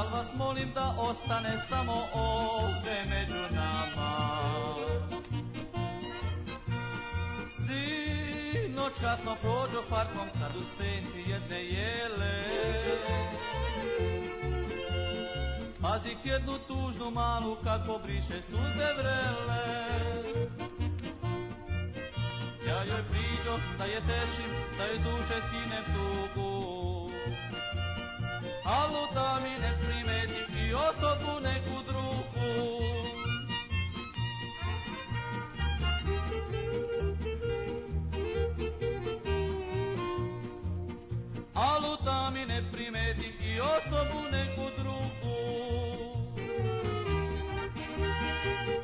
al vas molim da ostane samo ovde među nama. Sinoć kasno prođo parkom kad u senci jedne jele spazih jednu tužnu malu kako briše suze vrele. Ja joj priđoh da je tešim, da joj s duše skinem tugu, alu da mi ne primetim i osobu neku drugu. Alu da mi ne primetim i osobu neku drugu.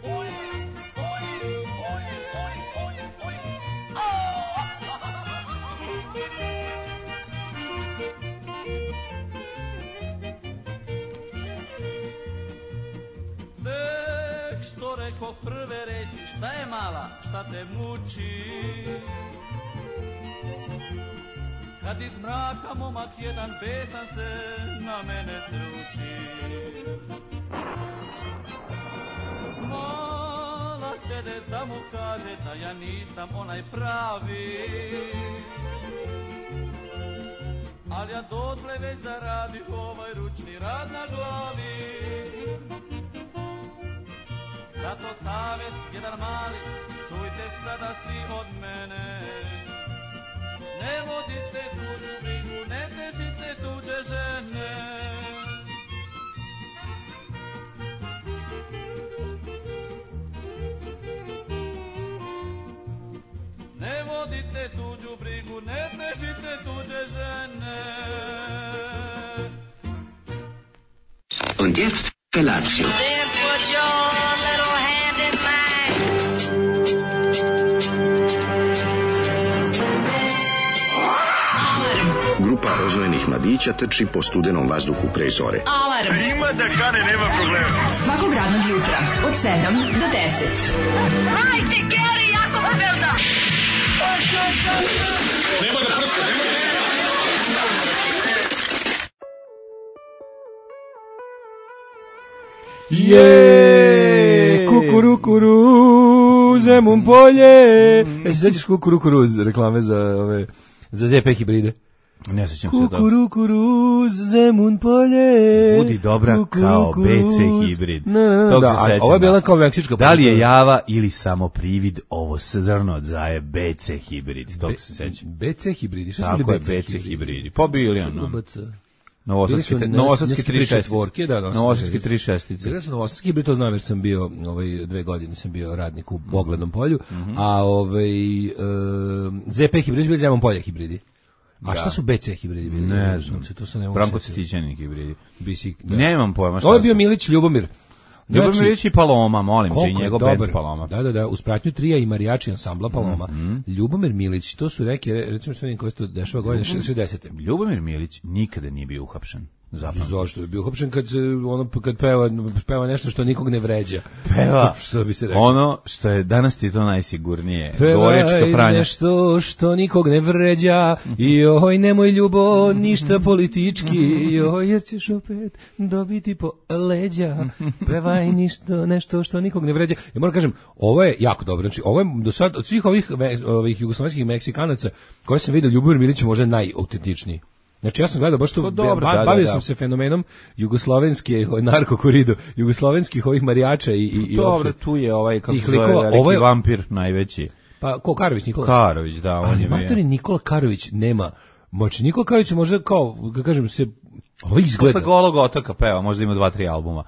Oj, oj, oj, oj, oj, oj. Nek što rekoh prve reći, šta je mala, šta te muči? Kad iz mraka momak jedan besan se na mene sruči. Mala htede da mu kaže da ja nisam onaj pravi, al ja dotle već zaradi ovaj ručni rad na glavi. Zato savjet jedan mali, čujte sada svi od mene. Ne vodite tuđu brigu, ne težite tuđe žene. Ne vodite tuđu brigu, ne težite tuđe žene. Und jetzt Felatio. Then put your little hand in mine. Grupa rozvojenih mladića trči po studenom vazduhu pre zore. Alarm. Ima da kane, nema problema. Svakog radnog jutra od 7 do 10. Hajde, Geri, jako se velda. Nema da prska, nema da... Kukurukuru, Zemun polje. Se sećaš Kukurukuru reklame za ZP hibride? Ne sećam se toga. Kukurukuru, Zemun polje. Budi dobra kao BC hibrid. Tog se sećam. Ovo je bila kao meksička. Da li je java ili samo privid, ovo zrno od zaje BC hibrid. Tog se sećam. BC hibridi, šta su tako bili je, BC hibridi. Pobili ono. Novosadski 3.6. Da, Novosadski 3.6. Ja sam Novosadski hibrid, to znam jer sam bio 2 godine sam bio radnik u Oglednom polju, a ZP hibridi bili Zemun polje hibridi. A šta su BC hibridi bili? Ne znam. Branko Cvetićanin hibridi. Nemam pojma šta. Ovo je bio Milić Ljubomir. Ljubomir Milić i Paloma, molim te, njegov band Paloma. Da, uz pratnju trija i marijači ansambla Paloma. Ljubomir Milić, to su recimo što vidim koje se to dešava godine 60. Ljubomir Milić nikada nije bio uhapšen. Zašto je bio uhapšen kad peva nešto što nikog ne vređa? Peva što bi se rekao. Ono što je danas ti to najsigurnije. Gorička Franja. Nešto što nikog ne vređa. Joj, nemoj ljubo, ništa politički. Joj, jer ćeš opet dobiti po leđa. Pevaj nešto što nikog ne vređa. Ja moram kažem, ovo je jako dobro. Znači, ovo je do sad od svih ovih jugoslovenskih Meksikanaca koje sam vidio, Ljubomir Milić možda najautentičniji. Znači ja sam gledao baš to, bavio sam se fenomenom jugoslovenske narkokorido, jugoslovenskih ovih marijača i dobro, tu je ovaj kako se zove veliki vampir najveći. Pa ko Karović Nikola? Karović, da, on je. Ali Nikola Karović nema. Moći Nikola Karović možda kao, da kažem se, ovo izgleda. Posle Golog otoka peva, možda ima 2-3 albuma.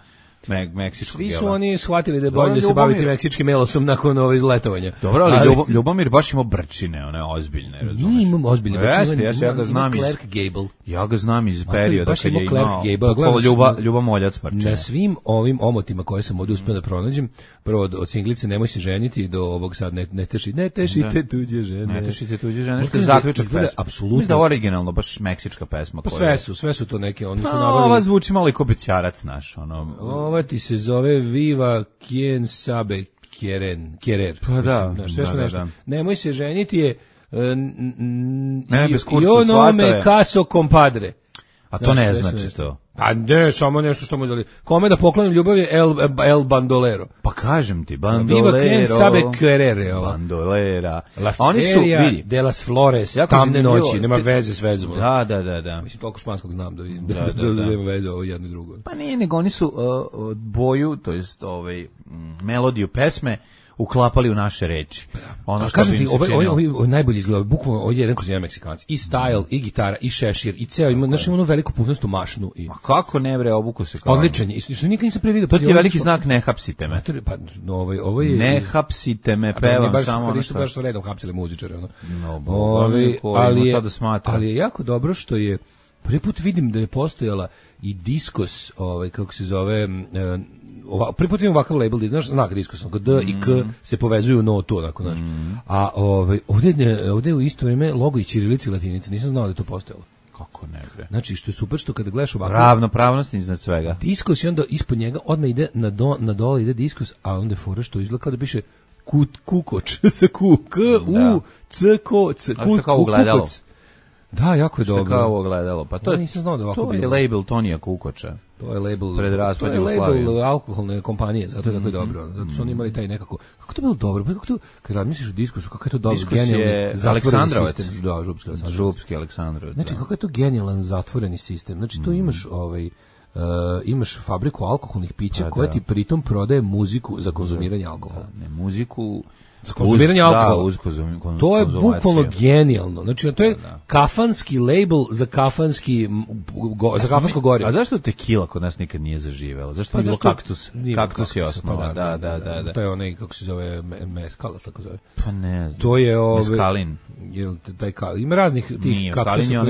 Meksičkog. Svi su oni shvatili da je bolje se baviti meksičkim melosom nakon letovanja. Dobro, ali Ljubomir baš ima brčine, one ozbiljne, razumiješ? Nije imam ozbiljne brčine. Ja ga znam iz Clark Gable. Ja ga znam iz perioda kad je imao Ljuba Moljac brčine. Na svim ovim omotima koje sam ovdje uspio da pronađem, prvo od singlice Nemoj se ženiti do ovog sad ne tešite tuđe žene. Ne tešite tuđe žene, što je zaključak pesma. Apsolutno. Mislim da originalno baš meksička pesma. Pa sve su to neke, oni su nabavili. Ova zvuči malo i ko bećarac naš, Ova ti se zove Viva Quien sabe querer. Pa da, sve su nešto. Nemoj se ženiti je bez kurcu i ono me caso compadre. A to ne sve znači nešto. to. Pa ne, samo nešto što mu zali. Kome da poklonim ljubav je El Bandolero. Pa kažem ti, Viva bandolero. quien sabe querer, ova. Bandolera. La Oni su, Feria vidi. de las Flores, Jako tamne zanimljivo. noći, nema veze s vezom. Da. Mislim, toliko španskog znam da vidim, Da. da nema veze ovo jedno i drugo. Pa nije, nego oni su boju, to jest melodiju pesme uklapali u naše reči. Ono A što kažem bi ti, im se činilo. ovo najbolje izgleda, bukvalno ovo je jedan kroz jedan Meksikanac. I style, i gitara, i šešir, i ceo, ima, znaš, ima onu veliku pufnastu mašnu. I Ma kako ne bre, obuku se kao. odličan je, i što nikad nisam previdio. To ti je veliki znak, ne hapsite me. Pa, ovo je... Ne hapsite me, A pevam baš, samo ono nisu što... baš su redom hapsili muzičare, ono. No, ali je jako dobro što je prvi put vidim da je postojala i diskos, kako se zove, prvi put vidim ovakav label, znaš, znak diskos, D i K se povezuju u notu, onako, znaš. A ovdje je u isto vrijeme logo i ćirilica i latinica, nisam znao da je to postojalo. Kako ne bre. Znači, što je super, što kada gledaš ovako... Ravnopravnost iznad svega. Diskos i onda ispod njega odmah ide na dole ide diskos, a onda je fora što izgleda kao da piše kukoč, sa ku, k, u, c, ko, c, kukoc. Da, jako je dobro. Što kao ogledalo. Pa to je, nisam znao da ovako to je bilo. label Tonija Kukoča. To je label, Pred raspad Jugoslavije. label alkoholne kompanije, zato je tako je dobro. Zato su oni imali taj nekako... Kako to bilo dobro? Kako to, kad razmisliš o diskusu, kako je to dobro, Diskus je genijalni Aleksandrovac. sistem. Da, Župski Aleksandrovac. Župski Aleksandrovac. Znači, kako je to genijalan zatvoreni sistem. Znači, tu imaš imaš fabriku alkoholnih pića koja ti pritom prodaje muziku za konzumiranje alkohola. Ne, muziku za konzumiranje alkohola. Da, uz to je bukvalno genijalno. Znači, to je kafanski label za kafansko gorivo. A zašto tequila kod nas nikad nije zaživela? Zašto nije bilo kaktus? Kaktus je osnova. Da. To je onaj, kako se zove, mezcal, tako zove. Pa ne znam. To je meskalin. Ima raznih tih kaktusa.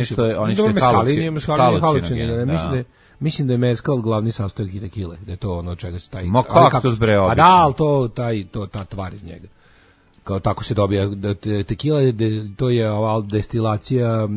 Mislim da je mezcal glavni sastojak i tekile, da je to ono čega se taj... Ma kaktus bre obično. A da, ali ta tvar iz njega. Kao tako se dobija tekila, to je destilacija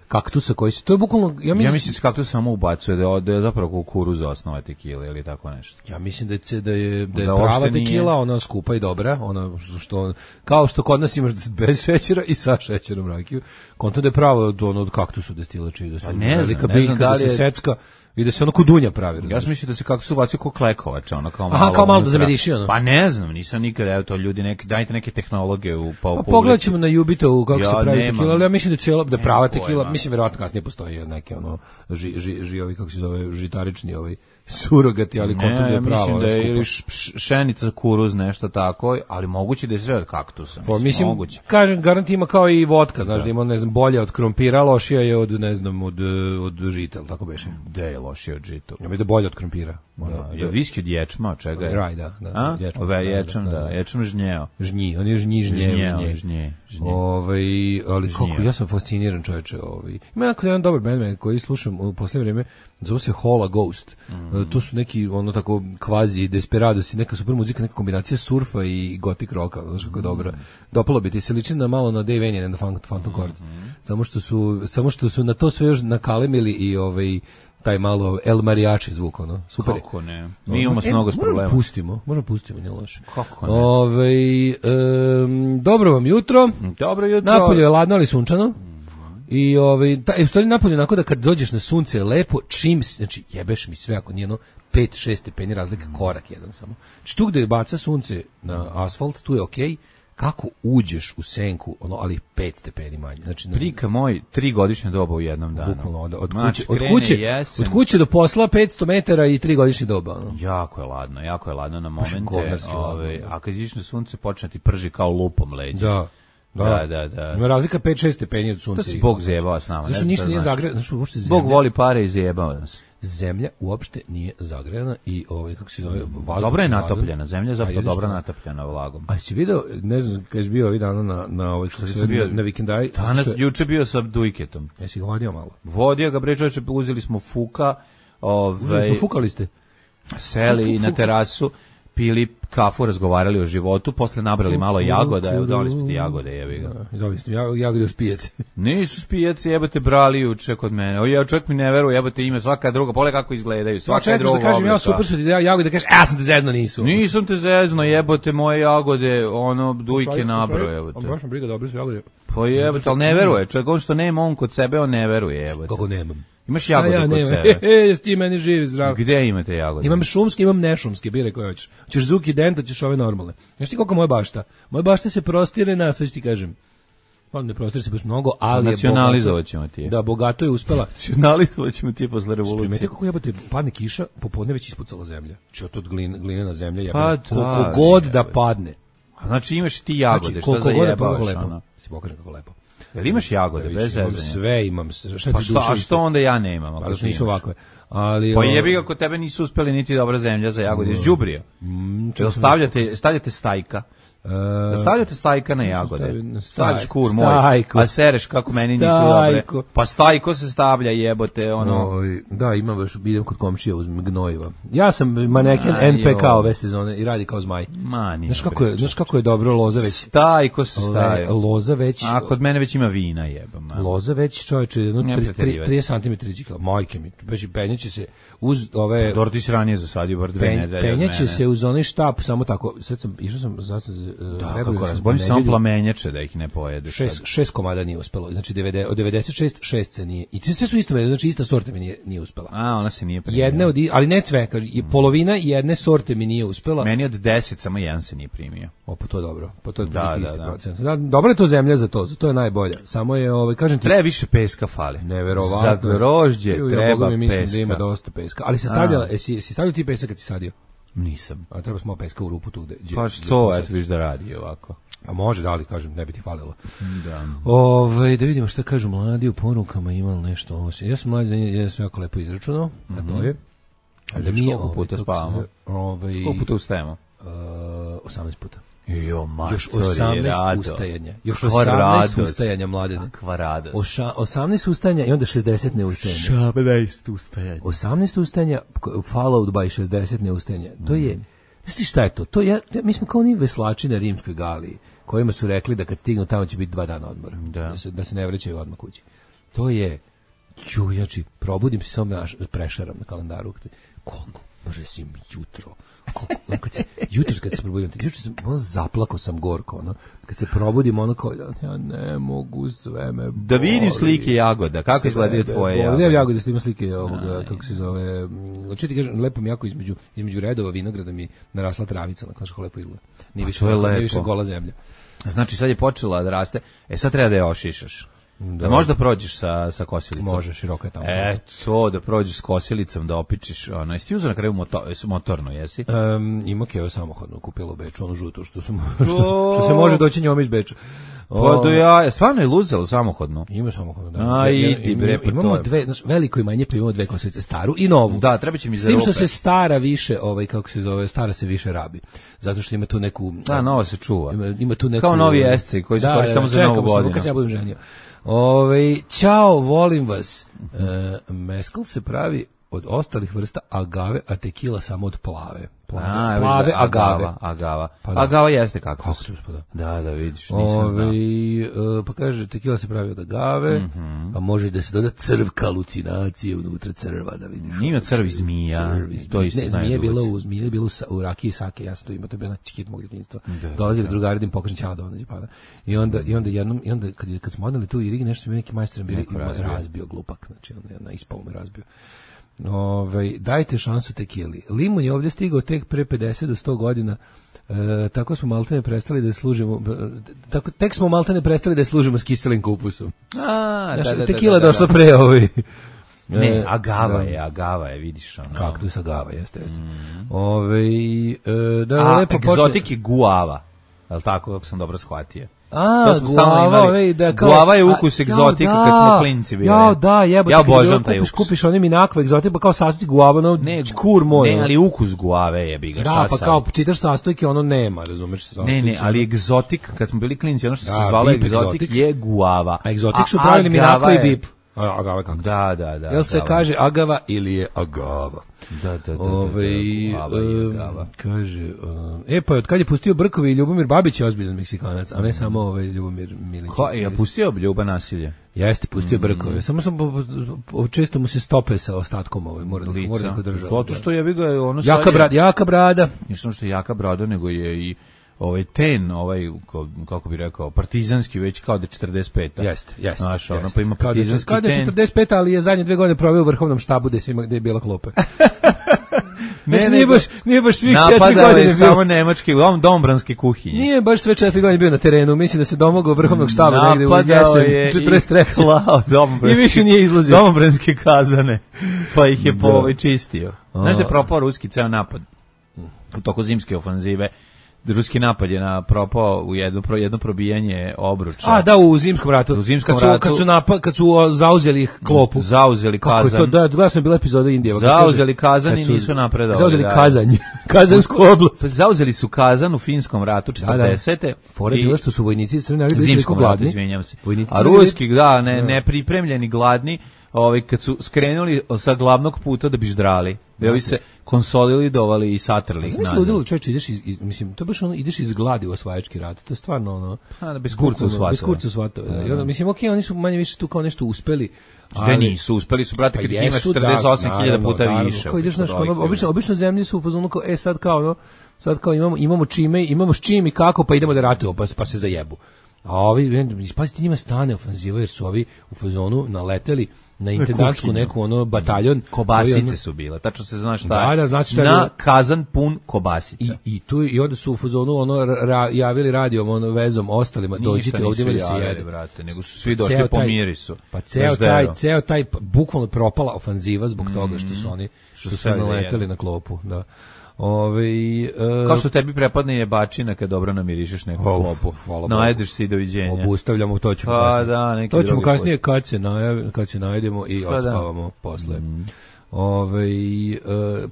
kaktusa koji se... To je bukvalno... Ja mislim se kaktus samo ubacuje, da je zapravo kukuruza osnova tekile ili tako nešto. Ja mislim da je prava tekila, ona skupa i dobra, ona što kao što kod nas imaš bez šećera i sa šećerom rakiju, konto da je pravo od kaktusa destilači, da se velika biljka, da se secka i da se ono kudunja pravi. Ja sam mislio da se kaktus ubacio kao klekovač, ono kao malo. Aha, kao malo da zamiriši ono. Pa ne znam, nisam nikad, evo to ljudi, dajte neke tehnologije u pogledat ćemo na Jubitovu kako se pravi tekila, ali ja mislim da prava tekila, mislim verovatno kasnije postoji neke ono ovi kako se zove, žitarični surogati, ali koliko je pravo. Mislim da je ili šenica, kuruz, nešto tako, ali moguće da je sve od kaktusa. Mislim, kažem, garant ima kao i vodka, znaš, da ima, ne znam, bolje od krompira, lošija je od, ne znam, od žita, tako beše. Da je lošija od žita? Ja mislim da je bolje od krompira. Je viski od ječma, čega je? Raj, da. Ječam žnjeo. On je žnje. Ali kako, ja sam fasciniran, čoveče. Ima jedan dobar band koji slušam u posljednje vrijeme, zove se Hola Ghost. To su neki, ono tako, kvazi desperadosi, neka super muzika, neka kombinacija surfa i gothic rocka, znaš kako je dobra. Dopalo bi ti se liči na malo na Dave Vanian, na Phantom Chords. Samo što su na to sve još nakalemili i taj malo El Mariachi zvuk, ono. Super. Kako ne? Mi imamo mnogo problema. Možemo pustimo, nije loše. Kako ne? Dobro vam jutro. Dobro jutro. Napolje je ladno, ali sunčano. I u stvari napolje onako da kad dođeš na sunce je lepo, znači jebeš mi sve ako nije 5-6 stepeni razlika, korak jedan samo. Znači tu gde baca sunce na asfalt, tu je okej. Kako uđeš u senku, ali 5 stepeni manje. Znači, prika moj 3 godišnje doba u jednom danu. Bukvalno, od kuće do posla 500 metara i 3 godišnje doba. Ono. Jako je ladno na momente. A kad iziš na sunce počne ti prži kao lupom leđa. Da. Ima razlika 5-6 stepeni od sunca. To se Bog zajebava s nama. Zašto ništa nije zagrejano? Bog voli pare i zajebava nas. Zemlja uopšte nije zagrejana i kako se zove, dobro je natopljena, zemlja je zapravo dobro natopljena vlagom. A si video, ne znam, kad si bio ovih dana na vikendaj? Juče bio sa Dujketom. Jesi ga vodio malo? Vodio ga, bre čoveče, uzeli smo Fuka. Fukali ste? Seli na terasu, pili kafu, razgovarali o životu, posle nabrali malo jagoda, evo dali smo ti jagode, jebi ga. Dali ste jagode u spijaci. Nisu spijaci, jebote, brali juče kod mene. Čovjek mi ne veruje, jebote, ima svaka druga, pole kako izgledaju, svaka druga oblika. Kažem, ja super su ti jagode, kažeš, ja sam te zezno, nisu. Nisam te zezno, jebote, moje jagode, Dujke nabro, jebote. Baš me briga, dobro su jagode. Pa Pa jebote, ali ne veruje. Čovjek, on što nema on kod sebe, on ne veruje, jebote. Kako nemam? Imaš jagode kod nemam. sebe? Ti meni živi zdrav. Gde imate jagode? Imam šumske, imam nešumske, biraj koje hoćeš. Hoćeš Zuki Dento, ćeš ove normalne. Znaš ti koliko moja bašta? Moja bašta se prostire na, sad ću ti kažem, ne prostire se baš mnogo, ali je nacionalizovat ćemo ti je. Da, bogato je uspela. Nacionalizovat ćemo ti je posle revolucije. Primeti kako jebote, padne kiša, popodne već ispucala zemlja. Či od glinena zemlja jebena. Pa da, koliko god da padne. Znači imaš ti jagode, znači, šta za jebaš? Lepo. Si pokažem kako lepo. Jel imaš jagode, bez zezanja? Sve imam. Pa što onda ja nemam? Pa što nisu ovakve. Ali, pa jebi ga, kod tebe nisu uspeli niti dobra zemlja za jagode, iz đubrija. Stavljate stajka. Stavljate stajka na jagode. Stavljaš kur moj. A sereš kako meni nisu dobre. Pa stajko se stavlja, jebote, ono. Da, imam baš, idem kod komšija uz gnojiva. Ja sam maneken NPK ove sezone i radi kao zmaj. Znaš kako je dobro loza već. Stajko se stavlja. Loza već. A kod mene već ima vina, jebam. Loza već, čovječe, 30 cm riđikla. Majke mi, već penjeće se uz ove. Dobro, ti si ranije zasadio bar 2 nedelje. Penjeće se uz onaj štap, samo tako. Sad sam išao sam da, kako razborim samo plamenjače da ih ne pojedeš. 6 komada nije uspelo. Znači od 96 6 se nije. I sve su isto, znači ista sorta mi nije uspela. A, ona se nije primila. Jedne ali ne sve, kaže, i polovina jedne sorte mi nije uspela. Meni od 10 samo jedan se nije primio. Pa to je dobro. Pa to je procent. Da, dobra je to zemlja za to je najbolja. Samo je kažem ti, treba više peska fali. Neverovatno. Za grožđe treba peska. Mislim da ima dosta peska. Ali se stavljala, si stavljao ti pesak kad si sadio? Nisam. A treba smo peska u rupu tu gde. Pa što, eto viš da radi ovako. A može, da li kažem, ne bi ti falilo. Da. Da vidimo šta kažu mladi u porukama, ima nešto. Ja sam mladi, ja sam jako lepo izračunao, a to je da mi koliko puta spavamo? Koliko puta ustajemo? 18 puta. Još 18 ustajanja. Još 18 ustajanja, mladene. Kakva radost. 18 ustajanja i onda 60 neustajanja. 16 ustajanja. 18 ustajanja followed by 60 neustajanja. To je, znaš šta je to? Mi smo kao oni veslači na rimskoj galiji, kojima su rekli da kad stignu tamo će biti 2 dana odmora. Da se ne vraćaju odmah kući. To je, znači, probudim se samo prešaram na kalendaru. Koliko može si jutro? Jutro kad se probudim, juče sam zaplakao sam gorko, kad se probudim kao ja ne mogu sve me boli. Da vidim slike jagoda, kako izgledaju tvoje jagode? Ne jagode, snimam slike ovoga, kako se zove, hoću ti kažem, lepo mi jako između redova vinograda mi narasla travica, kako lepo izgleda. Nije više gola zemlja. Znači sad je počela da raste, sad treba da je ošišaš. Da možda prođeš sa kosilicom. Može, široko je tamo. To da prođeš s kosilicom, da opičiš, jesi ti uzeo na kraju motorno, jesi? Ima Keva samohodno kupila u Beču, onu žutu, što se može doći njome iz Beča. Pa stvarno je luzalo samohodno. Ima samohodno, da. Imamo dve, znaš, veliko imanje, pa imamo 2 kosilice, staru i novu. Da, treba će mi za rupe. S tim što se stara više, kako se zove, stara se više rabi. Zato što ima tu neku... Da, nova se čuva. Ima tu neku... Kao novi esci koji se koristi samo za novu godinu. Kad ja budem ženio. Ćao, volim vas. Meskal se pravi od ostalih vrsta agave, a tekila samo od plave. Plave agave. Agava jeste kaktus. Da, vidiš, nisam znao. Pa kaže, tekila se pravi od agave, a može da se doda crvka, halucinacije unutra crva, da vidiš. Nije crvi zmija. Zmija je bilo u rakiji sake, ja sam to imao, to je bila čikit mog djetinjstva. Dolazili drugari da im pokažem ćala da onađe pada. I onda kad smo odnali tu i Rigi, nešto mi neki majstor bili razbio glupak, znači on ispalo me razbio. Dajte šansu tekili. Limun je ovdje stigao tek pre 50 do 100 godina. Tako smo maltene prestali da služimo. Tek smo maltene prestali da služimo s kiselim kupusom. Tekila došla pre Ne, agava je, vidiš. Kaktus agava, jeste. Egzotik je guava. Je li tako, kako sam dobro shvatio? Guava je ukus egzotika kad smo klinci bili. Ja obožavam taj ukus. Kupiš onim inakva egzotika, pa kao sastojci guava, čkur moj. Ne, ali ukus guave je biga. Da, pa kao čitaš sastojke, ono nema, razumeš? Ne, ali egzotik, kad smo bili klinci, ono što se zvalo egzotik je guava. A egzotik su pravili minakva i bip. Agava kako? Da. Jel se kaže agava ili je agava? Da. Kaže, pa od kad je pustio Brkovi i Ljubomir Babić je ozbiljan Meksikanac, a ne samo Ljubomir Milić. Je pustio Ljuba nasilje? Jeste, pustio Brkovi. Samo sam često mu se stope sa ostatkom mora da podržava. Zato što je ono jaka brada. Nisam što je jaka brada, nego je i ten, kako bi rekao, partizanski već kao da 45. Jeste. Znaš, ono pa ima partizanski ten. Kao da 45, ali je zadnje 2 godine proveo u vrhovnom štabu gde je bila klopa. Nije baš svih 4 godine napadao je samo nemački, dombranske kuhinje. Nije baš sve 4 godine bio na terenu, mislim da se domogao vrhovnog štaba negde u jesen 43. I više nije izlazio. Dombranske kazane, pa ih je čistio. Znaš da je propao ruski ceo napad u toku zimske ofanzive. Ruski napad je propao u jedno probijanje obruča. Da, u zimskom ratu. Kad su zauzeli klopu. Zauzeli Kazan. Kako je to? Da, gledao sam bila epizoda Indije. Zauzeli Kazan i nisu napredovali. Zauzeli Kazanj. Kazansku oblast. Zauzeli su Kazan u Finskom ratu 40. Fore bilo što su vojnici Crne Armije bili zimskom ratu, izvinjam se. A ruski, nepripremljeni, gladni, kad su skrenuli sa glavnog puta da bi ždrali. Da ovi se konsolidovali i satrli. Znaš što ludilo, čovječe, to baš ideš iz gladi u osvajački rat, to je stvarno bez kurca u svatove. Bez kurca u svatove. Mislim, oni su manje više tu kao nešto uspeli. Da nisu, uspeli su, brate, kad ih ima 48.000 puta više. Kao ideš, obično zemlje su u fazonu kao, sad kao imamo s čim i kako, pa idemo da ratujemo, pa se zajebu. A ovi, pazite, njima stane ofanziva, jer su ovi u fazonu naleteli na intendantsku neku bataljon. Kobasice su bile, tačno se zna šta je. Znači na Kazan pun kobasica. I onda su u fazonu javili radijom, vezom ostalima, dođite ovdje da se jede. Brate, nego su svi došli po mirisu. Pa ceo taj bukvalno propala ofanziva zbog toga što su oni naleteli na klopu, da. Kao što tebi prepadne jebačina kad dobro namirišeš neku klopu. Najedeš se i doviđenja. Obustavljamo, to ćemo kasnije. To ćemo kasnije kad se najedemo i odspavamo posle.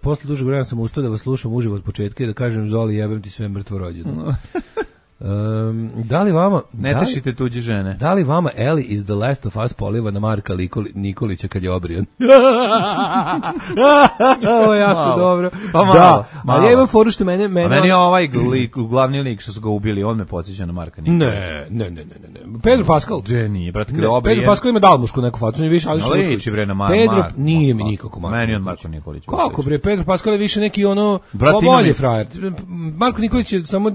Posle dužeg vremena sam ustao da vas slušam uživo od početka i da kažem Zoli, jebem ti sve mrtvo rođeno. Da li vama ne tešite tuđe žene? Da li vama Eli iz The Last of Us poliva na Marka Nikolića kad je obrijan? Ovo je jako dobro. Pa malo, da, ali ja imam foru što meni je ovaj glavni lik što su ga ubili, on me podsjeća na Marka Nikolića. Ne. Pedro Pascal. De nije, brate, kada je obrijan. Pedro Pascal ima dalmušku neku facu, on je više ali što liči bre na Marka. Pedro nije mi nikako Marko. Meni on Marko Nikolić. Kako bre, Pedro Pascal je više neki bolji frajer. Marko Nikolić je samo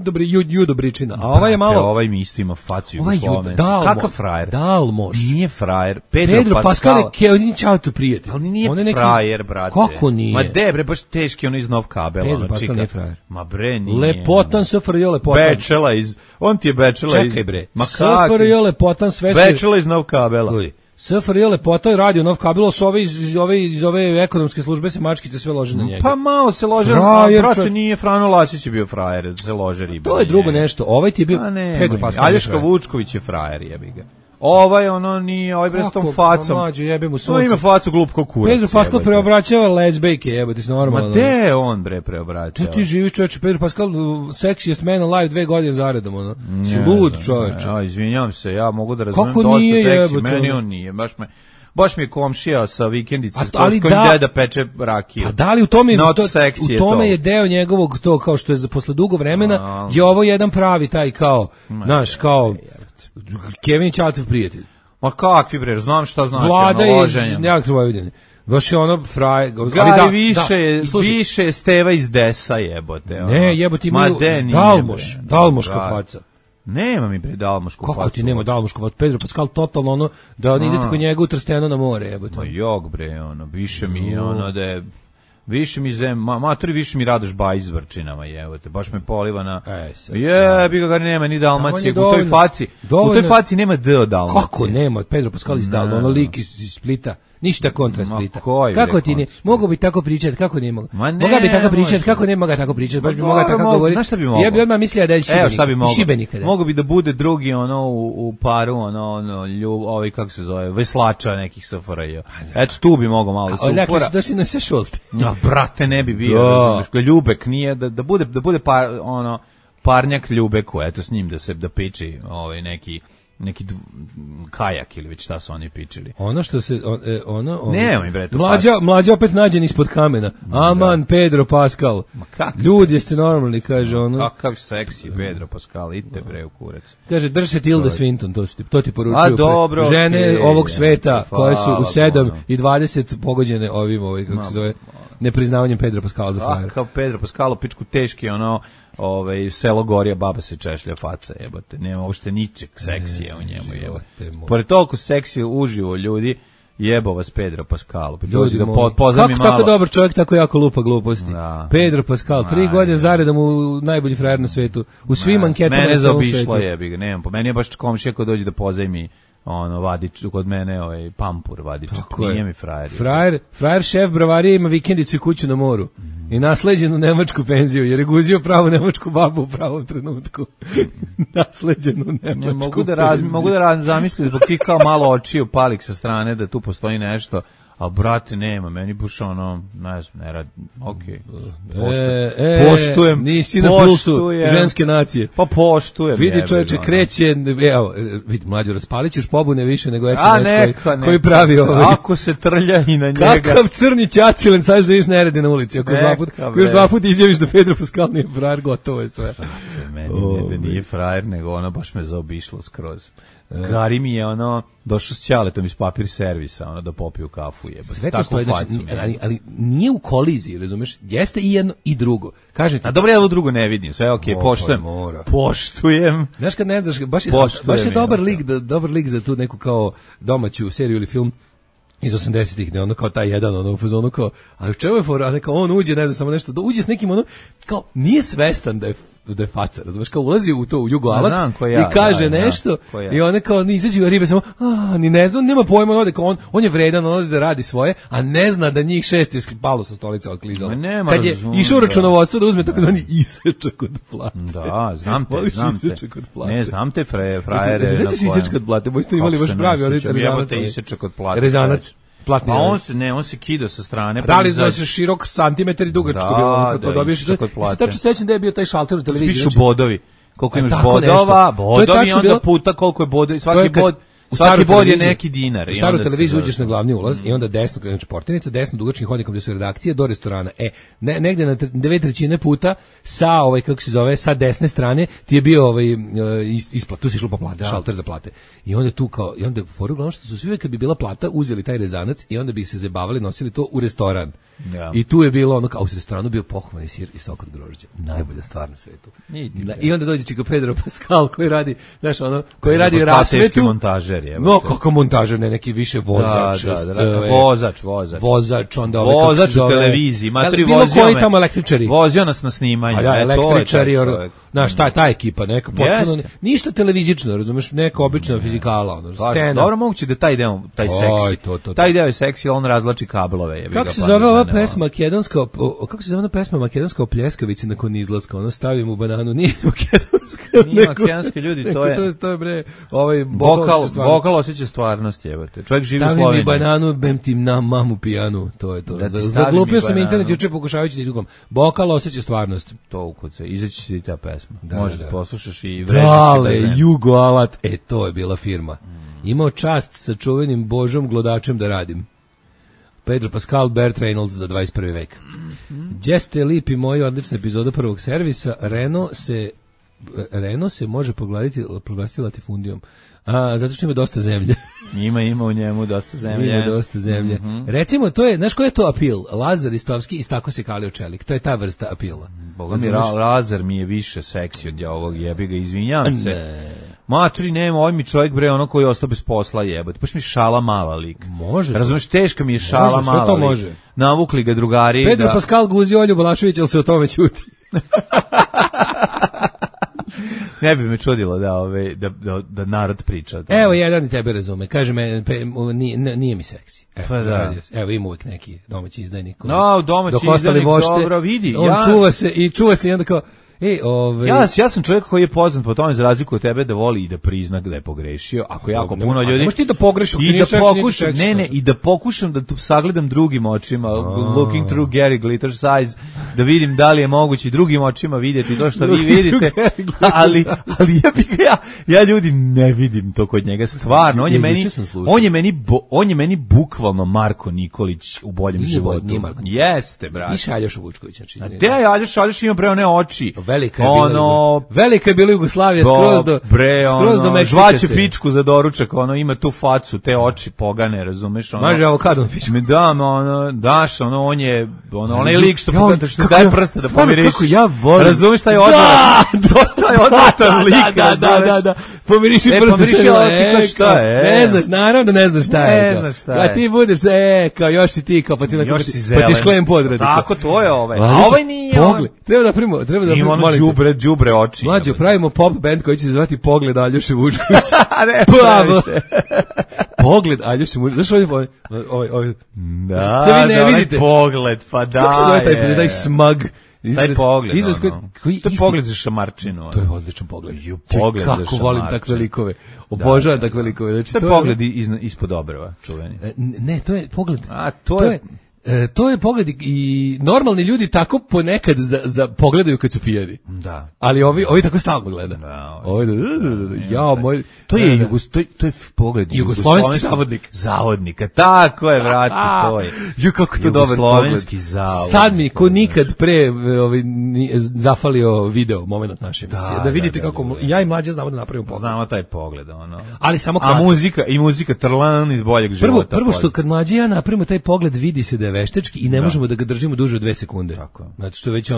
dobričina. A ovaj je malo... Ovaj mi isto ima facu jugoslovene. Kakav frajer? Dalmoš. Nije frajer. Pedro Pascal je on čao tu prijatelj. Ali nije frajer, brate. Kako nije? Ma bre, baš teški ono iz Nov kabela. Pedro Pascal nije frajer. Ma bre, nije. Lepotan, SFRJ lepotan. Bečela iz... On ti je Bečela iz... Čekaj bre. SFRJ lepotan, sve su... Bečela iz Nov kabela. SFRJ lepota i radio Nov kabelo su iz ove ekonomske službe se mačkice sve lože na njega. Pa malo se lože, brate, nije Frano Lasić je bio frajer, se lože riba. To je drugo nešto, ovaj ti je bio Pedro Pascal. Aljoška Vučković je frajer, jebi ga. Ovaj nije, ovaj bre s tom facom. Mađo, jebe mu sunce. On ima facu glupko kurac. Pedro Pascal preobraćava lezbejke, jebote, se normalno. Ma te on bre preobraćava. Ti živiš, čoveče, Pedro Pascal sexiest man alive 2 godine zaredom, Si lud, čoveče. Izvinjavam se, ja mogu da razumem dosta seksi, meni on nije, baš mi je komšija sa vikendice s kojim deda peče rakiju. A da li u tome je deo njegovog to kao što je posle dugo vremena je ovo jedan pravi taj kao, znaš, kao Kevin Čatov prijatelj. Ma kakvi bre, znam šta znači Vlada iz nekakve Vojvodine. Baš je ono fraj... Više je Steva iz Desa jebote. Ne, jebote imaju Dalmoška faca. Nema mi bre dalmošku facu. Kako ti nema dalmošku facu? Pedro Pascal totalno da idete kod njega u Trsteno na more jebote. Ma jog bre, više mi je da je... Više mi Radoš Bajić s vrčinama, jebote, baš me poliva na... Jebi ga nema ni Dalmacije, u toj faci nema D od Dalmacije. Kako nema, Pedro Pascal iz Dalmacije, ono lik iz Splita, ništa kontra Splita. Kako ti ne, mogu bi tako pričati, kako ne mogu? Moga bi tako pričati, kako ne moga tako pričati, baš bi moga tako govoriti. Znaš šta bi mogo? Ja bi odmah mislio da je Šibenik. Mogu bi da bude drugi u paru, ovaj kako se zove, veslača nekih SFRJ. Eto tu bi mogo malo supora. Dakle su došli na sve šolte. Brate, ne bi bio, Ljubek nije, da bude parnjak Ljubeku, eto s njim da piči neki kajak ili već šta su oni pičili. Ono što se nemoj bre, mlađa opet nađen ispod kamena. Aman Pedro Pascal. Ljudi jeste normalni, kaže ono. Kakav seksi Pedro Pascal, idite bre u kurac. Kaže drži se Tilda Swinton, to ti poručuju. Žene ovog sveta koje su u 7 i 20 pogođene ovim kako se zove. nepriznavanjem Pedro Pascala za frajera. Kao Pedro Pascalo, pičku teški, ono, selo Gorija, baba se češlja faca, jebote. Nema uopšte ničeg seksija u njemu, jebote. Pored toliko seksije uživo ljudi, jebo vas Pedro Pascalo. Ljudi kako tako dobar čovjek, tako jako lupa gluposti. Da. Pedro Pascal, 3 godine zaredom u najbolji frajer na svetu. U svim anketama mene zaobišlo jebi ga, nemam. Po meni je baš komšija ko dođe da pozajmi vadič kod mene, pampur vadičak, nije mi frajer. Frajer šef bravarije ima vikendicu i kuću na moru. I nasleđenu nemačku penziju, jer je guzio pravu nemačku babu u pravom trenutku. Nasleđenu nemačku penziju. Mogu da zamislim zbog tih kao malo očiju palik sa strane da tu postoji nešto, a brate nema, meni buš ne radi, okej. Poštujem. Nisi na pulsu ženske nacije. Pa poštujem. Vidi čovječe, kreće, evo, vidi mlađo, raspalit ćeš pobune više nego SNS koji pravi ovo. Ako se trlja i na njega. Kakav crni ćacilen, sad da viš neredi na ulici. Ako još dva put izjaviš da Pedro Pascal nije frajer, gotovo je sve. Meni da nije frajer, nego ono baš me zaobišlo skroz. Gari mi je došao s ćaletom iz papir servisa, da popiju kafu, jebate. Sve to stoji, ali nije u koliziji, razumeš? Jeste i jedno i drugo. Kažete. A dobro, ja ovo drugo ne vidim, sve okej, poštujem. Znaš kad ne znaš, baš je dobar lik za tu neku kao domaću seriju ili film iz 80-ih, ne, kao taj jedan, u fazonu kao, a u čemu je fora, neka on uđe, ne znam, samo nešto, uđe s nekim, kao, nije svestan da je faca, razumeš, kao ulazi u to, u jugoalat i kaže nešto i on kao, izađe ribe samo, ni ne znam, nema pojma, on je vredan, on ode da radi svoje, a ne zna da njih 6 je palo sa stolica od klizala. Kad je išao u računovodstvo da uzme tako zvani isečak od plate. Da, znam te. Ne, znam te frajere. Znaš isečak od plate, boj ste imali baš pravi, rezanac. Pa on se kida sa strane. Da li znači širok santimetar i dugačko bilo, to dobiješ. Tačno sećam da je bio taj šalter u televiziji. Pišu bodovi. Koliko imaš bodova, bodovi onda puta koliko je bodovi, svaki bod je neki dinar. U staru televiziju uđeš na glavni ulaz i onda desno kreneš portirnica, desno dugačnim hodnikom gde su redakcije do restorana. Negde na 2/3 puta sa kako se zove, sa desne strane ti je bio isplat, tu si išlo po plate, šalter za plate. I onda tu kao, i onda foru glavno što su svi uvek kad bi bila plata uzeli taj rezanac i onda bi se zabavali, nosili to u restoran. Ja. I tu je bilo kao u restoranu bio pohvalni sir i sok od grožđa. Najbolja stvar na svetu. I onda dođe čika Pedro Pascal koji radi, znaš, koji radi rasvetu. Montažer je. No, kako montažer, ne neki više vozač. Vozač, onda vozač u televiziji, matri vozio. Bilo koji tamo električari. Vozio nas na snimanje. Da, električari, znaš, ta ekipa, neka potpuno, ništa televizično, razumeš, neka obična fizikala, scena. Dobro, moguće da taj deo, taj seks. Taj deo je seksi, on razvlači kablove. Kako se zove ova pesma makedonska, kako se zove ona pesma makedonska o pljeskavici nakon izlaska, stavim u bananu, nije makedonska. Nije makedonski ljudi, to je bre, vokal osjeća stvarnost, jebote. Čovjek živi u Sloveniji. Stavim mi bananu, bem ti na mamu pijanu, to je to. Zaglupio sam internet juče pokušavajući da izgubam. Vokal osjeća stvarnost. To ukuce, izaći si ta pesma. Možeš da poslušaš i vređiš. Dale, Jugoalat, to je bila firma. Imao čast sa čuvenim Božom Glodačem da radim. Pedro Pascal, Burt Reynolds za 21. vek. Gdje ste lipi moji odlična epizoda prvog servisa, Renault se može proglasiti latifundijom. Zato što ima dosta zemlje. Ima u njemu dosta zemlje. Ima dosta zemlje. Recimo, to je, znaš koji je to apil? Lazar Istovski istako se kalio čelik. To je ta vrsta apila. Boga mi, Lazar mi je više seksi od ovog jebiga, izvinjavam se. Maturi, nema, ovaj mi čovjek bre, koji je ostao bez posla, jebate. Paš mi šala mala lik. Može. Razumeš, teška mi je šala mala lik. Može. Navukli ga drugari. Pedro Pascal guzi Olju Balašević, ali se o tome ćuti. Ne bi me čudilo da narod priča. Evo, jedan i tebe razume. Kaže me, nije mi seksi. Evo, ima uvijek neki domaći izdajnik. Domaći izdajnik, dobro, vidi. On čuva se i onda kao, ja sam čovjek koji je poznat po tome, za razliku od tebe, da voli i da prizna da je pogrešio. Ako jako puno ljudi... Možeš ti da pogrešiš, i da pokušam da sagledam drugim očima, looking through Gary Glitter's eyes, da vidim da li je moguće drugim očima vidjeti to što vi vidite, ali ja ljudi ne vidim to kod njega, stvarno. On je meni bukvalno Marko Nikolić u boljem životu. Jeste, brate. I Šaljoša Vučković. Aljoš ima bre one oči. velika je bila. Velika je bila Jugoslavija skroz do Meksike. Žvaće pičku za doručak, ima tu facu, te oči pogane, razumeš? Maže avokadom pičku. Mi dam, daš, on je, onaj lik što daje prste da pomiriš. Kako ja volim. Razumeš taj odvratan? Taj odvratan lik. Da. Pomiriši prste. Šta je? Ne znaš, naravno da ne znaš šta je. Ne znaš šta je. A ti budeš, kao još si ti, kao pa ti šklem podrati. Tako, to je ovaj. A ovaj nije. Pogled. Treba da primimo, ima ono đubre oči. Mlađo, pravimo pop band koji će se zvati Pogled Aljoše Vučkovića. Pogled Aljoše Vučkovića. Znaš ovaj. Da, onaj pogled, pa da. Kako se zove taj smag? Taj pogled, to je pogled za šamarčinu. To je odličan pogled. Kako volim takve likove. Obožavam takve likove. Znači, to je pogled ispod obrva, čuveni. Ne, to je pogled. A, to je... To je pogled i normalni ljudi tako ponekad za pogledaju kad su pijani. Da. Ali ovi tako stalno gleda. Da. To je pogled jugoslovenski zavodnik. Zavodnika. Tako je, vrati, to je. Kako to dobar pogled. Sad mi ko nikad pre zafalio video moment naše emisije. Da vidite kako ja i Mlađa znamo da napravimo pogled. Znamo taj pogled, Ali samo kratko. A muzika trlan iz boljeg života. Prvo što kad Mlađa i ja napravimo taj pogled, vidi se da je veštački i ne možemo da ga držimo duže od 2 sekunde. Tako. Znači što već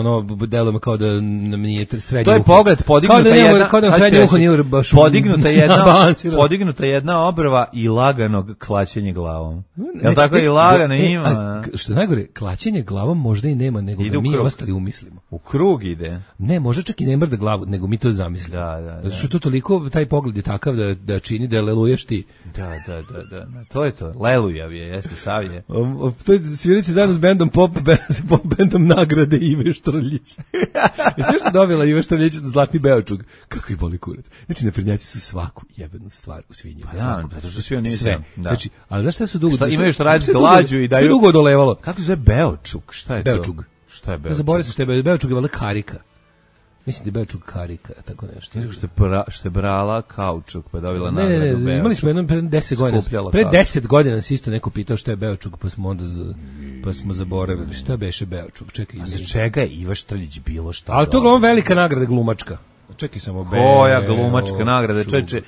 deluje kao da nam nije srednje. To je pogled, podignuta jedna obrva i laganog klaćenja glavom. Jel tako i lagano ima? Što najgore, klaćenje glavom možda i nema, nego da mi ostali umislimo. U krug ide. Ne, možda čak i ne mrda glavu, nego mi to zamislimo. Da. Zato što to toliko, taj pogled je takav da čini da leluješ ti. Da. To je to. Lelujav je, jeste savje. To je svirici zajedno s pop bandom nagrade Ive Štrljić. I sve što dobila Ive Štrljić Zlatni Beočug. Kako ih boli kurac. Znači, naprednjaci su svaku jebenu stvar u svinju. Pa da, zato što svi oni sve. Znači, ali znaš šta su dugo... Imaju što raditi lađu i daju... Sve dugo odolevalo. Kako se zove Beočug? Šta je Beočug. To? Šta je Beočug? Zaboravim se što je Beočug je valjda karika. Mislim da je Beočug karika, tako nešto. Što je brala kaučuk, pa dobila nagradu Beočug. Ne, imali smo jednom pre 10 godina. Pre 10 godina se isto neko pitao šta je Beočug, pa smo onda zaboravili. Šta beše Beočug? Čekaj. A za čega je Iva Štrljić bilo šta? Ali to je velika nagrada glumačka. Čekaj samo koja glumačka nagrada, čeče,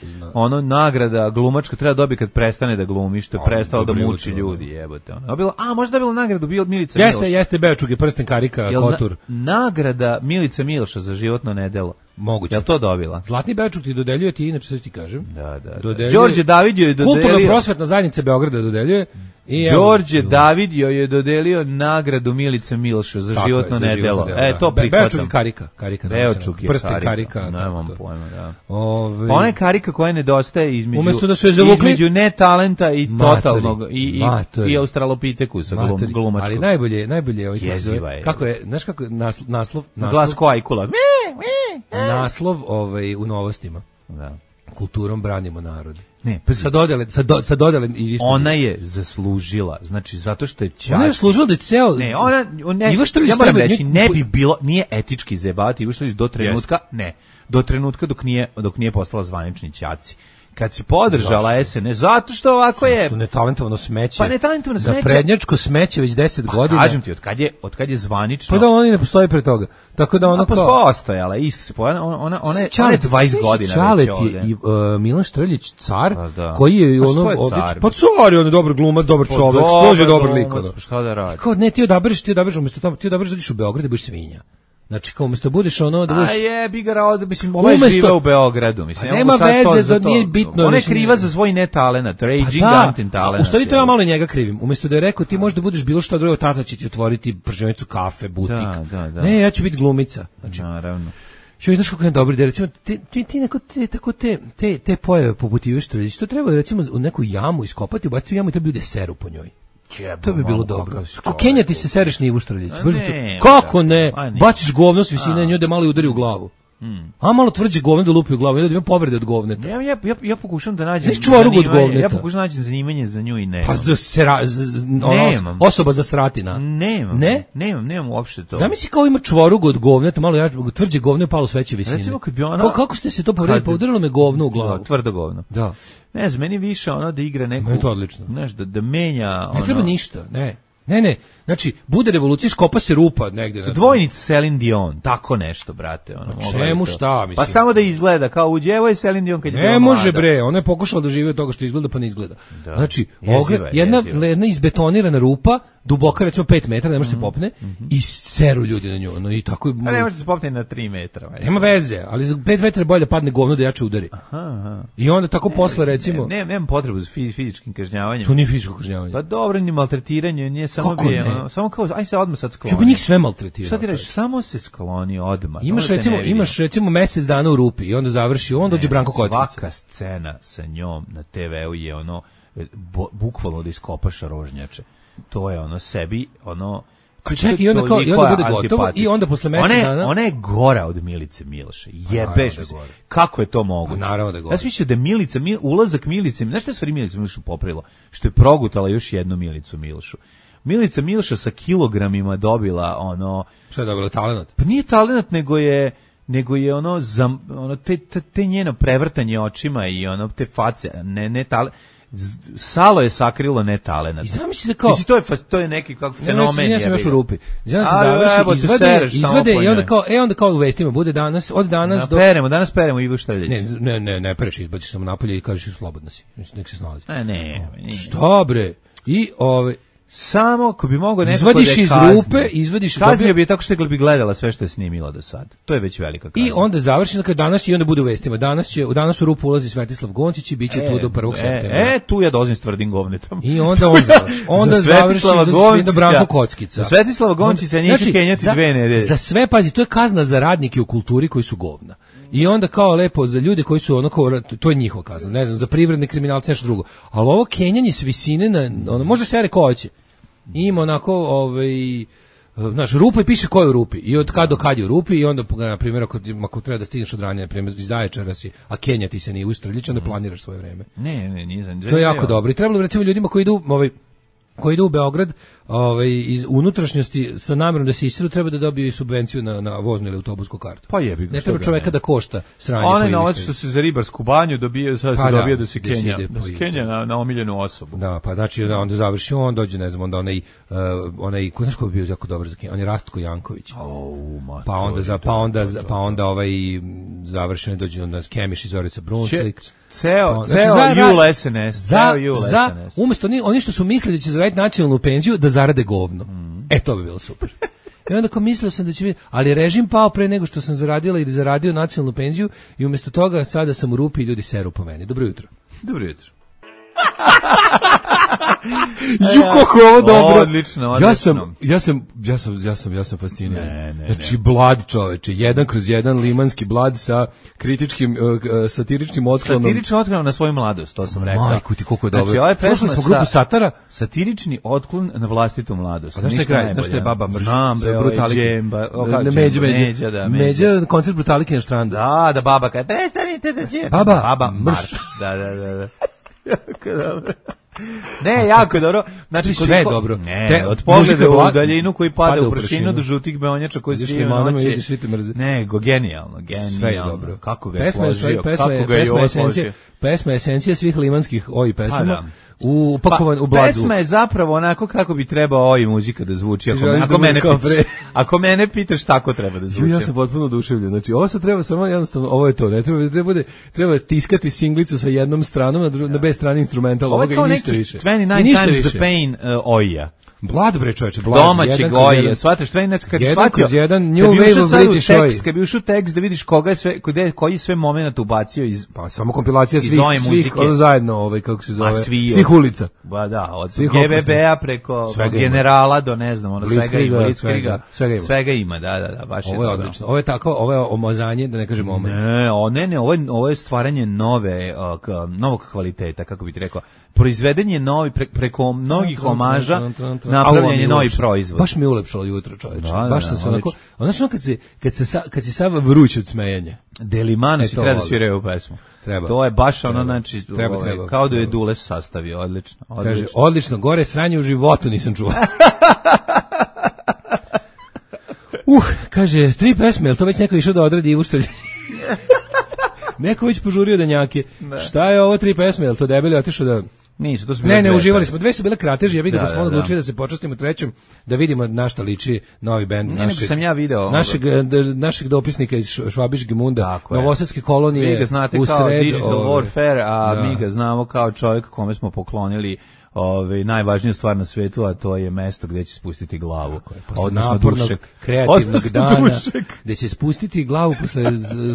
nagrada glumačka treba dobiti kad prestane da glumi, što je prestao da muči ljudi, jebote. Možda je bila nagradu bio od Milica Milša. Jeste Beočug je prsten karika, kotur. Nagrada Milica Milša za životno nedelo. Moguće. Jel to dobila? Zlatni Beočug ti dodeljuje ti, inače sve ti kažem. Da. Đorđe Davidio je dodelio... Kulturno-prosvetna zajednica Beograda dodeljuje. Đorđe Davidio je dodelio nagradu Milice Milša za životno nedelo. To prihvatam. Beočug je karika. Beočug je prsten karika. Nemam pojma, da. Ona je karika koja nedostaje između netalenta i totalnog i australopitekusa glumačkog. Ali najbolje kako je, znaš kako je naslov? Glas ko ajkula. Naslov u Novostima. Da. Kulturom branimo narod. Ne, sa dodele ona je zaslužila, znači zato što je čast. Ona je zaslužila da je ceo... Ne, ja moram reći, ne bi bilo, nije etički zebati Ivo Štrljić do trenutka dok nije postala zvanični ćaci. Kad si podržala SNS, zato što ovako je... Što netalentovano smeće. Pa netalentovano smeće. Za prednjačko smeće već 10 godina. Kažem ti, od kad je zvanično... Pa da oni ne postoji pre toga. Tako da ono kao... Postojala, isto se pojela, ona je 20 godina Čalet već ovdje. I Milan Štrljić, car, koji je ono... odličan. Pa car je on dobar glumac, dobar čovek, slože dobar lik. Šta da radi? Kao, ne, ti odabereš, umjesto toga, ti odabereš da ideš u Beograd da budeš svinja. Znači, kao umjesto budeš ono... da budeš... A je, bigara od... Mislim, ona je živa u Beogradu. Mislim, nema veze, da nije bitno. Ona je kriva za svoj netalenat, raging anti-talenat. U stvari to ja malo njega krivim. Umjesto da je rekao, ti možda budeš bilo što drugo, tata će ti otvoriti prženicu kafe, butik. Da. Ne, ja ću biti glumica. Znači, naravno. Što znaš kako je dobro, da recimo, te pojave poput Ive Štrljić, to treba recimo u neku jamu iskopati, ubaciti u jamu i treba ljudi seru po njoj. To bi bilo dobro. Ko Kenja ti se sereš na Ivu Štrljić? Kako ne? Baciš govno s visine, nju da malo udari u glavu. A malo tvrđe govno da lupi u glavu, da ima povrede od govneta. Ja pokušam da nađem zanimanje. Ja pokušam da nađem zanimanje za nju i ne. Pa osoba za sratina. Nemam uopšte to. Zamisli kao ima čvorugu od govneta, malo tvrđe govno je palo s veće visine. Recimo kad bi ona... Kako ste se to povredili? Pa udarilo me govno u glavu. Tvrdo govno. Da. Ne znam, meni više ono da igra neku... Meni to odlično. Znaš, da menja... Ne treba ništa, ne. Znači, bude revolucija, skopa se rupa negde. Dvojnica Celine Dion, tako nešto, brate. Ono, čemu šta, mislim? Pa samo da izgleda, kao uđe, evo je Celine Dion kad je ne može bre, ona je pokušala da živi od toga što izgleda, pa ne izgleda. Da. Znači, jedna izbetonirana rupa, duboka recimo 5 metara, ne može se popne i seru ljudi na nju. No, i tako, a ne može se popne na 3 metra. Nema veze, ali za 5 metara bolje padne govno da jače udari. Aha. I onda tako posle recimo... Nemam potrebu za fizičkim kažnjavanjem. To nije fizičko kažnjavanje. Pa dobro, ni maltretiranje, nije samo bi, samo kao, aj se odmah sad skloni. Ja bi njih sve maltretirao. Šta ti reći, samo se skloni odmah. Imaš recimo mesec dana u rupi i onda završi, onda dođe Branko Kockica. Svaka scena sa njom na TV-u je ono, bukvalno da iskopaš rožnjače. To je ono sebi, ono... A čekaj, i onda bude gotovo i onda posle mesec dana... Ona je gora od Milice Miloše. Jebeš mi se. Kako je to moguće? Naravno da je gora. Ja sam mislio da ulazak Milice... Znaš šta je stvari Milicu Milošu popravilo? Što je progutala još jednu Milicu Milošu. Milica Miloša sa kilogramima dobila ono... Šta je dobila, talenat? Pa nije talenat, nego je ono te njeno prevrtanje očima i ono te face, ne talenat. Salo je sakrilo ne talenat. I zamisli se kao... Mislim, to je neki kako fenomen. Ja sam još u rupi. Ja sam završi, izvade i onda kao u vestima bude danas, od danas do... Danas peremo Ivo Štrljić. Ne pereš, izbaciš samo napolje i kažeš slobodno si. Nek se snalazi. Ne. Šta bre? I samo ako bi mogao neko izvadiš iz rupe, izvadiš kaznio bi tako što bi gledala sve što je snimila do sad. To je već velika kazna. I onda završi danas i onda bude u vestima. Danas u rupu ulazi Svetislav Goncić i biće tu do 1. septembra. Tu ja dolazim s tvrdim govnetom. I onda završi do Branko Kockica. Za Svetislava Goncića neće kenjati 2 nedelje. Za sve, pazi, to je kazna za radnike u kulturi koji su govna. I onda kao lepo za ljude koji su to je njihova kazna. Ne znam, za privredne kriminalce nešto drugo. Ali ovo kenjanje s visine na može se ko hoće. Ima onako, znaš, rupa i piše ko je u rupi i od kad do kad je u rupi i onda, na primjer, ako treba da stigneš od ranije, na primjer, iz Zaječara si, a Kenja ti se nije ustreljić, onda planiraš svoje vreme. Ne, nisam. To je jako dobro. I trebalo bi, recimo, ljudima koji idu u Beograd iz unutrašnjosti sa namjerom da se isiru, treba da dobiju i subvenciju na voznu ili autobusku kartu. Pa jebi ga. Ne treba čoveka da košta sranje. Onaj novac što se za ribarsku banju dobije, sad se dobije da se Kenja na omiljenu osobu. Da, pa znači onda završi on, dođe, ne znam, onda onaj ko znaš ko bi bio jako dobar za Kenja, on je Rastko Janković. Pa onda završeno dođe onda Kemiš i Zorica Brunslik. Ceo Jul SNS. Umesto oni što su mislili da će zaraditi nacionalnu penziju, da zarade govno. To bi bilo super. I onda mislio sam da će biti, ali režim pao pre nego što sam zaradila ili zaradio nacionalnu penziju i umjesto toga sada sam u rupi i ljudi seru po meni. Dobro jutro. Dobro jutro. Kako ovo dobro. Odlično. Ja sam fasciniran. Znači blad, čoveče, 1/1 limanski blad sa kritičkim satiričnim otklonom. Satirični otklon na svoju mladost, to sam rekao. Majku ti koliko je dobro. Znači, ovaj pesma smo grupu Satara, satirični otklon na vlastitu mladost. A znaš šta je baba mrš? Međa koncert Brutalike na Štrandu. Da, baba kaže, prestanite da svijem. Baba mrš. Da. Jako dobro. Ne, jako dobro. Znači sve je dobro. Ne, od pogleda u daljinu koji pada u prašinu do žutih beonjača koji svi mrze. Ne, genijalno. Sve je dobro. Kako ga je složio, kako ga je osložio. Pesma je esencija svih limanskih pesama. Upakovan u bladu. Pesma je zapravo onako kako bi trebao muzika da zvuči. Ako mene pitaš tako treba da zvuči. Ja sam potpuno oduševljen. Znači, ovo se treba samo jednostavno, ovo je to. Ne treba stiskati singlicu sa jednom stranom, na B strani instrumental, ovoga i ništa više. 29 Times the Pain Oija. Blad bre čoveče, blad. Domaćeg Oija, shvataš, kad bi shvatio, New Wave of British Oi. Kad bi ušao tekst da vidiš koji sve moment ubacio iz... Pa samo kompilacija svih zajedno, kako se zove, svih ulica. Ba da, od GVB-a preko generala do ne znam, svega ima, da, baš je. Ovo je odlično, ovo je omazanje, da ne kažem omaz. Ne, ovo je stvaranje novog kvaliteta, kako bi ti rekao. Proizvedenje novi preko mnogih omaža, napravljanje novi proizvod. Baš mi je ulepšalo jutro, čoveče. Baš sam se onako, kad si sav vruć od smejanja. Delimano si treba da sviraju u pesmu. Treba. To je baš znači, kao da je Dules sastavio, odlično. Kaže, odlično, gore sranje u životu nisam čuo. Kaže, 3 pesme, jel to već neko išao da odradi Ivu Štrljić? Neko već požurio danjake. Šta je ovo 3 pesme, jel to debeli otišao da... Nisu, to su bile ne, dve uživali pesme. smo. Dve su bile krateže, ja bih da smo da. odlučili da se počastimo trećem, da vidimo na šta liči novi bend. Ne, nego sam ja video Našeg dopisnika iz Švabiške Munda, Tako je. Novosadske kolonije. Vi ga znate u kao sred, Digital Warfare, a mi ga znamo kao čovjek kome smo poklonili najvažniju stvar na svetu, a to je mesto gdje će spustiti glavu. Odnosno dušek. Kreativnog dana, gdje će spustiti glavu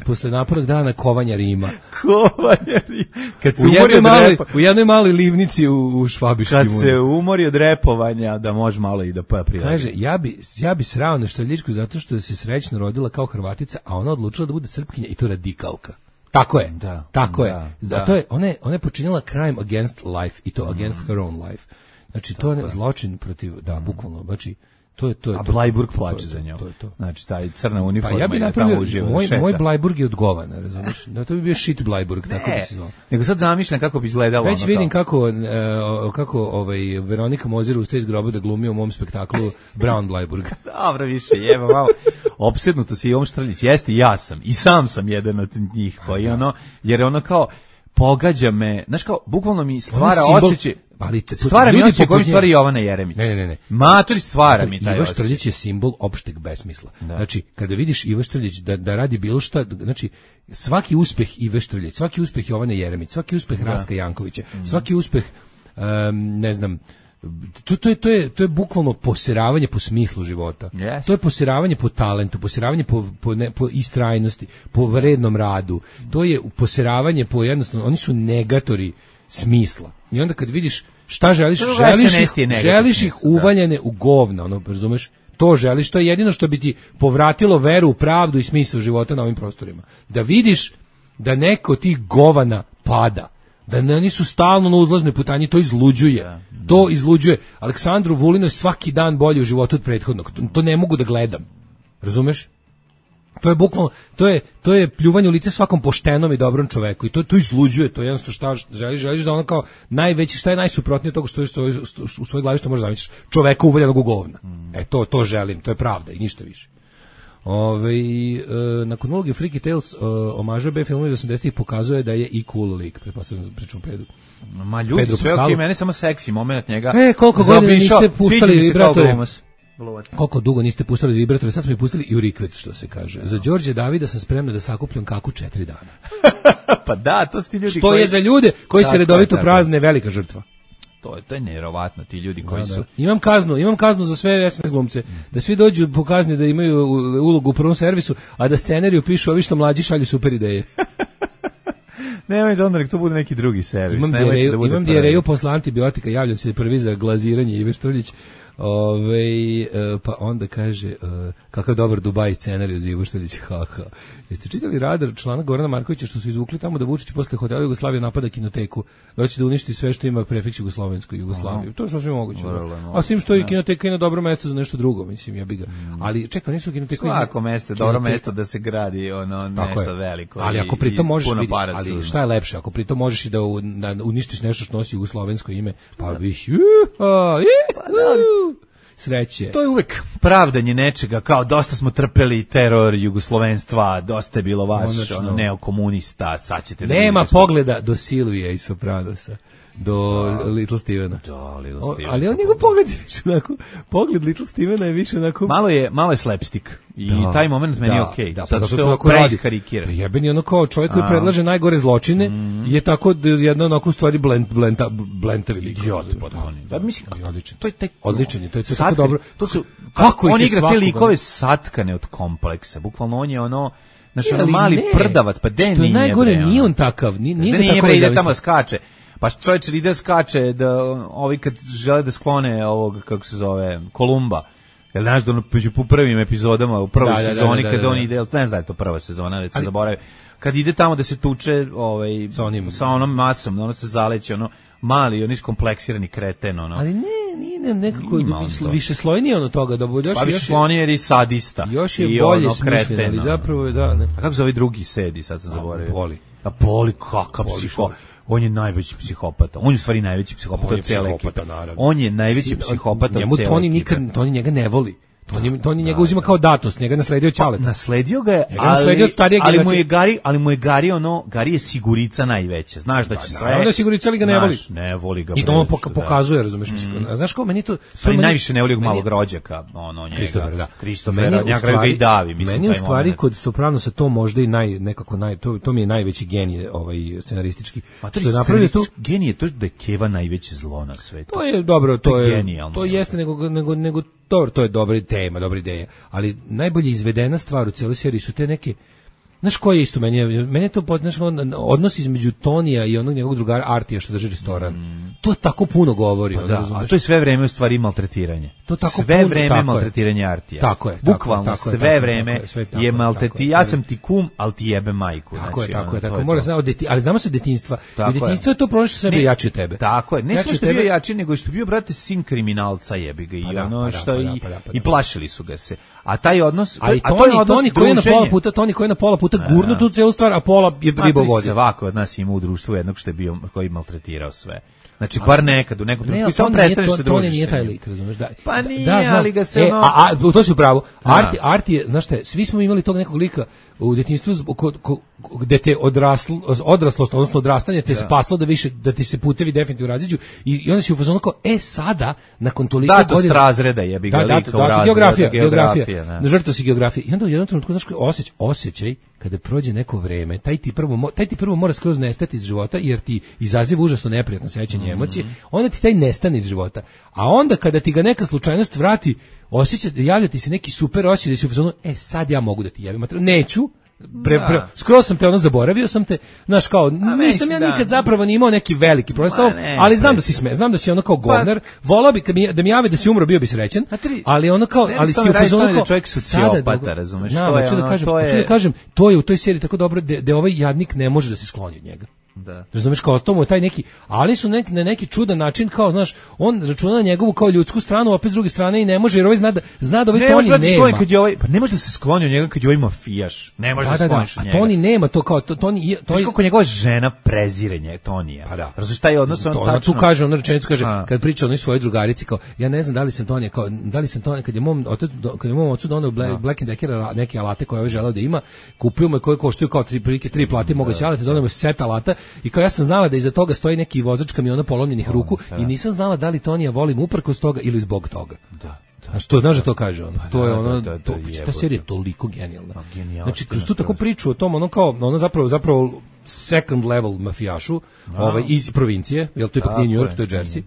posle napornog dana kovanja Rima. Kovanja Rima. Kad se u jednoj maloj livnici u Švabiškim. Kad se umori od repovanja, da može malo i da prijavi. Kaže, ja bi srao na Štrljičku zato što se srećno rodila kao Hrvatica, a ona odlučila da bude Srpkinja i to radikalka. Tako je, tako je. Da. To je, ona je počinila crime against life i to against her own life. Znači, to je zločin protiv, bukvalno, znači, to je. A Blajburg plače za njom. Znači, taj crna uniforma. Pa ja bi napravio, moj Blajburg je odgovan, razumiješ? Da, to bi bio shit Blajburg, tako bi se zvao. Nego sad zamišljam kako bi izgledalo. Već vidim kako Veronika Mozer ustaje iz groba da glumi u mom spektaklu Brown Blajburg. Dobro, više, jeba malo. Opsednuto si Jovan Štrljić. Jeste, ja sam. I sam sam jedan od njih. Koji jer ono kao, pogađa me, znaš kao, bukvalno mi stvara osjećaj. Stvara mi osjećaj kojim stvari Jovana Jeremić. Ne. Matori stvara mi taj Ivo Štrljić je simbol opšteg besmisla. Da. Znači, kada vidiš Ivo Štrljić da radi bilo šta, znači, svaki uspeh Ive Štrljić, svaki uspeh Jovane Jeremić, svaki uspeh Rastka Jankovića, svaki uspeh, ne znam, to je bukvalno poseravanje po smislu života. Yes. To je poseravanje po talentu, poseravanje po istrajnosti, po vrednom radu. To je poseravanje po jednostavno, oni su negatori smisla. I onda kad vidiš šta želiš ih uvaljene u govna, razumeš? To želiš, to je jedino što bi ti povratilo veru u pravdu i smisao života na ovim prostorima. Da vidiš da neko od tih govana pada, da nisu stalno na uzlaznoj putanji, to izluđuje. To izluđuje. Aleksandru Vulinu je svaki dan bolje u životu od prethodnog. To ne mogu da gledam. Razumeš? To je bukvalno, to je pljuvanje u lice svakom poštenom i dobrom čoveku i to izluđuje, to je jednostavno šta želiš da ono kao najveći, šta je najsuprotnije toga što u svojoj glavi što možeš zamisliš, čoveka uvaljenog u govna. To želim, to je pravda i ništa više. Nakon uloge Freaky Tales omaža B filmu iz 80-ih pokazuje da je i cool lik, pretpostavljam pričamo Pedru. Ma ljudi, sve okej, meni samo seksi moment njega. Koliko godina niste puštali vibratore? Koliko dugo niste puštali vibratore, sad smo ih pustili i u rikvec, što se kaže. Za Đorđe Davida sam spremna da sakupljam kaku 4 dana. Pa da, to su ti ljudi što je za ljude koji se redovito prazne velika žrtva. To je nevjerovatno, ti ljudi koji su... Imam kaznu za sve SNS glumce, da svi dođu po kazni da imaju ulogu u prvom servisu, a da scenariju pišu ovi što mlađi šalju super ideje. Nemoj da onda nek to bude neki drugi servis. Imam dijareju posle antibiotika, javljam se prvi za glaziranje Ive Štrljić. Pa onda kaže kakav dobar Dubaj scenarij za Ivo Štrljić. Jeste čitali Radar članak Gorana Markovića što su izvukli tamo da Vučić posle hotela Jugoslavije napada Kinoteku, da će da uništi sve što ima prefiks Jugoslaviju. To je sasvim moguće. A s tim što je Kinoteka i na dobro mesto za nešto drugo, mislim, ja bi ga. Ali čekaj, nisu Kinoteka. Svako mesto je dobro mesto da se gradi nešto veliko. Ali ako pritom možeš ali šta je lepše, ako pritom možeš i da uništiš nešto što nosi jugoslovensko ime, pa bih sreće. To je uvek pravdanje nečega, kao dosta smo trpeli teror jugoslovenstva, dosta je bilo vaš neokomunista, sad ćete... Nema pogleda do Silvije i Sopranosa, do Little Stevena. Ali on njegov pogled je više onako, pogled Little Stevena je više onako... Malo je slapstick i taj moment meni je okej. Zato što je ovo preiskarikira. Jebeni ono kao čovjek koji predlaže najgore zločine je tako jedna onako u stvari blentavi lik. Odličan je, to je tako dobro. On igra te likove satkane od kompleksa, bukvalno on je ono... Znači ono mali prdavac, pa den nije najgore, nije on takav, nije tako ide tamo skače. Pa čovječ ide skače da ovi kad žele da sklone ovog, kako se zove, Kolumba. Jel znaš da među prvim epizodama u prvoj sezoni kada on ide, ne znam da je to prva sezona, već se zaboravio. Kad ide tamo da se tuče sa onom masom, ono se zaleće, ono mali, on iskompleksirani kreten, ono. Ali nije nekako više slojnije ono toga, da bude još. Pa više slojnije jer je sadista. Još je bolje smišljen, ali zapravo je da. A kako se ovaj drugi sedi, sad sam zaboravio. Poli, kakav psiho. On je najveći psihopata. On je u stvari najveći psihopata od cele ekipe. On je najveći psihopata od cele ekipe. Toni njega ne voli. To on njega uzima kao datost, njega nasledio Ćaleta. Nasledio ga je, ali mu je Gari je sigurica najveća. Znaš da će sve. Onda je sigurica, ali ga ne voli. Ne voli ga. I to on pokazuje, razumeš? Znaš kao meni to najviše ne voli malog rođaka, njega. Kristofer, da. Kristofer, ja ga i davi, mislim. Meni u stvari kod Sopranosa to možda i to mi je najveći genije scenaristički. Što je napravio to genije, to da je Keva najveće zlo na svetu. To je dobro, to jeste nego dobro, to je dobra tema, dobra ideja, ali najbolje izvedena stvar u celoj seriji su te neke, znaš ko je isto, meni je to odnos između Tonija i onog njegovog drugara Artija što drži restoran. To tako puno govori. A to je sve vreme u stvari maltretiranje. To tako sve vreme maltretiranje Artija. Tako je. Bukvalno sve vreme je maltretiranje. Ja sam ti kum, ali ti jebe majku. Tako je. Mora znati, ali znamo se detinjstva. U detinjstvu je to prošlo što sebe jači od tebe. Tako je. Ne samo što je bio jači, nego što je bio, brate, sin kriminalca, jebi ga, i plašili su ga se. A taj odnos, Toni koji je na pola puta gurnu tu celu stvar, a pola je riba vodi. Svako od nas ima u društvu jednog što je bio, koji maltretirao sve. Znači, bar nekad, u nekom trenutku, i samo prestaneš se družiš. To nije taj lik, razumeš, da. Pa nije, ali ga se to si upravo. Arti je, znaš šta, svi smo imali tog nekog lika u detinjstvu gde te odraslost, odnosno odrastanje te spaslo da ti se putevi definitivno raziđu i onda si u fazonu kao, sada, nakon toliko godina... Datost razreda jebi ga lika u razreda. Geografija. Žrtvo si geografije. I onda u jednom trenutku, znaš, osjećaj, kada prođe neko vreme, taj ti prvo mora skroz nestati iz života, jer ti izaziva užasno neprijatno sećanje emocije, onda ti taj nestane iz života. A onda kada ti ga neka slučajnost vrati, javlja ti se neki super osjećaj da si u fazonu, sad ja mogu da ti javim. Neću, skroz sam te zaboravio sam te, znaš kao, nisam ja nikad zapravo ni imao neki veliki problem, ali znam da si znam da si ono kao govnar, volao bi da mi jave da si umro, bio bi srećan, ali ono kao, ali si u fazonu kao, čovjek sociopata, razumeš, hoću da kažem, to je u toj seriji tako dobro da ovaj jadnik ne može da se skloni od njega. Da. Razumeš, kao to mu je taj neki, ali su na neki čudan način, kao, znaš, on računa na njegovu kao ljudsku stranu, opet s druge strane i ne može, jer ovaj zna da ovaj Toni nema. Pa ne može da se skloni od njega kad je ovaj mafijaš. Ne može da se skloniš od njega. A Toni nema to kao, Toni... Znaš kako njegova žena prezire Tonija. Pa da. Razumeš, taj odnos, on tačno... Tu kaže, on rečenicu kaže, kad priča onoj svojoj drugarici, kao, ja ne znam da li sam Tonija, kao, da li sam Tonija, kad je mom ocu doneo Black & Decker neke alate koje ovaj želeo da ima, kupio mu koje koštuju kao 3 plate moguće alate, doneo mu set alata i kao ja sam znala da iza toga stoji neki vozač kamiona polomljenih ruku i nisam znala da li Tonija volim uprkos toga ili zbog toga. Znaš da to kaže on. To je ono, ta serija je toliko genijalna. Znači, kroz tu tako priču o tom, ono kao, ono zapravo second level mafijašu, iz provincije, jer to ipak nije New York, to je Jersey,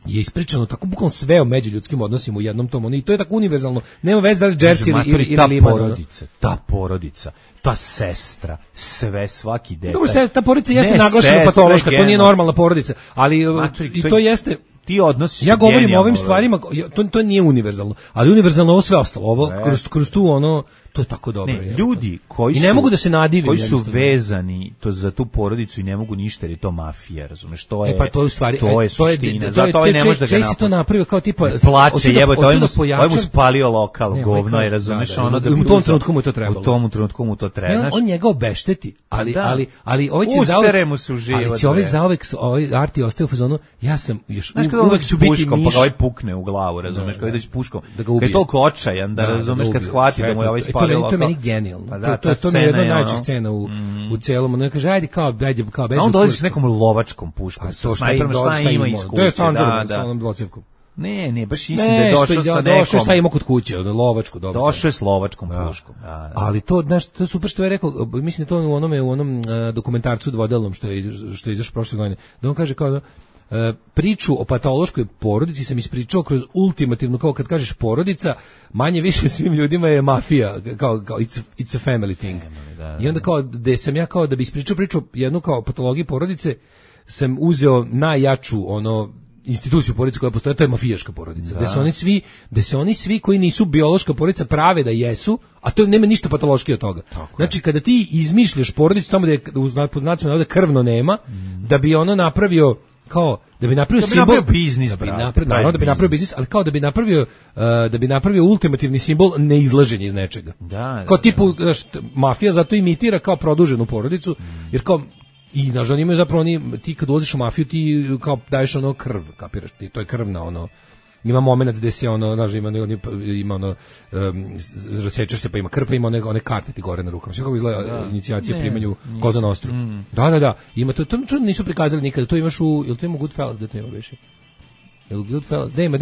je ispričano tako bukvalno sve o međuljudskim odnosima u jednom tom, i to je tako univerzalno, nema veze da li Jersey ili Liman. Ta porodica, ta sestra, sve, svaki detalj. Dobro, ta porodica jeste naglašena patološka, to nije normalna porodica, ali i to jeste... Ti odnosi. Ja govorim o ovim stvarima, to nije univerzalno, ali univerzalno ovo sve ostalo, ovo kroz tu ono, to je tako dobro. Ne, ljudi koji ne mogu da se nadivim, koji su vezani za tu porodicu i ne mogu ništa, jer je to mafija, razumeš, to je. Pa to je u stvari, to je suština. Zato ovaj ne može da ga napravi. To napravio kao tipa plače, jebote, ovaj mu spalio lokal, govno je, razumeš, ono da u tom trenutku mu je to trebalo. U tom trenutku mu to treba. On njega obešteti, ali ovaj će zauvek Arti ostaje u fazonu, ja sam još uvek ću biti miš. Pa ovaj pukne u glavu, razumeš, kao ideš puškom. Kad je toliko očajan da razumeš, kad shvati da mu je ovaj spalio lokal. To je meni genijalno. To mi je jedna od najčih scena u celom. Ono kaže, ajde kao beži. A on dolazi s nekom lovačkom puškom. Šta ima iz kuće. To je stvarno dvocevkom. Ne, baš mislim da je došao sa nekom. Došao šta ima kod kuće, lovačku. Došao je s lovačkom puškom. Ali to, znaš, to je super što je rekao, mislim to u onom dokumentarcu dvodelnom što je izašao prošle godine. Da on kaže kao priču o patološkoj porodici sam ispričao kroz ultimativno, kao kad kažeš porodica, manje više svim ljudima je mafija, kao it's a family thing. I onda kao, da sam ja kao da bi ispričao priču jednu kao patologiju porodice, sam uzeo najjaču instituciju porodice koja postoje, to je mafijaška porodica. Da se oni svi koji nisu biološka porodica prave da jesu, a to nema ništa patološki od toga. Znači, kada ti izmišljaš porodicu tamo da je pod znacima navoda krvno nema, da bi ono napravio kao da bi napravio simbol biznis, da bi napravio biznis, ali kao da bi napravio ultimativni simbol neizlaženja iz nečega. Kao tipu, mafija zato imitira kao produženu porodicu, jer kao i nažalost imaju zapravo ti kad ulaziš u mafiju ti kao daješ krv, kapiraš ti, to je krvna ima momenat gde se ono, znaš, ima ono, rasečeš se pa ima krpa, ima one karte ti gore na rukama. Sve kako izgleda inicijacija primanju Koza Nostru. Da, ima to čudno nisu prikazali nikada, to imaš jel to ima Goodfellas da to ima više? Jel Goodfellas? Da ima,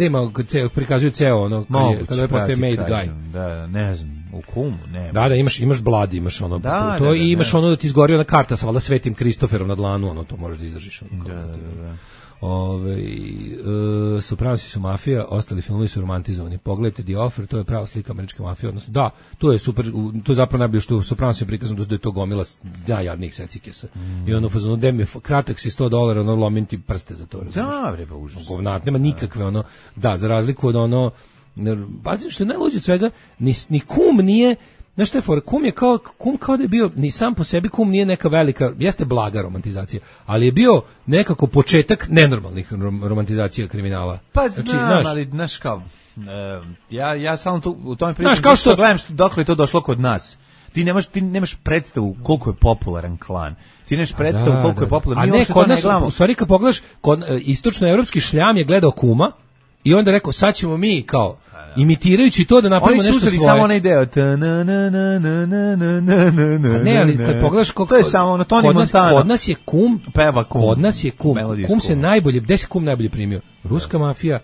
prikazuju ceo ono, kada je postoje made guy. Da, ne znam, u Kumu, ne. Da, imaš Blood, imaš ono, to i imaš ono da ti izgori ona karta sa valjda Svetim Kristoferom na dlanu, ono, to možeš da izdržiš. Da. Sopranosi su mafija, ostali filmovi su romantizovani. Pogledajte The Offer, to je prava slika američke mafije, odnosno da, to je super, to je zapravo najbolje što u Sopranosu je prikazano da je to gomila najjadnijih secikesa. I ono fazonu, dem je kratak si $100, ono lomim ti prste za to, razumiješ? Da, bre, pa užas. Govnat, nema nikakve ono, da, za razliku od ono, pazi što je najluđe od svega, ni kum nije. Znaš šta je for? Kum kao da je bio, ni sam po sebi kum nije neka velika, jeste blaga romantizacija, ali je bio nekako početak nenormalnih romantizacija kriminala. Pa znam, ali znaš kao, ja samo tu, u tome pričam, što gledam dokle je to došlo kod nas. Ti nemaš predstavu koliko je popularan klan. Ti nemaš predstavu koliko je popularan. A ne, kod nas, u stvari kad pogledaš, istočnoevropski šljam je gledao Kuma i onda rekao, sad ćemo mi kao, imitirajući to da napravimo nešto svoje. Oni su samo onaj deo. Ne, ali kad pogledaš to je samo ono Tony Montana. Kod nas je Kum. Peva Kum. Kod nas je Kum. Kum se najbolje, gde se Kum najbolje primio? Ruska mafija,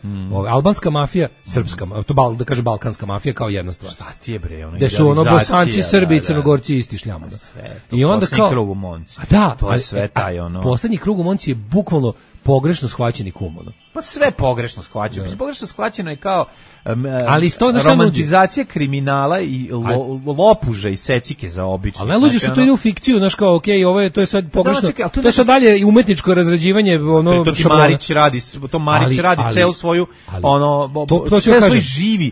albanska mafija, srpska, to da kaže balkanska mafija kao jedna stvar. Šta ti je bre, ono gde su ono Bosanci, Srbi i Crnogorci isti šljamo. I onda kao krug u Monci. Da, to je sve taj ono. Poslednji krug u Monci je bukvalno pogrešno shvaćeni Kum, ono. Pa sve pogrešno shvaćeno. Pogrešno shvaćeno je kao ali isto romantizacija kriminala i lopuža i secike za obične. Ali najluđe što to ide u fikciju, znaš kao, okej, ovo je, to je sad pogrešno, to je sad dalje i umetničko razrađivanje, ono, to Marić radi, ceo svoju, ono, sve svoj živi,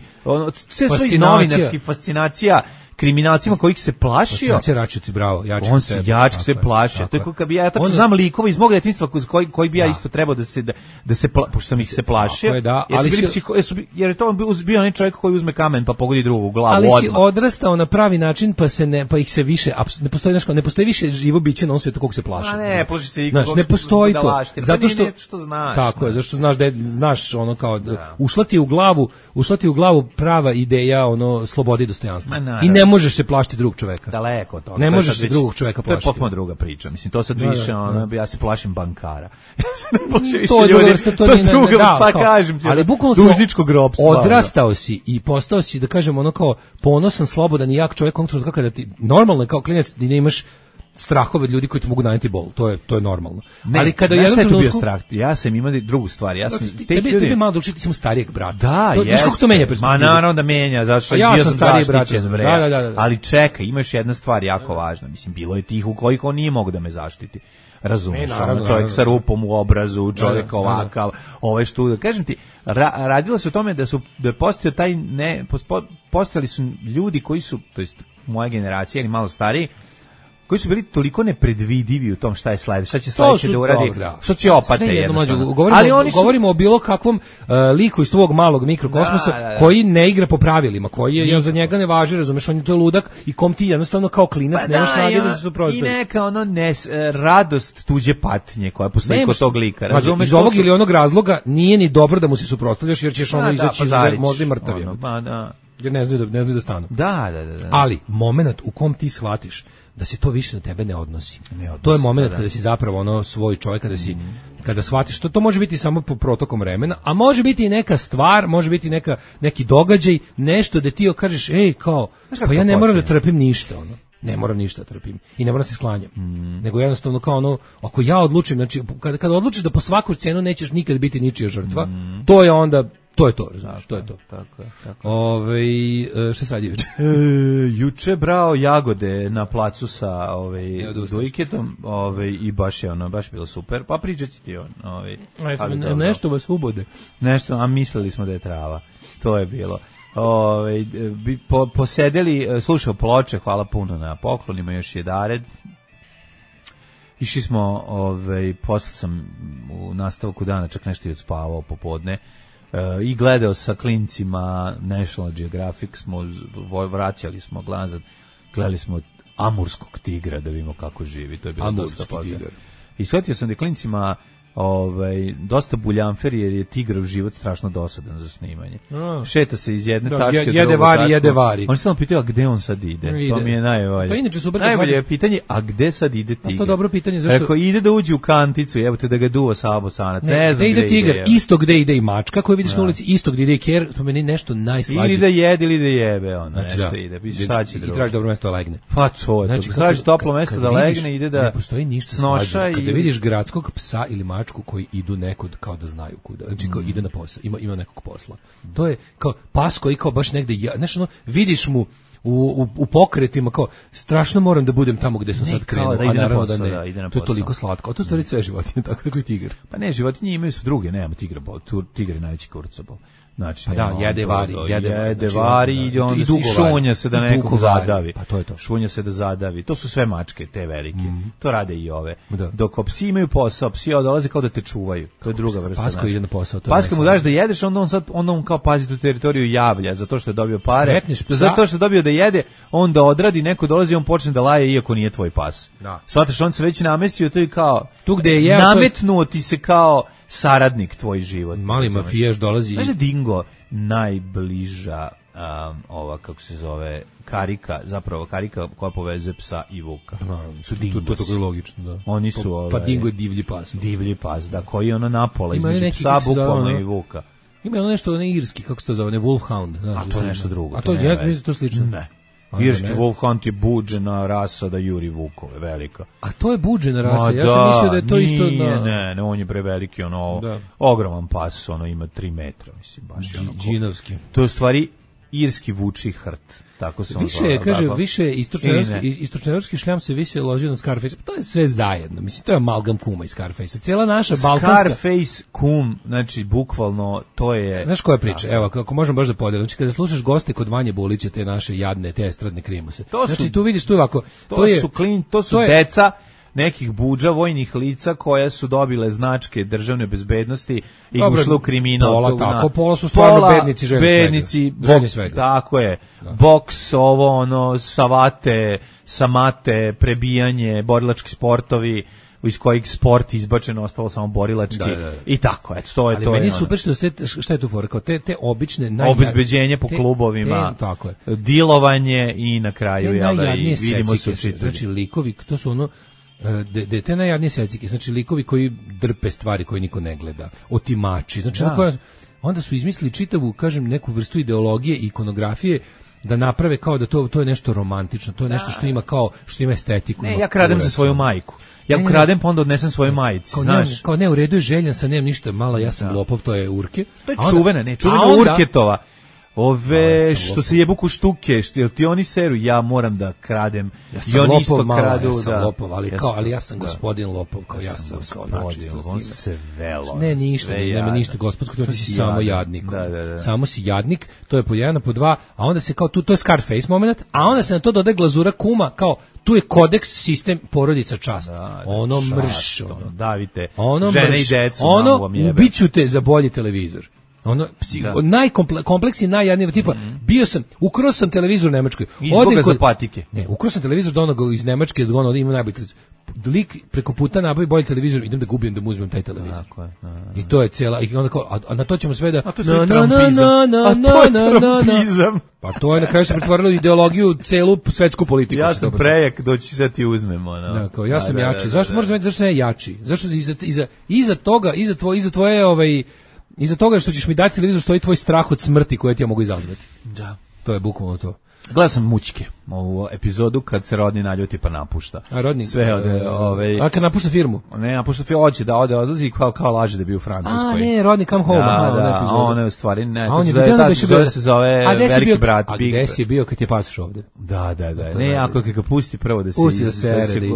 sve svoj novinarski fascinacija kriminalcima kojih se plašio. On se Račici, bravo, on se jačak se plašio. To je kako bi ja tačno znam likova iz mog detinjstva koji bi ja isto trebao da se pošto sam ih se plašio. Jer je to bio onaj čovjek koji uzme kamen pa pogodi drugu glavu odmah. Ali si odrastao na pravi način pa ih se više ne postoji više živo biće na ovom svijetu kog se plaši. A ne, plaši se niko. Ne postoji to. Zato što znaš. Tako je, zašto znaš da znaš ono kao ušla ti u glavu prava ideja ono slobode i dostojanstva. I ne možeš se plašiti drugog čoveka. Daleko od toga. Ne možeš se drugog čoveka plašiti. To je potpuno druga priča. Mislim, to sad više, ja se plašim bankara. Ja se ne plašim više ljudi. To je druga, pa kažem ti. Ali bukvalno dužničkog ropstva. Odrastao si i postao si, da kažem, ono kao ponosan, slobodan i jak čovjek, konkretno kada ti, normalno je kao klinac da ne imaš strahove od ljudi koji ti mogu naneti bol, to je normalno. Ne, ali kada jednom trenutku bio strah, ja sam imao drugu stvar, ja sam tebe malo drugačije, ti sam starijeg brata. Da, znaš kako to menja perspektivu? Ma naravno da menja, zato što ja sam stariji brat. Da. Ali čekaj, ima još jedna stvar jako važna, mislim, bilo je tih u kojih on nije mogu da me zaštiti. Razumeš, čovjek sa rupom u obrazu, čovjek ovakav, što, kažem ti, radilo se o tome da je postao postojali su ljudi koji su, to jest moja generacija ili malo stariji, koji su bili toliko nepredvidivi u tom šta je sledeće, šta će sledeće da uradi, sociopate jednostavno. Govorimo o bilo kakvom liku iz tvog malog mikrokosmosa koji ne igra po pravilima, koji za njega ne važi, razumeš, on je to ludak i kom ti jednostavno kao klinac nemaš snage da se suprotstaviš. I neka radost tuđe patnje koja postoji kod tog lika, razumeš. Iz ovog ili onog razloga nije ni dobro da mu se suprotstavljaš jer ćeš ono izaći možda i mrtav. Jer ne znaju da stanu. Da. Ali moment u kom ti shvatiš da se to više na tebe ne odnosi. To je moment kada si zapravo ono svoj čovjek, kada shvatiš to može biti samo po protokom vremena, a može biti i neka stvar, može biti neki događaj, nešto da ti kažeš, kao, pa ja ne moram da trpim ništa, ono. Ne moram ništa trpim i ne moram se sklanjam. Nego jednostavno kao ono, ako ja odlučim, znači kada odlučiš da po svaku cenu nećeš nikad biti ničija žrtva, to je onda to je to, razumiješ, to je to. Tako. Šta sad juče? Juče brao jagode na placu sa dojketom, i baš je baš bilo super. Pa pričat će ti on. Nešto vas ubode. Nešto, a mislili smo da je trava. To je bilo. Posedeli, slušao Ploče, hvala puno na poklonima, još je Dared. Išli smo, posle sam u nastavku dana čak nešto i odspavao popodne. I gledao sa klincima National Geographic, vraćali smo glazan, gledali smo Amurskog tigra da vidimo kako živi, to je bilo dosta. Tigar. I shvatio sam da klincima dosta buljanfer jer je tigrov život strašno dosadan za snimanje. Šeta se iz jedne tačke do jede vari. On se tamo pitao, a gde on sad ide? To mi je najbolje. To je inače super. Najbolje je pitanje, a gde sad ide tigar? To je dobro pitanje, zašto? Ako ide da uđe u kanticu, jebote da ga duva Sabo Sanac. Ne znam gde ide tigar, isto gde ide i mačka koju vidiš na ulici, isto gde ide i ker, spomeni nešto najslađe. Ili da jede ili da jebe, on nešto ide. Šta će drugo? I traži dobro mesto da legne. Pa to je. Traži toplo mesto da legne, ide da ne postoji ništa slađe. Kada vidiš gradskog psa ili mačku koji idu nekud kao da znaju kuda. Znači kao ide na posao, ima nekog posla. To je kao pas koji kao baš negde, znaš ono, vidiš mu u pokretima kao strašno moram da budem tamo gde sam sad krenuo, a naravno da ne. To je toliko slatko. A to stvari sve životinje, tako i tigar. Pa ne, životinje imaju su druge, nema tigra, tigar je najveći kurcobol. Znači, pa jede vari i on šunja se da nekog zadavi. Pa to je to. Šunja se da zadavi. To su sve mačke, te velike. To rade i ove. Dok psi imaju posao, psi dolaze kao da te čuvaju. To je druga vrsta. Pasko ide na posao. Pasko mu daš da jedeš, onda on kao pazi tu teritoriju javlja, zato što je dobio pare. Zato što je dobio da jede, onda odradi, neko dolazi i on počne da laje iako nije tvoj pas. Shvataš, on se već namestio, to je kao tu gde je nametnuo ti se kao saradnik tvoj život. Mali mafijaš dolazi. Znaš da Dingo najbliža ova, kako se zove, karika koja povezuje psa i vuka. Su Dingosi. To je logično, da. Oni su pa Dingo je divlji pas. Divlji pas, da, koji je ono napola između psa, bukvalno i vuka. Ima ono nešto, irski, kako se to zove, Wolfhound. A to je nešto drugo. A to je, mislim, to slično. Ne. Irski Wolfhound je buđena rasa da juri vukove, velika. A to je buđena rasa, ja sam mislio da je to isto... Ne, on je preveliki, ogroman pas, ima 3 metra, mislim, baš džinovski. To je u stvari irski vuči hrt. Tako se više istočnoevropski šljam se više ložio na Scarface. To je sve zajedno. Mislim, to je amalgam kuma iz Scarface. Cijela naša balkanska... Scarface, kum, znači, bukvalno, to je... Znaš koja je priča? Evo, ako možemo baš da podelim. Znači, kada slušaš goste kod Vanje Bulića, te naše jadne, te estradne krimuse. Znači, tu vidiš tu ovako... To su deca nekih budža vojnih lica koja su dobile značke državne bezbednosti i ušle u kriminal. Pola su stvarno bednici, ženi svega. Tako je. Boks, savate, samate, prebijanje, borilački sportovi, iz kojih sport izbačeno, ostalo samo borilački i tako, eto, to je to. Ali meni je super šta je tu fora, kao te obične obezbeđenje po klubovima, dilovanje i na kraju vidimo se učitelji. Znači likovi, to su te najjadnije secike, znači likovi koji drpe stvari koje niko ne gleda, otimači, znači onda su izmislili čitavu, kažem, neku vrstu ideologije i ikonografije da naprave kao da to je nešto romantično, to je nešto što ima estetiku. Ne, ja kradem za svoju majku. Ja kradem, pa onda odnesem svoje majici, znaš. Kao ne, u redu je željan sam, nemam ništa, malo ja sam lopov, to je Urke. To je čuvena Urketova. Što se jebu ku štuke, jel ti oni seru, ja moram da kradem. Ja sam lopov, ja sam lopov, ali ja sam gospodin lopov, kao ja sam kao on se velo. Ne, nema ništa gospodsko, to ti si samo jadnik. Samo si jadnik, to je po jedan, po dva, a onda se kao to je Scarface moment, a onda se na to dodaje glazura kuma, kao tu je kodeks, sistem, porodica, čast. Ono mrš. Davite, žene i decu. Ubiću te za bolji televizor. Najkompleksniji, najjadniji, tipa, ukrao sam televizor u Nemačkoj. Izboga za patike. Ne, ukrao sam televizor do onoga iz Nemačke, do onoga ima najbolji televizor. Lik preko puta nabavi bolji televizor, idem da gubim, da mu uzmem taj televizor. I to je cijela, i onda kao, a na to ćemo sve da... A to je trumpizam. Pa to je na kraju se pretvorilo ideologiju, celu svetsku politiku. Ja sam prejak, doći sad ti uzmemo. Ja sam jači. Zašto možeš znati zašto sam ja jači? Zašto iza toga, iza toga što ćeš mi dati televizor stoji tvoj strah od smrti koje ti ja mogu izazvati. Da. To je bukvalno to. Gledao sam Mućke, ovu epizodu kad se Rodni naljuti pa napušta. A Rodni? Sve a kad napušta firmu? Ne, napušta firmu, hoće da odlazi kao laže da bi u Francuskoj. A ne, Rodni come home. Da, on je u stvari, ne, to se zove Veliki brat. A gde si bio kad je pasoš ovde? Da. Ne, ako ga pusti prvo da se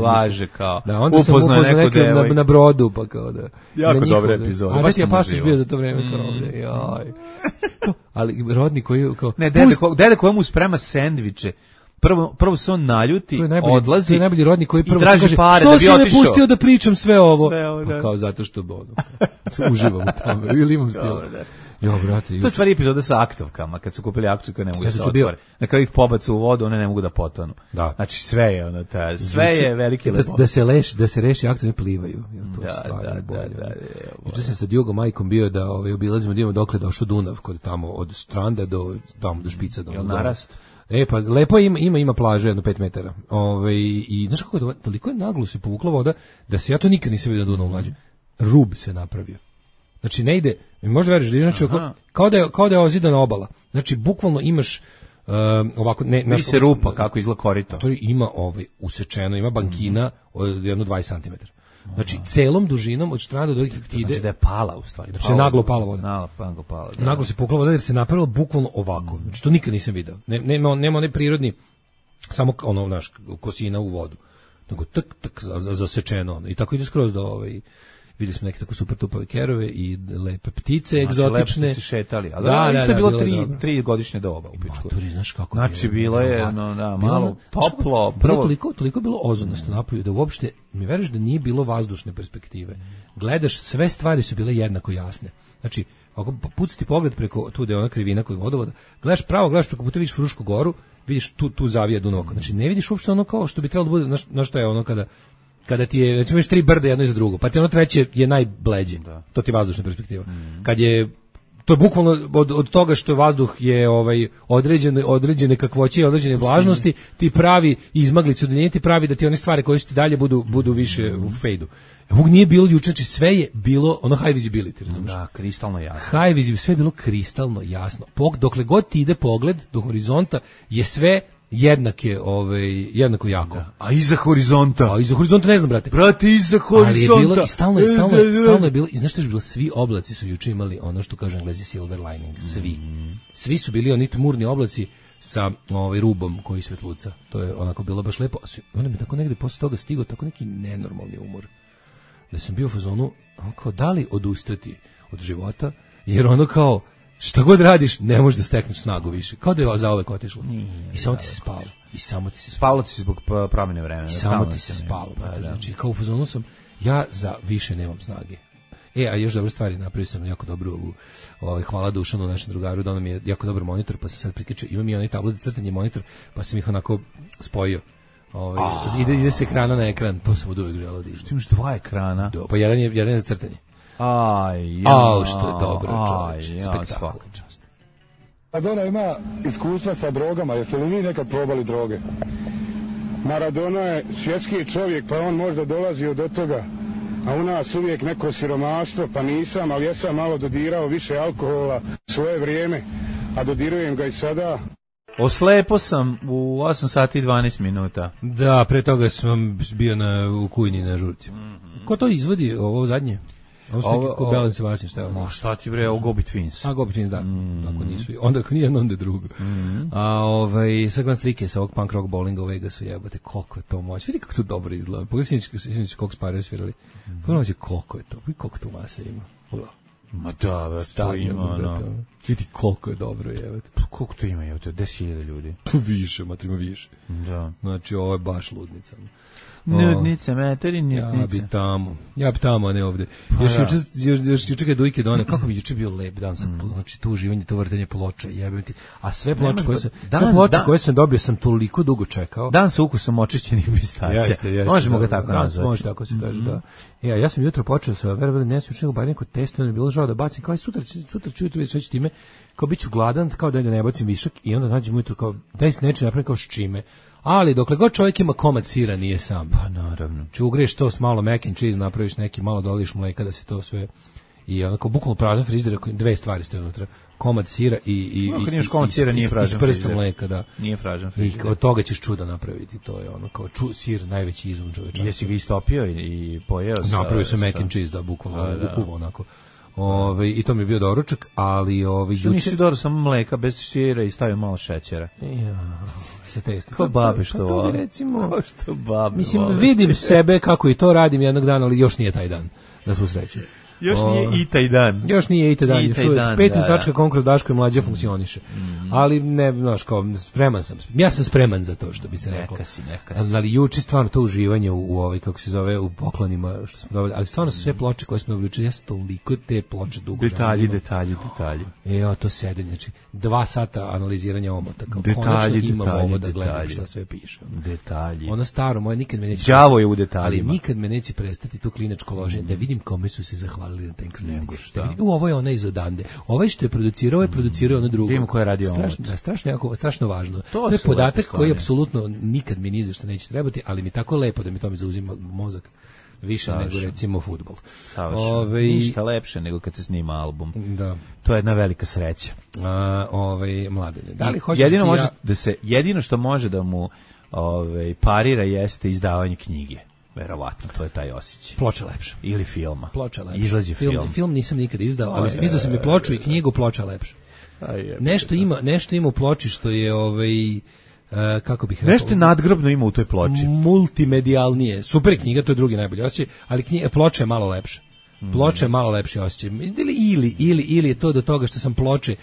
laže kao upoznao neku na brodu, pa kao da... Jako dobra epizoda. A gde si je pasoš bio za to vreme kao ovde? Jaj. Ali Rodni koji... Ne, dede kojemu sprema sendviče. Prvo se on naljuti, odlazi. To je najbolji Rodni koji prvo kaže pare da bi otišao. Što si me pustio da pričam sve ovo? Kao zato što uživam u tome ili imam stila. Jo, brate, to je stvari epizoda sa aktovkama, kad su kupili aktovke ne mogu da se otvore. Na kraju ih pobacu u vodu, one ne mogu da potonu. Da. Znači sve je ono ta, sve je veliki lepo. Da se reši aktovi plivaju. To je stvarno bolje. Juče sam sa Djugom majkom bio da obilazimo da imamo dokle došao Dunav, kod tamo od stranda do tamo do špica do. Jel narast? Pa lepo ima plaže jedno 5 metara. I znaš kako je toliko je naglo se povukla voda da se ja to nikad nisam vidio na Dunavu mlađe. Rub se napravio. Znači ne ide, možda veriš da je znači kao da je ozidana obala. Znači bukvalno imaš ovako vidi se rupa kako izgleda korito. To ima usečeno, ima bankina od jedno 20 cm. Znači celom dužinom od strane do ide. Znači da je pala u stvari. Znači naglo pala voda. Naglo se pukla voda jer se napravilo bukvalno ovako. Znači to nikad nisam video. Nema onaj prirodni samo ono naš kosina u vodu. Nego tak zasečeno. I tako ide skroz do videli smo neke tako super tupave kerove i lepe ptice egzotične. Lepo ste šetali, ali isto je bilo 3 godišnje doba u pičku. Maturi, znaš kako znači bilo je malo toplo. Toliko bilo ozonostno napolju da uopšte mi veruješ da nije bilo vazdušne perspektive. Gledaš, sve stvari su bile jednako jasne. Znači, ako pucati pogled preko tu da je ona krivina kod vodovoda, gledaš preko puta vidiš Frušku goru, vidiš tu zavija Dunav. Znači ne vidiš uopšte ono kao što bi trebalo da bude, znaš što je ono kada ti je, recimo, imaš 3 brda jedno iza drugo, pa ti ono treće je najbleđe. To ti je vazdušna perspektiva. Kad je, to je bukvalno od toga što vazduh je određene kakvoće i određene vlažnosti, ti pravi izmaglicu udaljenje, ti pravi da ti one stvari koje su ti dalje budu više u fejdu. Ovog nije bilo juče, znači sve je bilo ono high visibility, razumiješ? Da, kristalno jasno. High visibility, sve je bilo kristalno jasno. Dokle god ti ide pogled do horizonta je sve jednako jako. Da. A iza horizonta? Ne znam, brate. Brate, iza horizonta. Ali je bilo, i stalno je bilo, i znaš što je bilo, svi oblaci su juče imali ono što kaže Englezi silver lining, svi. Svi su bili oni tmurni oblaci sa rubom koji svetluca. To je onako bilo baš lepo. Onda mi tako negde posle toga stigao tako neki nenormalni umor. Da sam bio u fazonu, kao da li odustati od života, jer ono kao, šta god radiš, ne možeš da stekneš snagu više. Kao da je zauvek otišlo. I samo ti se spalo. Spalo ti se zbog promjene vremena. I samo ti se spalo. Znači, kao u fazonu sam, ja za više nemam snage. A još dobre stvari, napravio sam jako dobru hvala Dušanu, našem drugaru, da nam je jako dobar monitor, pa se sad prikačio, imam i onaj tablet za crtanje monitor, pa sam ih onako spojio. Ide se ekrana na ekran, to sam od uvek želeo da ide. Što imaš 2 ekrana? Pa jedan je za crtanje. Što je dobro, čovječ, spektakl. Maradona ima iskustva sa drogama, jeste li vi nekad probali droge? Maradona je svjetski čovjek, pa on možda dolazio do toga, a u nas uvijek neko siromaštvo, pa nisam, ali ja sam malo dodirao više alkohola svoje vrijeme, a dodirujem ga i sada. Oslepo sam u 8 sati i 12 minuta. Da, pre toga sam bio u Kujni na žurci. Ko to izvodi, ovo zadnje? Ovo Belen Sebastian, šta je ovo? Šta ti bre, ovo Gobi Twins. Gobi Twins, da. Ako nisu. Onda ako nije, onda je drugo. Sad gledam slike sa ovog punk rock bowlinga u Vegasu, jebate, koliko je to moć. Vidi kako to dobro izgleda. Pogledaj sinoć koliko spare svirali. Pogledaj koliko je to. Vidi koliko tu masa ima. Pogledaj. Ma da, već to ima, no. Vidi koliko je dobro, jebate. Koliko to ima, jebate, 10.000 ljudi. Više, matrima više. Da. Znači, ovo je baš ludnica. Nudnice, meteri, nudnice. Ja bi tamo, a ne ovde. Još juče kad Dujke done, kako mi juče bio lep dan, znači to uživanje, to vrtenje ploča, jebem ti. A sve ploče koje sam dobio sam toliko dugo čekao. Dan sa ukusom očišćenih pistacija. Možemo ga tako nazvati. Može tako se kaže, da. Ja sam jutro počeo sa verovali nesu učinio bar neko testo, ne bilo žao da bacim, kao i sutra ću jutro već time, kao bit ću gladan, kao da ne bacim višak i onda nađem ujutro kao daj se neće napravim kao s čime. Ali dokle god čovjek ima komad sira nije sam. Pa naravno. Če ugreš to s malo mac and cheese, napraviš neki, malo doliš mleka da se to sve i onako bukvalno prazan frižider, 2 stvari stoje unutra. Komad sira i prstom mleka, da. Nije prazan frižider. I od toga ćeš čudo napraviti, to je ono kao sir najveći izum čovječanstva. Jesi ga istopio i pojeo? Napravio sam mac and cheese, da, bukvalno ukuvo onako. I to mi je bio doručak, ali što nisi dodao samo mleka bez sira i stavio malo šećera? Se testa. To babi što voli. Recimo, što babi mislim, vidim sebe kako i to radim jednog dana, ali još nije taj dan, da smo srećni. Još nije i taj dan. Još nije i taj dan. Patreon.com kroz Daško i Mlađa funkcioniše. Ali ne, znaš, kao, spreman sam. Ja sam spreman za to, što bi se reklo. Neka si. Ali juče stvarno to uživanje u ovoj, kako se zove, u poklonima što smo dobili. Ali stvarno su sve ploče koje smo dobili. Ja sam toliko te ploče dugo. Detalji. To sedenje, znači 2 sata analiziranja omota. Kao, konačno imamo ovo da gledam šta sve piše. Detalji. Ono staro moje nikad me neće. Đavo je u detaljima. Ali nikad me neće prestati to klinačko loženje da vidim kome su se zahvalili na Thanks Giving. Ovo je ona iz odande. Ovaj što je producirao, ono drugo. Vidimo ko je radio strašno važno. To je podatak koji apsolutno nikad mi ni za što neće trebati, ali mi tako lepo da mi to mi zauzima mozak. Više nego recimo fudbal. Ništa lepše nego kad se snima album. Da. To je jedna velika sreća. Mladene. Da li hoćeš jedino što može da mu parira jeste izdavanje knjige. Verovatno, to je taj osjećaj. Ploča lepša. Ili filma. Ploča lepša. Izlazi film. Film nisam nikad izdao, ali izdao sam i ploču i knjigu, ploča lepša. Nešto ima u ploči što je kako bih rekao. Nešto nadgrobno ima u toj ploči. Multimedijalnije. Super knjiga, to je drugi najbolji osjećaj, ali ploča je malo lepša. Ploča je malo lepši osjećaj. Ili je to do toga što sam ploče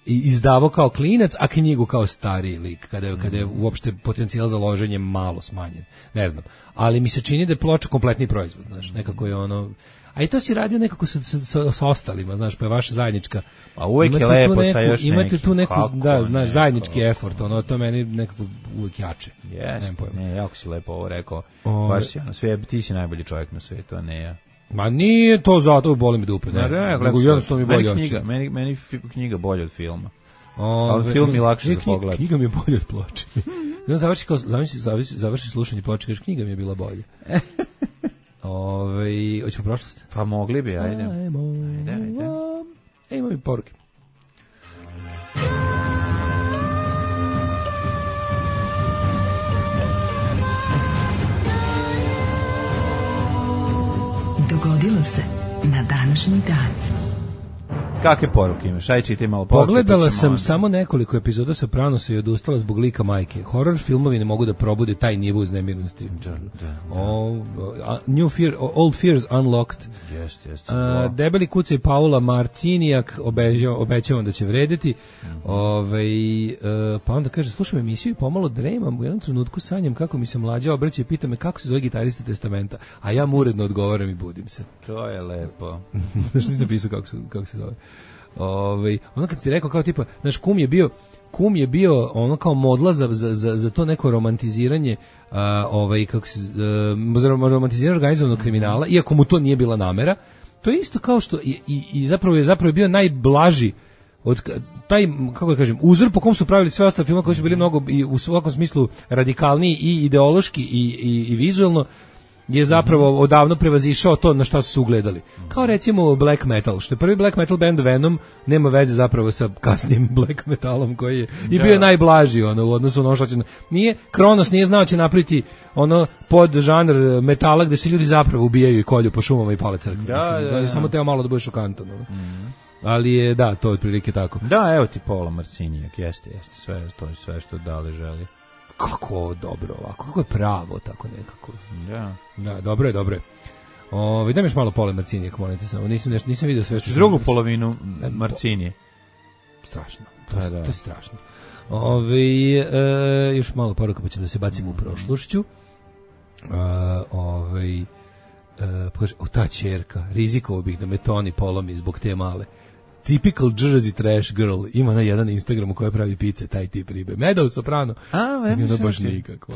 izdavao kao klinac, a knjigu kao stariji lik, kada je uopšte potencijal za loženje malo smanjen. Ne znam. Ali mi se čini da je ploča kompletni proizvod, znaš, nekako je ono. A i to si radio nekako sa ostalima, znaš, pa je vaša zajednička. A uvijek je lepo sa još nekim. Imate tu neku, znaš, zajednički effort, to meni nekako uvijek jače. Ne, jako si lepo ovo rekao. Baš si, ti si najbolji čovjek na svijetu, a ne ja. Ma nije to zato, boli mi dupe. Nego jednostavno mi bolje osjećaj. Meni knjiga bolje od filma. Ali film je lakše za pogled. Knjiga mi je bolje od ploče. Završi slušanje ploče, kažeš, knjiga mi je bila bolje. Hoćemo prošlost? Pa mogli bi, ajde. Ajde. Imam i poruke. Dogodilo se na današnji dan. Kakve poruke imaš? Aj, čitaj malo poruke. Pogledala sam samo nekoliko epizoda Sopranosa i odustala zbog lika majke. Horror filmovi ne mogu da probude taj nivo uznemirnosti. Old Fears Unlocked. Debeli kucaj Paula Marcinijak, obećavam da će vredeti. Pa onda kaže, slušam emisiju i pomalo dremam, u jednom trenutku sanjam kako mi se Mlađa obraća i pita me kako se zove gitarista Testamenta, a ja mu uredno odgovaram i budim se. To je lepo. Što nisi napisao kako se zove? Ono kad si ti rekao kao tipa, znaš, kum je bio ono kao modla za to neko romantiziranje romantiziranje organizovanog kriminala, iako mu to nije bila namera. To je isto kao što i zapravo je bio najblaži od taj, kako da kažem, uzor po kom su pravili sve ostale filmove koji su bili mnogo i u svakom smislu radikalniji i ideološki i vizuelno, je zapravo odavno prevazišao to na šta su se ugledali. Kao recimo black metal, što je prvi black metal band Venom, nema veze zapravo sa kasnim black metalom koji je i bio je najblaži u odnosu na ono što će. Kronos nije znao će napraviti ono pod žanr metala gde se ljudi zapravo ubijaju i kolju po šumama i pale crkve. Samo teo malo da bude šokantan. Ali je, da, to je otprilike tako. Da, evo ti Paula Marcinijak, jeste, sve što Dale želi. Kako dobro ovako, kako je pravo tako nekako. Da, dobro je. Daj mi još malo Paula Marcinijak, molite samo. Nisam vidio sve što. Drugu polovinu Marcinije. Strašno. To je strašno. Još malo poruka pa ćemo da se bacimo u prošlošću. Ta ćerka, rizikovao bih da me Toni polomi zbog te male. Typical Jersey trash girl, ima na jedan Instagramu koja pravi pice, taj tip ribe. Meadow Soprano. Ono baš nikako.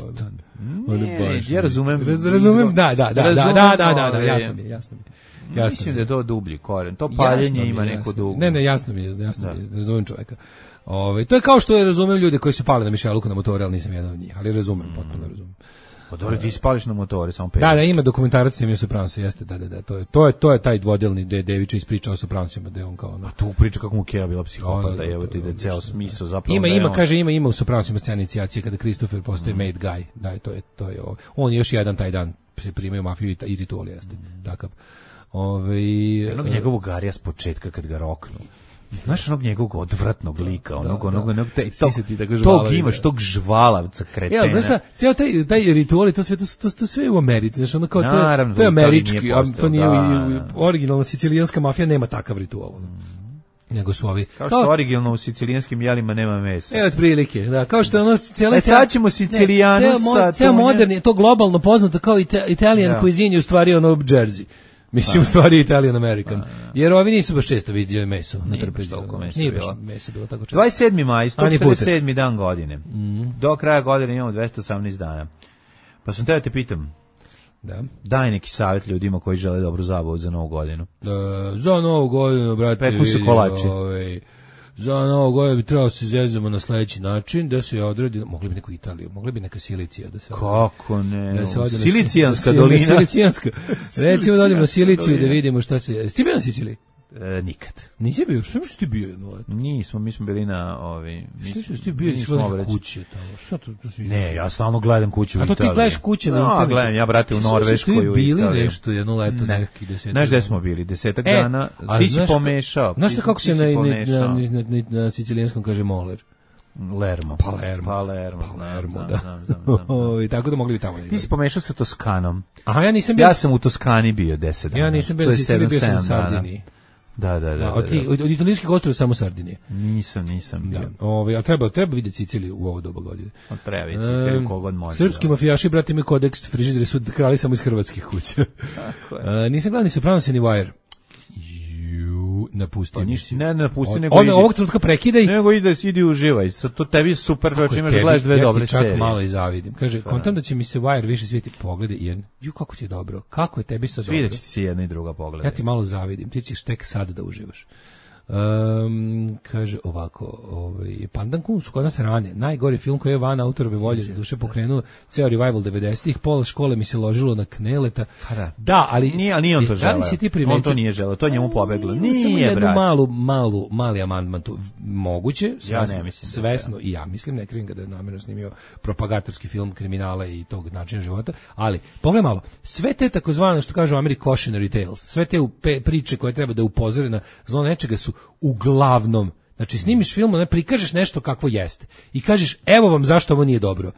Ja razumem. Da, jasno mi. Mislim da je to dublji koren. To paljenje ima neko dugo. Ne, jasno mi je, razumem čovjeka. To je kao što razumem ljude koji se pale na mišeluku na motore, ali nisam jedan od njih, ali potpuno razumem. Pa dobro, ti spališ na motore, samo 50. Da, ima dokumentarac o Sopranosa, jeste, da, to je taj dvodelni gde Devića ispriča o Sopranosima, da je on kao ono. A tu priča kako mu Kea bila psihopata, evo ti da je ceo smisao zapravo. Ima u Sopranosima scena inicijacije kada Christopher postaje made guy, da, to je ovo. On još jedan taj dan se primaju mafiju i ritual, jeste, takav. Jednog njegovog garija s početka kad ga roknu. Znaš onog njegovog odvratnog lika, onog tog imaš, tog žvalavca kretena. Ja, znaš šta, cijel taj ritual, to sve u Americi, znaš, ono kao to je američki, to nije originalna sicilijanska mafija nema takav ritual. Nego su ovi kao što originalno u sicilijanskim jelima nema mesa. Otprilike, da, kao što ono sad ćemo Sicilijanu sa ceo moderni, to globalno poznato kao Italian cuisine, u stvari ono Jersey. Mislim, u stvari Italian American. Jer ovi nisu baš često vidjeli meso na trpezu. Nije baš meso bilo tako često. 27. maj, 147. dan godine. Do kraja godine imamo 218 dana. Pa sam te pitam, daj neki savjet ljudima koji žele dobru zabavu za novu godinu. Za novu godinu, brate, peku se kolači. Za novu godinu bi trebalo se zezamo na sledeći način, da se odredi, mogli bi neku Italiju, mogli bi neka Silicija da se kako ne, da Silicijanska dolina. Silicijanska. Recimo da odemo na Siliciju da vidimo šta se... Ti bio na Siciliji? Nikad. Nisi bio? Što misliš ti bio jedno leto? Nismo, mi smo bili na Što ti bio iz kuće tamo? Šta to ne, ja stalno gledam kuću u Italiji. A to ti gledaš kuće na internetu? Gledam, ja brate u Norveškoj u Italiji. Bili nešto jedno leto neki 10. Znaš gde smo bili? 10 dana. Ti si pomešao. Znaš kako se na sicilijanskom kaže moler? Palermo, da. I tako da mogli bi tamo. Ti si pomešao sa Toskanom. Aha, ja nisam bio. Ja sam u Toskani bio 10 dana. Ja nisam bio, bio sam u Sardiniji. Da. Od italijanskih ostrva samo Sardinije. Nisam bio. A treba vidjeti Siciliju u ovo doba godine. Treba vidjeti Siciliju kogod može. Srpski mafijaši, brate, imaju kodeks, frižideri su krali samo iz hrvatskih kuća. Tako je. Nisam gledao ni Sopranos ni Wire. Napusti. Ne napusti, nego ovog trenutka prekidaj. Nego idi uživaj. To tebi super, znači imaš da gledaš dve dobre serije. Ja ti čak malo i zavidim. Kaže, kontam da će mi se Wire više svijeti poglede i kako ti je dobro. Kako je tebi sad dobro? Svijet će ti se jedna i druga pogleda. Ja ti malo zavidim. Ti ćeš tek sad da uživaš. Kaže ovako, Pandan Kun su kod nas rane. Najgori film koji je van autorove volje za duše pokrenuo ceo revival 90-ih. Pola škole mi se ložilo na Kneleta. Da, ali nije on to želeo. On to nije želeo, to njemu pobeglo. Nije, brate. Mali amandman tu. Moguće, svesno i ja mislim, ne krivim ga da je namjerno snimio propagatorski film kriminala i tog načina života, ali pogledaj malo, sve te takozvane, što kažu u Americi cautionary tales, sve te priče koje treba da upozore na zlo nečega su uglavnom, znači snimiš film, ne prikažeš nešto kakvo jeste i kažeš evo vam zašto ovo nije dobro.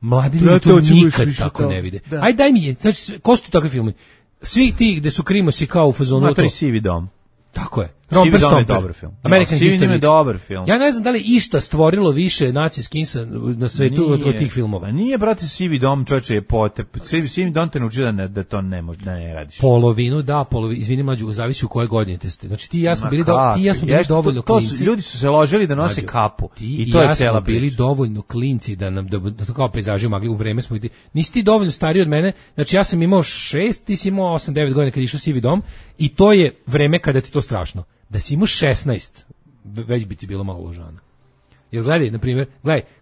Mladi ljudi to nikad tako ne vide. Ajde daj mi je, znači ko su takvi filmi? Svi ti gde su krimosi kao u fazonu. Matori Sivi dom. Tako je. Romper Stomper je dobar film. American History je dobar film. Ja ne znam da li išta stvorilo više nacije skinsa na svetu od tih filmova. Nije, brate, Sivi dom, čoveče, je potep. Sivi dom te naučio da to ne može, da ne radiš. Polovinu, izvini mlađu, zavisi u koje godine ste. Znači ti i ja smo bili dovoljno klinci. Ljudi su se ložili da nose kapu. I to je cela priča. Bili dovoljno klinci da nam da to kao pejzaži magli u vreme smo. Nisi ti dovoljno stariji od mene. Znači ja sam imao 6, ti si imao 8-9 godina kad išao Sivi dom i to je vreme kada ti to strašno. Da si imao 16, već bi ti bilo malo ložana. Jer gledaj, na primjer,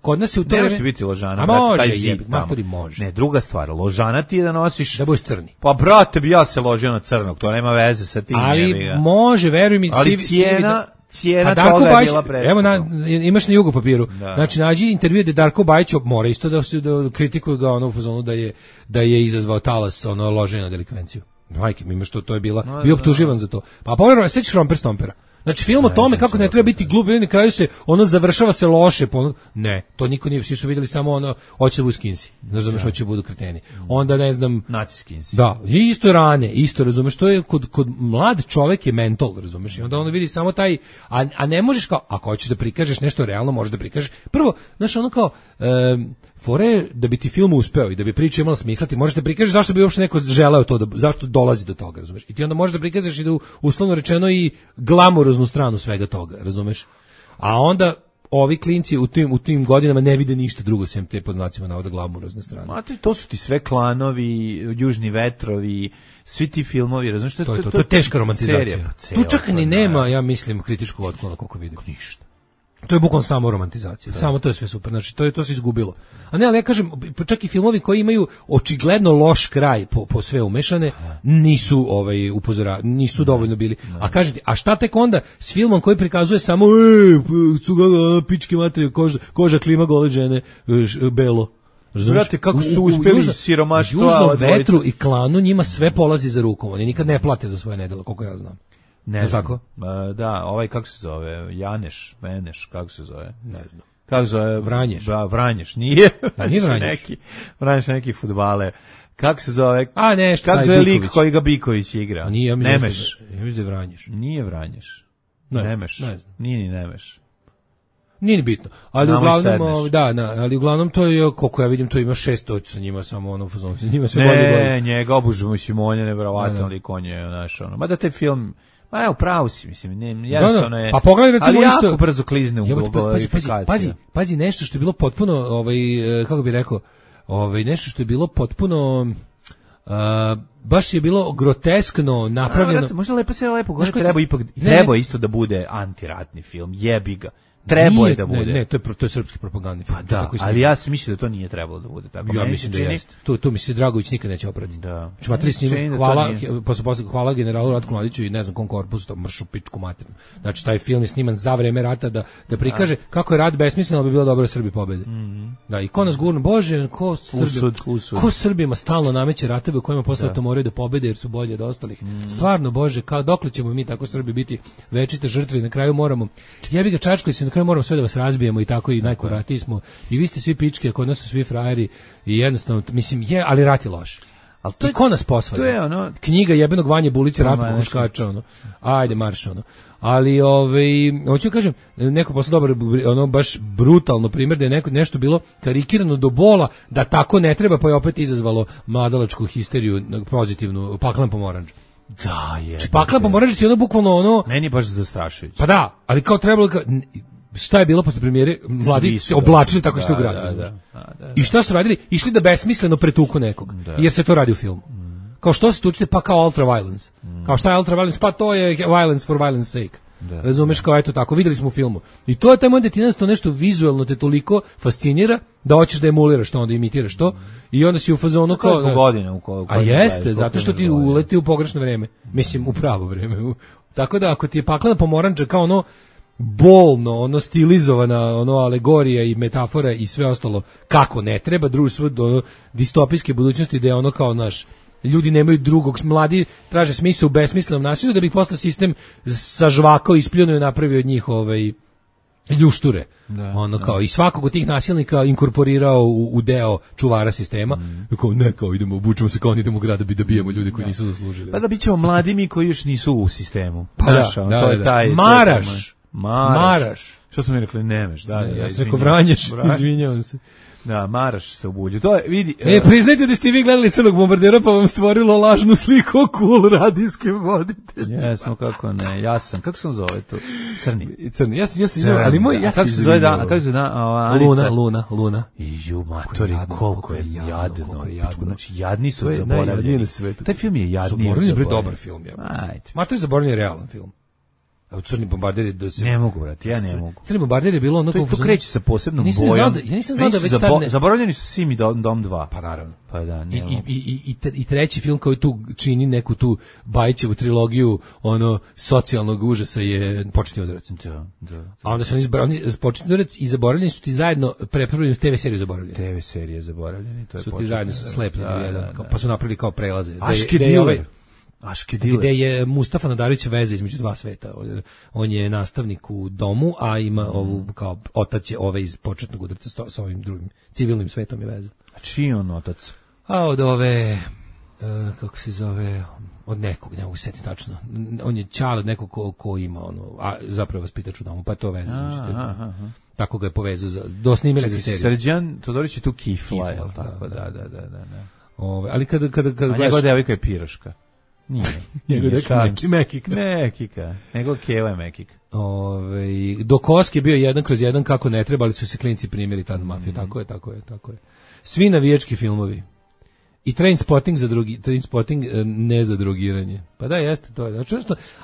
kod nas je u to vreme... biti ložana, a brate, može, taj zid matori može. Ne, druga stvar, ložana ti je da nosiš... Da budeš crni. Pa, brate, bi ja se ložio na crnog, to nema veze sa tim. Ali može, veruj mi... Ali cijena toga je bila preskupa. Evo, imaš na jugu papiru. Da. Znači, nađi intervju da Darko Bajić mora isto da kritikuju ga u fazonu da je izazvao talas loženja na delikvenciju. Majke mi, to je bio optuživan za to. Pa pogledaj, sećaš Romper Stompera? Znači film o tome kako ne treba biti glup, i na kraju se završava se loše. Ne, to niko nije, svi su vidjeli samo hoće da budu skinsi. Ne razumeš, hoće da budu kreteni. Onda ne znam, naci skinsi. Da, i isto rane, isto razumeš, to je kod mlad čovek je mentol, razumeš? I onda on vidi samo taj, a ne možeš kao, ako hoćeš da prikažeš nešto realno, možeš da prikažeš. Prvo, znaš, kao fore da bi ti film uspeo i da bi priča imala smisla, ti možeš da prikažeš zašto bi uopšte neko želeo to, zašto dolazi do toga, razumeš? I ti onda možeš da prikažeš i da uslovno rečeno i glamuroznu stranu svega toga, razumeš? A onda ovi klinci u tim godinama ne vide ništa drugo sem te pod znacima navoda glamurozne strane. Mate, to su ti sve klanovi, Južni vetrovi, svi ti filmovi, razumeš? To je teška romantizacija. Tu čak ni nema, ja mislim, kritičkog otklona koliko vidim. Ništa. To je bukvalno samo romantizacija. Samo to je sve super. Znači to se izgubilo. A ne, ali ja kažem, čak i filmovi koji imaju očigledno loš kraj po sve umešane, nisu nisu dovoljno bili. A kažete, a šta tek onda s filmom koji prikazuje samo pičke materije, koža klima gole žene, belo. Znate kako su uspeli siromaštva. Južnom vetru i klanu njima sve polazi za rukom. Oni nikad ne plate za svoje nedjela, koliko ja znam. Ne znam. Tako? Da, ovaj kako se zove, Meneš, kako se zove? Ne znam. Kako se zove? Vranješ. Da, Vranješ, nije. Nije Vranješ. Vranješ neki fudbale. Kako se zove? A nešto. Kako se zove lik koji ga Biković igra? A nije, Nemeš. Ja mislim da je Vranješ. Nije Vranješ. Nemeš. Nije ni Nemeš. Nije ni bitno. Ali uglavnom, ali uglavnom to je, koliko ja vidim, to ima 600 sa njima, samo ono fazon. Njima sve bolje. Ne, njega obužujemo Simonja, neverovatno lik on je, znaš, ono. Mada taj film, ma evo, pravo si, mislim, jednostavno je. Pa pogledaj recimo ali isto. jako brzo klizne u glorifikaciju. Pazi, nešto što je bilo potpuno, kako bih rekao, nešto što je bilo potpuno, baš je bilo groteskno napravljeno. Možda lepo govori, treba isto da bude antiratni film, jebi ga. Trebao je da bude. Ne, to je srpski propagandni film. Pa da, ali ja se mislim da to nije trebalo da bude tako. Ja mislim da jeste. Tu mi se Dragović nikad neće oprati. Da. Čmatri s njim, hvala generalu Ratku Mladiću i ne znam kom korpusu, to mršu pičku materinu. Znači, taj film je sniman za vreme rata da prikaže kako je rat besmislen, ali bi bilo dobro da Srbi pobede. Da, i ko nas gurno, Bože, ko Srbima stalno nameće ratove u kojima posle to moraju da pobede jer su bolji od ostalih. Stvarno, Bože, dokle ćemo mi tako Srbi biti večite žrtve i na kraju moramo, jebi ga čačkali se, na kraju moramo sve da vas razbijemo i tako i najkoratiji smo i vi ste svi pičke, kod nas su svi frajeri i jednostavno, mislim, ali rat je loš. Ali to je, ko nas posvađa? To je ono... Knjiga jebenog Vanje Bulića, Ratko Huškača, ono. Ajde, marš, ono. Ali, hoću kažem, neko posle dobar, baš brutalno primjer da je nešto bilo karikirano do bola, da tako ne treba, pa je opet izazvalo mladalačku histeriju, pozitivnu, Paklan pomoranđ. Da, je. Znači, Paklan pomoranđ je ono bukvalno ono... Meni je baš zastrašujuće. Pa da, ali kao trebalo... Šta je bilo posle premijere? Mladi se oblačili tako što u gradu. Da. I šta su radili? Išli da besmisleno pretuku nekog. Jer se to radi u filmu. Kao što se tučite, pa kao ultra violence. Kao šta je ultra violence? Pa to je violence for violence sake. Razumeš, kao eto tako, videli smo u filmu. I to je taj moment da ti jednostavno nešto vizualno te toliko fascinira da hoćeš da emuliraš to, onda imitiraš to. I onda si u fazonu kao... A jeste, zato što ti uleti u pogrešno vreme. Mislim, u pravo vreme. Tako da ako ti je Paklena pomoranđa kao ono bolno, ono stilizovana, ono alegorija i metafora i sve ostalo kako ne treba, društvo do distopijske budućnosti da je ono kao naš ljudi nemaju drugog, mladi traže smisao u besmislenom nasilju da bi posle sistem sažvakao, ispljunuo i napravio od njih ljušture. Kao i svakog od tih nasilnika inkorporirao u deo čuvara sistema. Kao idemo, obučemo se kao idemo u grad da bijemo ljude koji nisu zaslužili. Pa da bićemo mladi mi koji još nisu u sistemu. Pa to je taj Maraš. Što smo mi rekli, Nemeš, da. Ja sam rekao Vranješ, izvinjavam se. Da, Maraš se ubuđu. To je, vidi... priznajte da ste vi gledali Crnog bombardera pa vam stvorilo lažnu sliku o cool radijske voditelje. Jesmo, kako ne, jasan. Kako se on zove to? Crni. Ja sam ali moj... Kako se zove Anica? Luna. Ju, matori, koliko je jadno. Znači, jadni su zaboravljeni. Na svetu. Taj film je jadni. Zaboravljeni je dobar film. Matori je zaboravljeni realan film. A Crni bombarder je da se... Ne mogu, brate, ja ne mogu. Crni bombarder je bilo ono... To kreće sa posebnom bojom. Ja nisam znao da već tad... Zaboravljeni su Sim i Dom 2. Pa naravno. Pa da, I treći film koji tu čini neku tu Bajićevu trilogiju, socijalnog užasa je Početni udarac. Da. A onda su oni Početni udarac i zaboravljeni su ti zajedno prepravili TV seriju zaboravljeni. TV serije zaboravljeni, to je su ti zajedno slepljeni jedan, pa su napravili kao prelaze. Gde je Mustafa Nadarević veza između dva sveta. On je nastavnik u domu, a ima ovu kao otac je iz Početnog udarca sa ovim drugim civilnim svetom je veza. A čiji on otac? A od kako se zove, od nekog, ne mogu se setiti tačno. On je čale od nekog ko ima a zapravo vaspitač u domu, pa je to veza. Tako ga je povezao do snimili za seriju. Srđan Todorić je tu Kifla, je li tako? Da. Ali kada a njegova devojka je Piroška. Nije. Mekika. Nego Keva je Mekika. Do Koske je bio 1/1 kako ne treba, ali su se klinci primjeri tad mafiju. Tako je. Svi navijački filmovi. I Trainspotting ne za drogiranje. Pa da, jeste, to je. Znači,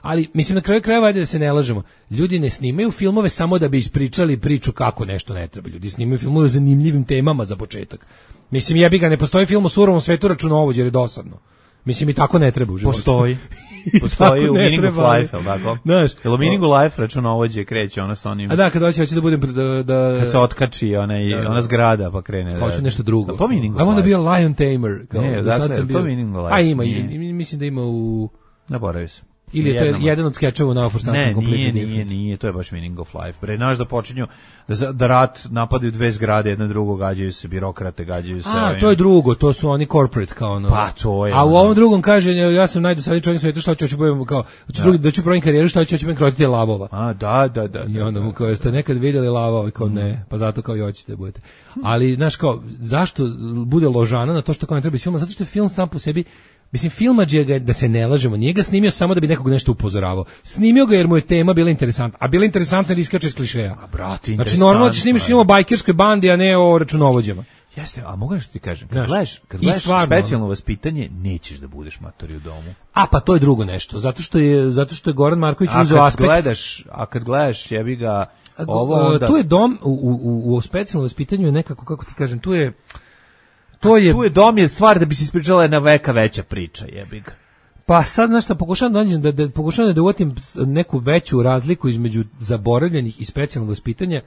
ali, mislim, na kraju krajeva, ajde da se ne lažemo. Ljudi ne snimaju filmove samo da bi ispričali priču kako nešto ne treba. Ljudi snimaju filmove o zanimljivim temama za početak. Mislim, jebi ga, ne postoji film o surovom svetu računovođe, jer je dosadno. Mislim, i tako ne treba u životu. Postoji u Meaning of Life, ali tako? Jel u Meaning of Life računovođe kreće sa onim... A da, kad hoće da budem... Kad se otkači ona zgrada pa krene. Hoću nešto drugo. To Meaning of Life. I want to be a lion tamer. Ne, dakle, to Meaning of Life. A ima, mislim da ima u... Naboravio sam. Ili je to jedan od skečeva u Naoforsantom kompletnom? Nije, to je baš Meaning of Life. Pre znaš da počinju da rat napadaju dve zgrade, jedna drugo, gađaju se birokrate, gađaju se... to je drugo, to su oni corporate kao ono. Pa to je. A u ovom drugom kaže, ja sam najdosadniji čovjek na svetu, šta hoću budem kao, da ću provim karijeru, šta hoću budem krotiti lavova. Da. I onda mu kao, jeste nekad vidjeli lavova, kao ne, pa zato kao i hoćete da budete. Ali, znaš kao, zašto bude ložana na to što kao ne treba iz filma? Zato što je film sam po sebi. Mislim, filmadžija ga, da se ne lažemo, nije ga snimio samo da bi nekog nešto upozoravao. Snimio ga jer mu je tema bila interesantna, a bila interesantna jer iskače iz klišeja. A brate, interesantno. Znači, normalno ćeš snimiš film o bajkerskoj bandi, a ne o računovođama. Jeste, a mogu nešto ti kažem, kad gledaš specijalno vaspitanje, nećeš da budeš matori u domu. A pa to je drugo nešto, zato što je Goran Marković uzeo aspekt. A kad gledaš, jebi ga, tu je dom, u specijalnom vaspitanju je nekako, kako ti kažem, tu je dom je stvar da bi se ispričala jedna veka veća priča, jebi ga. Pa sad, znaš šta, pokušavam da uvatim neku veću razliku između zaboravljenih i specijalnog vaspitanja.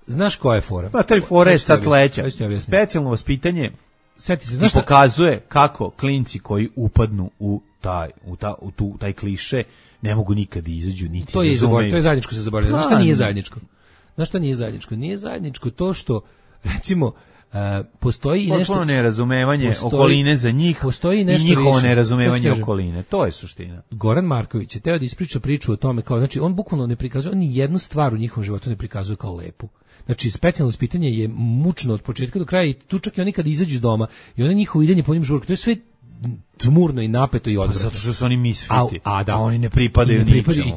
Znaš koja je fora? Pa taj fora je sad sledeća. Specijalno vaspitanje pokazuje kako klinci koji upadnu u taj kliše ne mogu nikad izađu, niti to je zajedničko se zaboravljeno. Znaš šta nije zajedničko? Nije zajedničko to što, recimo, postoji nešto potpuno nerazumevanje okoline za njih i njihovo nerazumevanje okoline. To je suština. Goran Marković je teo da ispriča priču o tome kao, znači on bukvalno ne prikazuje ni jednu stvar u njihovom životu ne prikazuje kao lepu. Znači specijalno ispitanje je mučno od početka do kraja i tu čak i oni kad izađu iz doma i ono njihovo idenje po njim žurke, to je sve tmurno i napeto i odvratno. Zato što su oni misfiti, a oni ne pripadaju ničemu.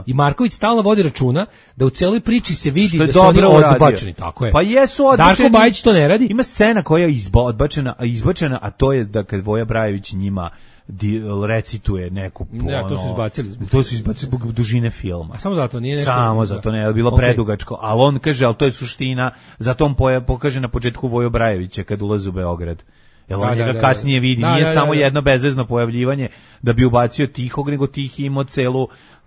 I Marković stalno vodi računa da u celoj priči se vidi da su oni odbačeni. Tako je. Pa jesu odbačeni. Darko Bajić to ne radi. Ima scena koja je izbačena, a to je da kad Voja Brajević njima recituje neku to su izbacili zbog dužine filma. A samo zato nije nešto. Samo zato ne, je bilo predugačko. Ali on kaže, ali to je suština, zato on pokaže na početku Voju Brajevića kad ulazi u Beograd. Jel on njega kasnije vidi, nije samo jedno bezvezno pojavljivanje da bi ubacio Tihog, nego Tihi imao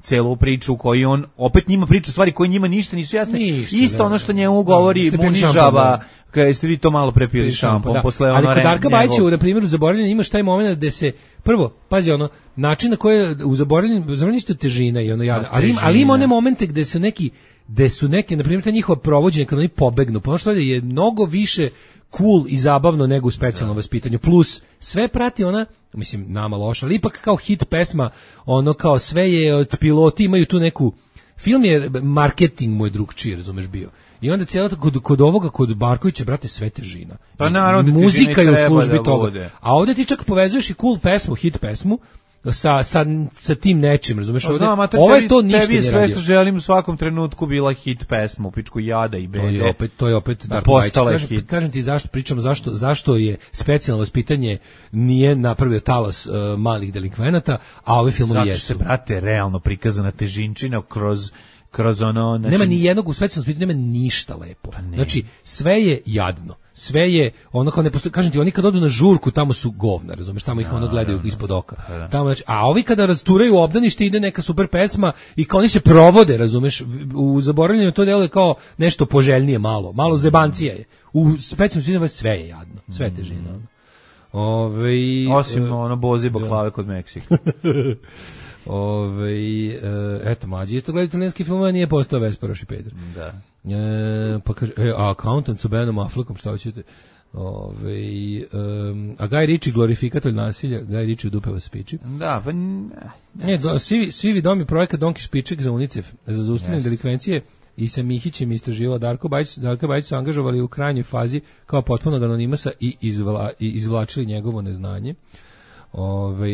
celu priču u kojoj on opet njima priča stvari koje njima ništa nisu jasne. Isto ono što njemu govori Munižava, kada ste vi to malo prepili šampon. Ali kod Darka Bajića, na primjer, u zaboravljanju imaš taj moment gde se, prvo, pazi ono, način na koji u zaboravljanju isto težina i ono jada, ali ima one momente gde su neke, na primjer, ta njihova provođenja kada oni pobegnu, pa ono što je mnogo više cool i zabavno nego u specijalnom vaspitanju. Plus, sve prati ona, mislim, nama loša, ali ipak kao hit pesma, ono kao sve je od piloti, imaju tu neku, film je, marketing mu je drugčiji, razumeš, bio. I onda cijela kod Markovića, brate, sve težina. Pa naravno, muzika je u službi toga. A ovdje ti čak povezuješ i cool pesmu, hit pesmu, sa tim nečim, razumeš? Ovo to ništa nije radio. Tebi sve što želim u svakom trenutku bila hit pesma, u pičku Jada i Bede. To je opet Darko Bajić. Kažem ti zašto je specijalno vaspitanje nije napravio talas malih delikvenata, a ove filmovi jesu. Zato što, brate, realno prikazana težinčina kroz ono... Nema ni jednog u specijalnom vaspitanju, nema ništa lepo. Znači, sve je jadno. Sve je ono kao ne postoji, kažem ti, oni kad odu na žurku tamo su govna, razumeš, tamo ih ono gledaju ispod oka. Tamo, znači, a ovi kada rasturaju obdanište ide neka super pesma i kao oni se provode, razumeš, u zaboravljanju to deluje kao nešto poželjnije malo zebancija je. U specijalnom vaspitanju sve je jadno, sve je težina. Osim ono bozi baklave kod Meksika. Eto, mlađi isto gleda italijanski film, a nije postao Vesparoš i Pedro. Da. Pa kaže, Accountant sa Benom Affleckom, šta hoćete? A Guy Ritchie glorifikator nasilja, Guy Ritchie u dupe vas piči. Da, pa... Svi vidomi projekat Donki Špiček za UNICEF, za zaustavljanje delikvencije i sa Mihićem istraživao Darko Bajić su angažovali u krajnjoj fazi kao potpunog anonimasa i izvlačili njegovo neznanje.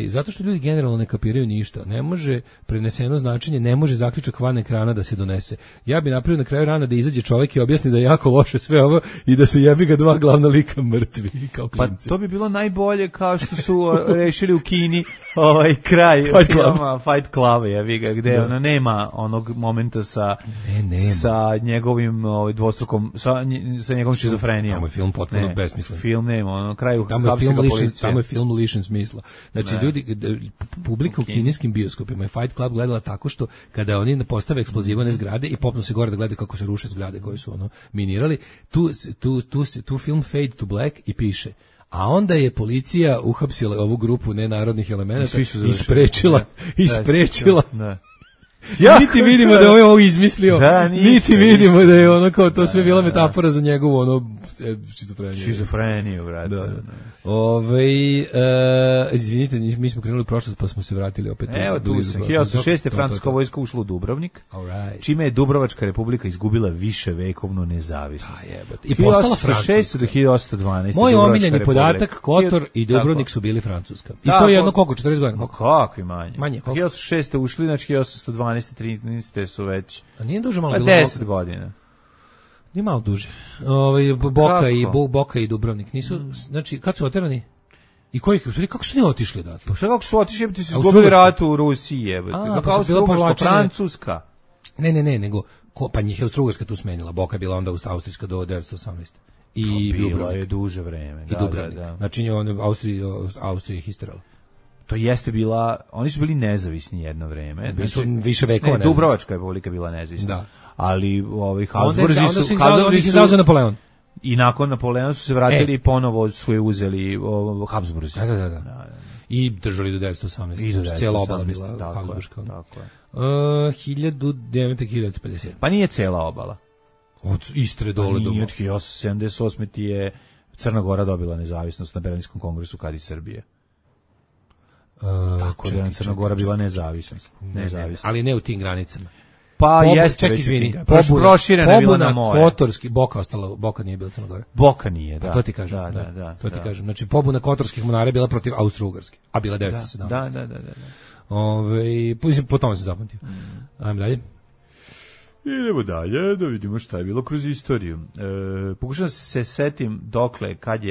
Zato što ljudi generalno ne kapiraju ništa. Ne može preneseno značenje, ne može zaključak van ekrana da se donese. Ja bi napravio na kraju rana da izađe čovjek i objasni da je jako loše sve ovo i da su jebi ga dva glavna lika mrtvi kao klinci. Pa to bi bilo najbolje kao što su rešili u Kini kraj Fight Club, jebi ga, gde ono nema onog momenta sa njegovim dvostrukom sa njegovom šizofrenijom. Tamo je film potpuno besmislen. Film nema, ono kraju tamo je film lišen smisla. Znači, publika u kineskim bioskopima je Fight Club gledala tako što kada oni postave eksplozivane zgrade i popnu se gore da gledaju kako se ruše zgrade koje su minirali, tu film Fade to Black i piše A onda je policija uhapsila ovu grupu nenarodnih elemenata i sprečila. Da. Niti vidimo da je ovo izmislio, niti vidimo da je ono kao to sve bila metafora za njegovu ono šizofreniju, brate. Izvinite, mi smo krenuli u prošlost pa smo se vratili opet. Evo tu sam, 1906. francuska vojska ušla u Dubrovnik, čime je Dubrovačka republika izgubila viševekovnu nezavisnost. I postala francuska. Do 1812. Moj omiljeni podatak, Kotor i Dubrovnik su bili francuska. I to je jedno koliko, 40 godina? Kakvi manje? Manje, koliko? 1906. ušli, znači 1812. 13. su već... A nije duže malo? 10 godina. Nije malo duže. Boka i Dubrovnik nisu, znači, kad su oterani? I kako su ne otišli odatle? Pa šta kako su otišli, jebate, su izgubili rat u Rusiji, jebate. Pa su bila Francuska. Ne, nego, pa njih je Austro-Ugarska tu smenila, Boka je bila onda austrijska do 1918. I bilo je duže vreme. I Dubrovnik. Znači, Austrija ih isterala. To jeste bila, oni su bili nezavisni jedno vreme. Bili su više vekova nezavisni. Dubrovačka republika bila nezavisna. Da. Ali Habsburzi su... Onda ih izazvao Napoleon. I nakon Napoleona su se vratili i ponovo su je uzeli Habsburzi. Da. I držali do 1918. Znači, cijela obala bila Habsburška. Tako je. 1950. Pa nije cijela obala. Od Istre dole do... Nije, od 1878. ti je Crna Gora dobila nezavisnost na Berlinskom kongresu kad i Srbije. Tako da je Crna Gora bila nezavisnost. Ali ne u tim granicama. Pa jeste već proširena je bila na more. Kotorski, Boka nije bila Crna Gora. Boka nije, da. To ti kažem. Da. To ti kažem. Znači, pobuna kotorskih monara je bila protiv Austro-Ugarske, a bila 1917. Da. Po tome se zapamtio. Ajmo dalje. Idemo dalje, da vidimo šta je bilo kroz istoriju. Pokušam se setim dokle, kad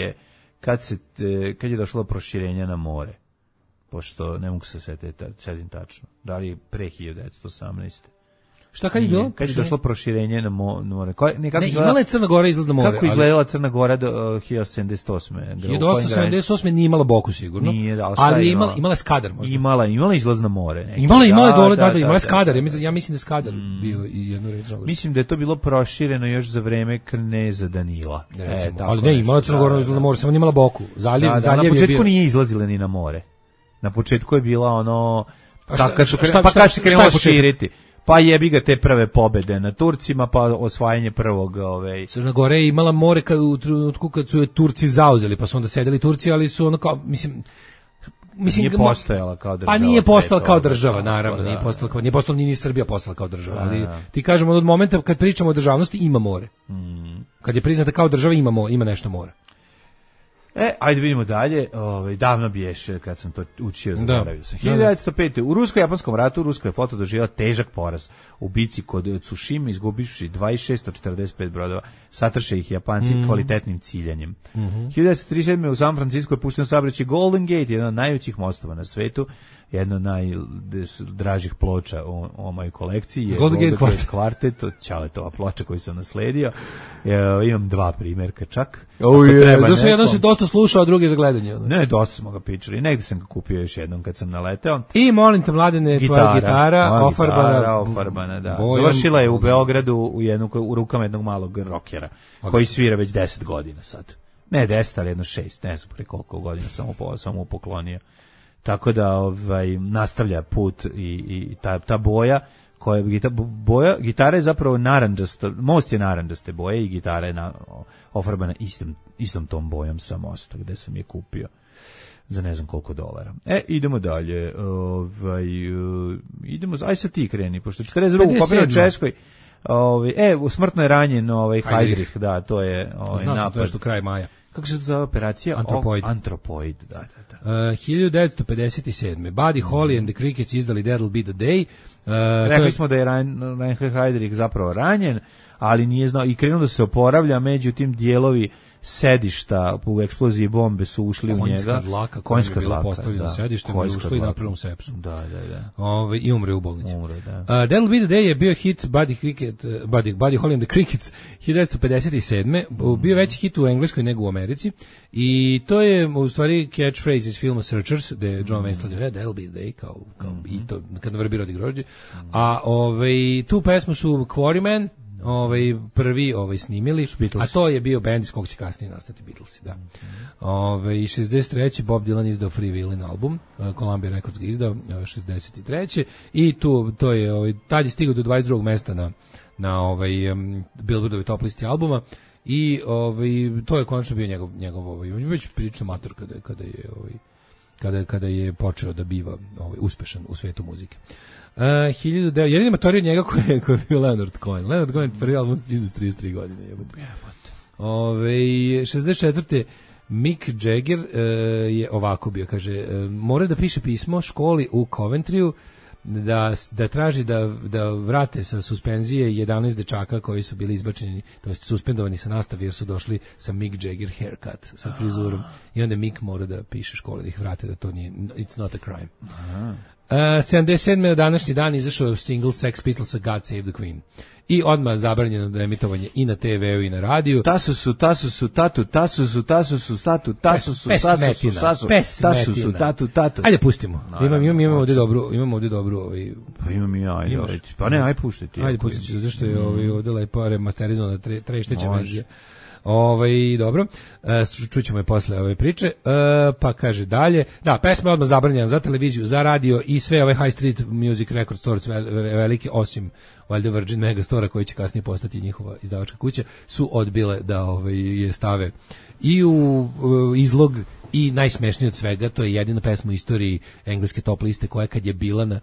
je došlo do proširenja na more. Pošto ne mogu se setim tačno. Da li pre 1918. Šta kad je bilo? Kad je došlo proširenje na more? Imala je Crna Gora izlaz na more. Kako izgledala Crna Gora do 1878? 1878 nije imala Boku sigurno. Nije, ali imala Skadar možda. Imala izlaz na more. Imala dole, imala Skadar. Ja mislim da je Skadar bio i jednu reč. Mislim da je to bilo prošireno još za vreme kneza Danila. Ali ne, imala Crna Gora izlaz na more, samo nije imala Boku. Na početku nije izlazila ni na more. Na početku je bila ono... Pa kad se krenulo širiti? Pa jebi ga te prve pobede na Turcima, pa osvajanje prvog... Crna Gora je imala more u trenutku kad su je Turci zauzeli, pa su onda sedeli Turci, ali su ono kao... Mislim, nije postojala kao država. Pa nije postala kao država, naravno. Nije postala ni Srbija postala kao država. Ali ti kažemo od momenta kad pričamo o državnosti ima more. Kad je priznata kao država ima nešto more. Ajde vidimo dalje, davno biješe kad sam to učio, zaboravio sam. 1905. U rusko-japanskom ratu Ruska je flota doživjela težak poraz u bici kod Tsushima, izgubivši 26 od 45 brodova, satrše ih Japanci kvalitetnim ciljanjem. 1937. u San Francisco je pušteno saobraćaj Golden Gate, jedan od najvećih mostova na svetu, jedno od najdražih ploča u mojoj kolekciji je Golden Gate Quartet, Ćaletova ploča koju sam nasledio. Imam dva primjerka čak. Zašto jedan se dosta slušao, a drugi za gledanje? Ne, dosta smo ga pričali. Negdje sam ga kupio još jednom kad sam naleteo. I molim te, Mladene, tvoja gitara, ofarbana, da. Završila je u Beogradu u rukama jednog malog rokera, koji svira već 10 godina sad. Ne 10, ali jedno 6, ne znam pre koliko godina sam mu poklonio. Tako da nastavlja put i ta boja, gitara je zapravo narandžasta, most je narandžaste boje i gitara je ofarbana istom tom bojom sa mosta gde sam je kupio za ne znam koliko dolara. Idemo dalje. Aj sad ti kreni, pošto 42. kopira u Češkoj. Smrtno je ranjen Heydrich, da, to je napad. To je što kraj maja. Kako se to zove operacija? Antropoid, da. 1957. Buddy Holly and the Crickets izdali That'll Be the Day. Rekli smo da je Heydrich zapravo ranjen, ali nije znao i krenuo da se oporavlja, međutim dijelovi sedišta u eksploziji bombe su ušli u njega. Konjska dlaka postavljena sedištem i ušli na prvom sepsu. Da. I umre u bolnici. That'll Be the Day je bio hit Buddy Holly and the Crickets 1957. Bio veći hit u Engleskoj nego u Americi. I to je u stvari catchphrase iz filma Searchers, gde je John Wayne stavljao That'll Be the Day, kao i to, kad vrbi rodi grožđe. A tu pesmu su Quarrymen, prvi snimili, a to je bio bend iz kog će kasnije nastati Beatlesi, da. 63. Bob Dylan izdao Free Willin album, Columbia Records ga izdao 63. I to je tad je stigao do 22. mesta na Billboardovoj top listi albuma i to je konačno bio njegov već prilično mator kada je počeo da biva uspešan u svetu muzike. Jedini matori od njega koji je bio Leonard Cohen. Leonard Cohen prvi album iz 33 godine. 64. Mick Jagger je ovako bio, kaže, mora da piše pismo školi u Coventryu da traži da vrate sa suspenzije 11 dečaka koji su bili izbačeni, to jest suspendovani sa nastave jer su došli sa Mick Jagger haircut, sa frizurom. I onda Mick mora da piše školi da ih vrate, da to nije, it's not a crime. 77. na današnji dan izašao single Sex Pistolsa God Save the Queen. I odmah zabranjeno da emitovanje i na TV-u i na radiju. Ajde pustimo. Imamo ovdje dobru. Pa imam i ja. Pa ne, aj puštiti. Ajde pustiti, zato što je ovdje lepo remasterizovana trešteća verzija. Dobro, čućemo je posle ove priče, pa kaže dalje, da, pesma je odmah zabranjena za televiziju, za radio i sve ove High Street Music Record Stores velike, osim valjda Virgin Megastore koji će kasnije postati njihova izdavačka kuća, su odbile da je stave i u izlog i najsmešnije od svega, to je jedina pesma u istoriji engleske top liste koja kad je bila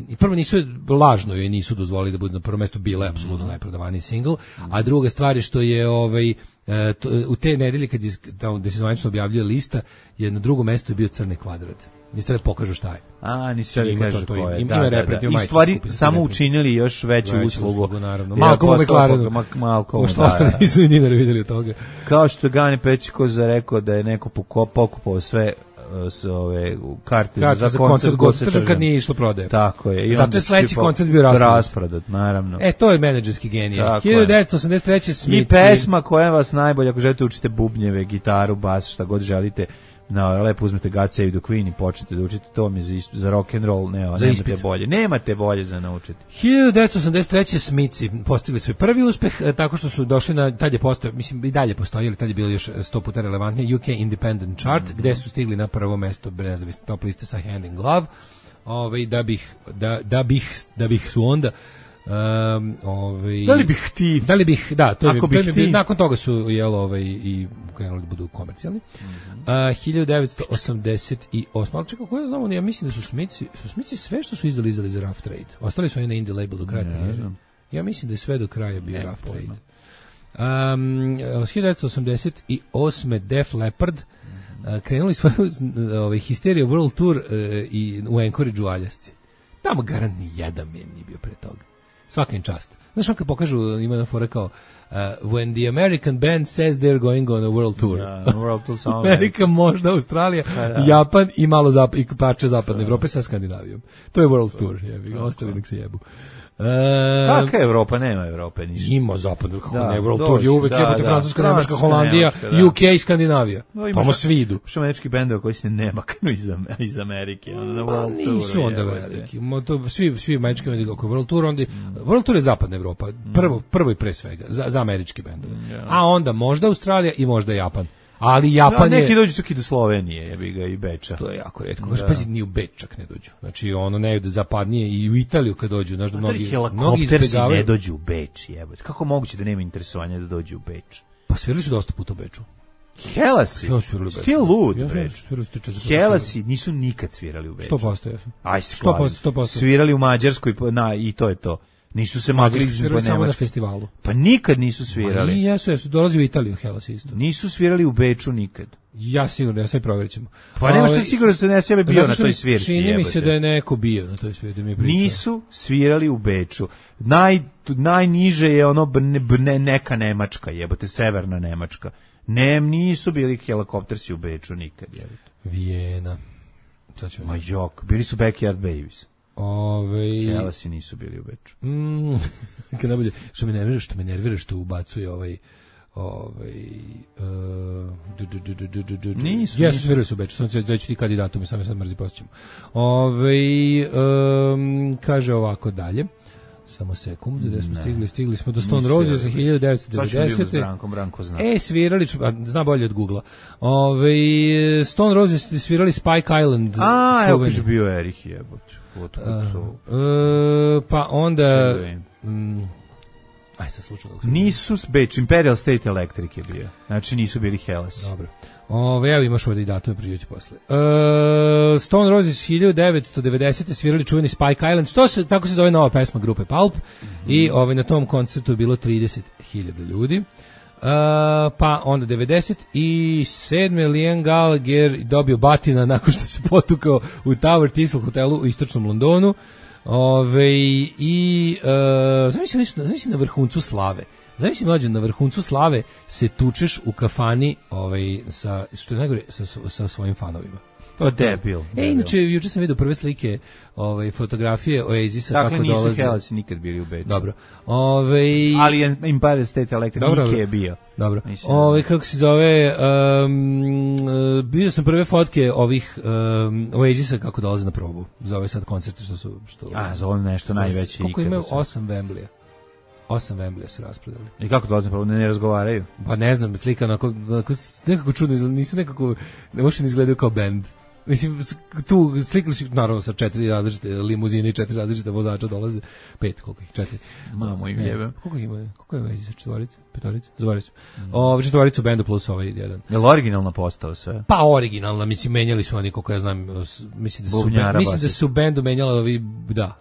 i prvo nisu lažno joj nisu dozvolili da bude na prvom mestu, bila je apsolutno najprodavaniji singl, a druga stvar je što je u te nedelje kad je gde se zvanično objavljuje lista, je na drugom mestu bio Crni kvadrat. Niste da pokažu šta je. Nisi da kažu ko je. I stvari samo učinili još veću uslugu. Naravno. Malcolm McLaren. Malcolm. Što ostali nisu ni dinara vidjeli od toga. Kao što je Gani Pećkoza rekao da je neko pokupao sve ove karte za koncert Godspeed kad nije išlo prodaje. Tako je. Zato je sledeći koncert bio rasprodat, naravno. To je menadžerski genije. 1983. Smici. I pesma koja vas najbolje, ako želite učite bubnjeve, gitaru, bas, šta god želite, lepo uzmete God Save the Queen i počnete da učite, to mi za rock and roll, nemate bolje za naučiti. 1983. Smici postigli svoj prvi uspeh tako što su došli tad je postao, mislim i dalje postoji, ali tad je bilo još 100 puta relevantnije, UK Independent Chart, gde su stigli na prvo mesto nezavisne top liste sa Hand in Glove, da bih su onda da li bih nakon toga su i krenuli da budu komercijalni. 1988. Ali čekaj, ko ja znam, ja mislim da su Smici sve što su izdali za Rough Trade. Ostali su oni na indie label do kraja. Ja mislim da je sve do kraja bio Rough Trade. 1988. Def Leppard krenuli svoju Hysteria World Tour u Anchorage u Aljasci. Tamo garant ni jedan nije bio pre toga. Svaka im čast. Znaš, on kad pokažu, ima na fora kao when the American band says they're going on a world tour. Amerika, možda Australija, Japan i malo i parče zapadne Evrope sa Skandinavijom. To je world tour. Ostali nek se jebu. Kakva Evropa? Nema Evrope ništa. Ima zapadno, kako ne, World Tour je uvek jebate Francuska, Nemačka, Holandija, UK i Skandinavija. Tamo svi idu. Što američki bendova koji se ne maknu iz Amerike. Nisu onda veliki. Svi američki bendovi oko World Tour, onda World Tour je zapadna Evropa, prvo i pre svega, za američki bendovi. A onda možda Australija i možda Japan. Ali Japan je... Neki dođu čak i do Slovenije, jebi ga, i Beča. To je jako retko. Pazi, ni u Beč čak ne dođu. Znači, ne ide zapadnije i u Italiju kad dođu. Znaš da mnogi helikoptersi ne dođu u Beč, jebote. Kako moguće da nema interesovanja da dođu u Beč? Pa svirali su dosta puta u Beču. Helasi? Ti lud, Beč. Helasi nisu nikad svirali u Beču. 100% jesu. Aj, 100%. Svirali u Mađarskoj i to je to. Nisu se mogli svirali samo na festivalu. Pa nikad nisu svirali. I jesu, dolazi u Italiju Hellas isto. Nisu svirali u Beču nikad. Ja sigurno, ja sve provjerit ćemo. Pa nema što sigurno da se ne sebe bio na toj svirci. Čini mi se da je neko bio na toj svirci. Nisu svirali u Beču. Najniže je ono neka Nemačka, jebote, severna Nemačka. Nisu bili helikoptersi u Beču nikad, jebote. Vijena. Ma jok, bili su Backyard Babies. Helasi nisu bili u Beču. Kad najbolje, što me nervira što ubacuje nisu. Jesu svirali su u Beču, sam ću ti kandidatumi, sam sad mrzi posjećamo. Kaže ovako dalje. Samo sekund, gde smo stigli smo do Stone Roses 1990. Branko zna. Svirali, zna bolje od Googlea. Stone Roses svirali Spike Island. Evo kaže bio Erich jebote. Pa onda... sad slučajno. Nisu Beč, Imperial State Electric je bio. Znači nisu bili Hellas. Dobro. Evo imaš ovdje i datume, priđeću posle. Stone Roses 1990. svirali čuveni Spike Island, tako se zove nova pesma grupe Pulp, i na tom koncertu je bilo 30.000 ljudi. Pa onda 97. Liam Gallagher dobio batina nakon što se potukao u Tower Thistle hotelu u istočnom Londonu. Zamisli na vrhuncu slave. Zamisli mlađe, na vrhuncu slave se tučeš u kafani što je najgore, sa svojim fanovima. To je debil. Inače, juče sam vidio prve slike, fotografije Oasisa kako dolaze. Dakle, nisu Hellasi nikad bili u Beču. Dobro. Ali Empire State Electric Nike je bio. Dobro. Kako se zove, vidio sam prve fotke ovih Oasisa kako dolaze na probu. Za ove sad koncerte što su... za ovo nešto najveće. Koliko imaju 8 Wemblija. 8 Wemblija su rasprodali. I kako dolaze na probu? Ne razgovaraju? Pa ne znam, slika nekako čudno, nisu nekako, ne možda ne izgledaju kao band. Mislim, tu slikali su, naravno, sa 4 različite limuzine i 4 različite vozača dolaze. 5, koliko ih? 4. Mamo im jebe. Koliko ima? Koliko je već? Četvorica? Petorica? Zavaricu. Četvoricu bendu plus ovaj jedan. Je li originalna postava sve? Pa originalna, mislim, menjali su oni, koliko ja znam, mislim da su bendu menjala ovi, da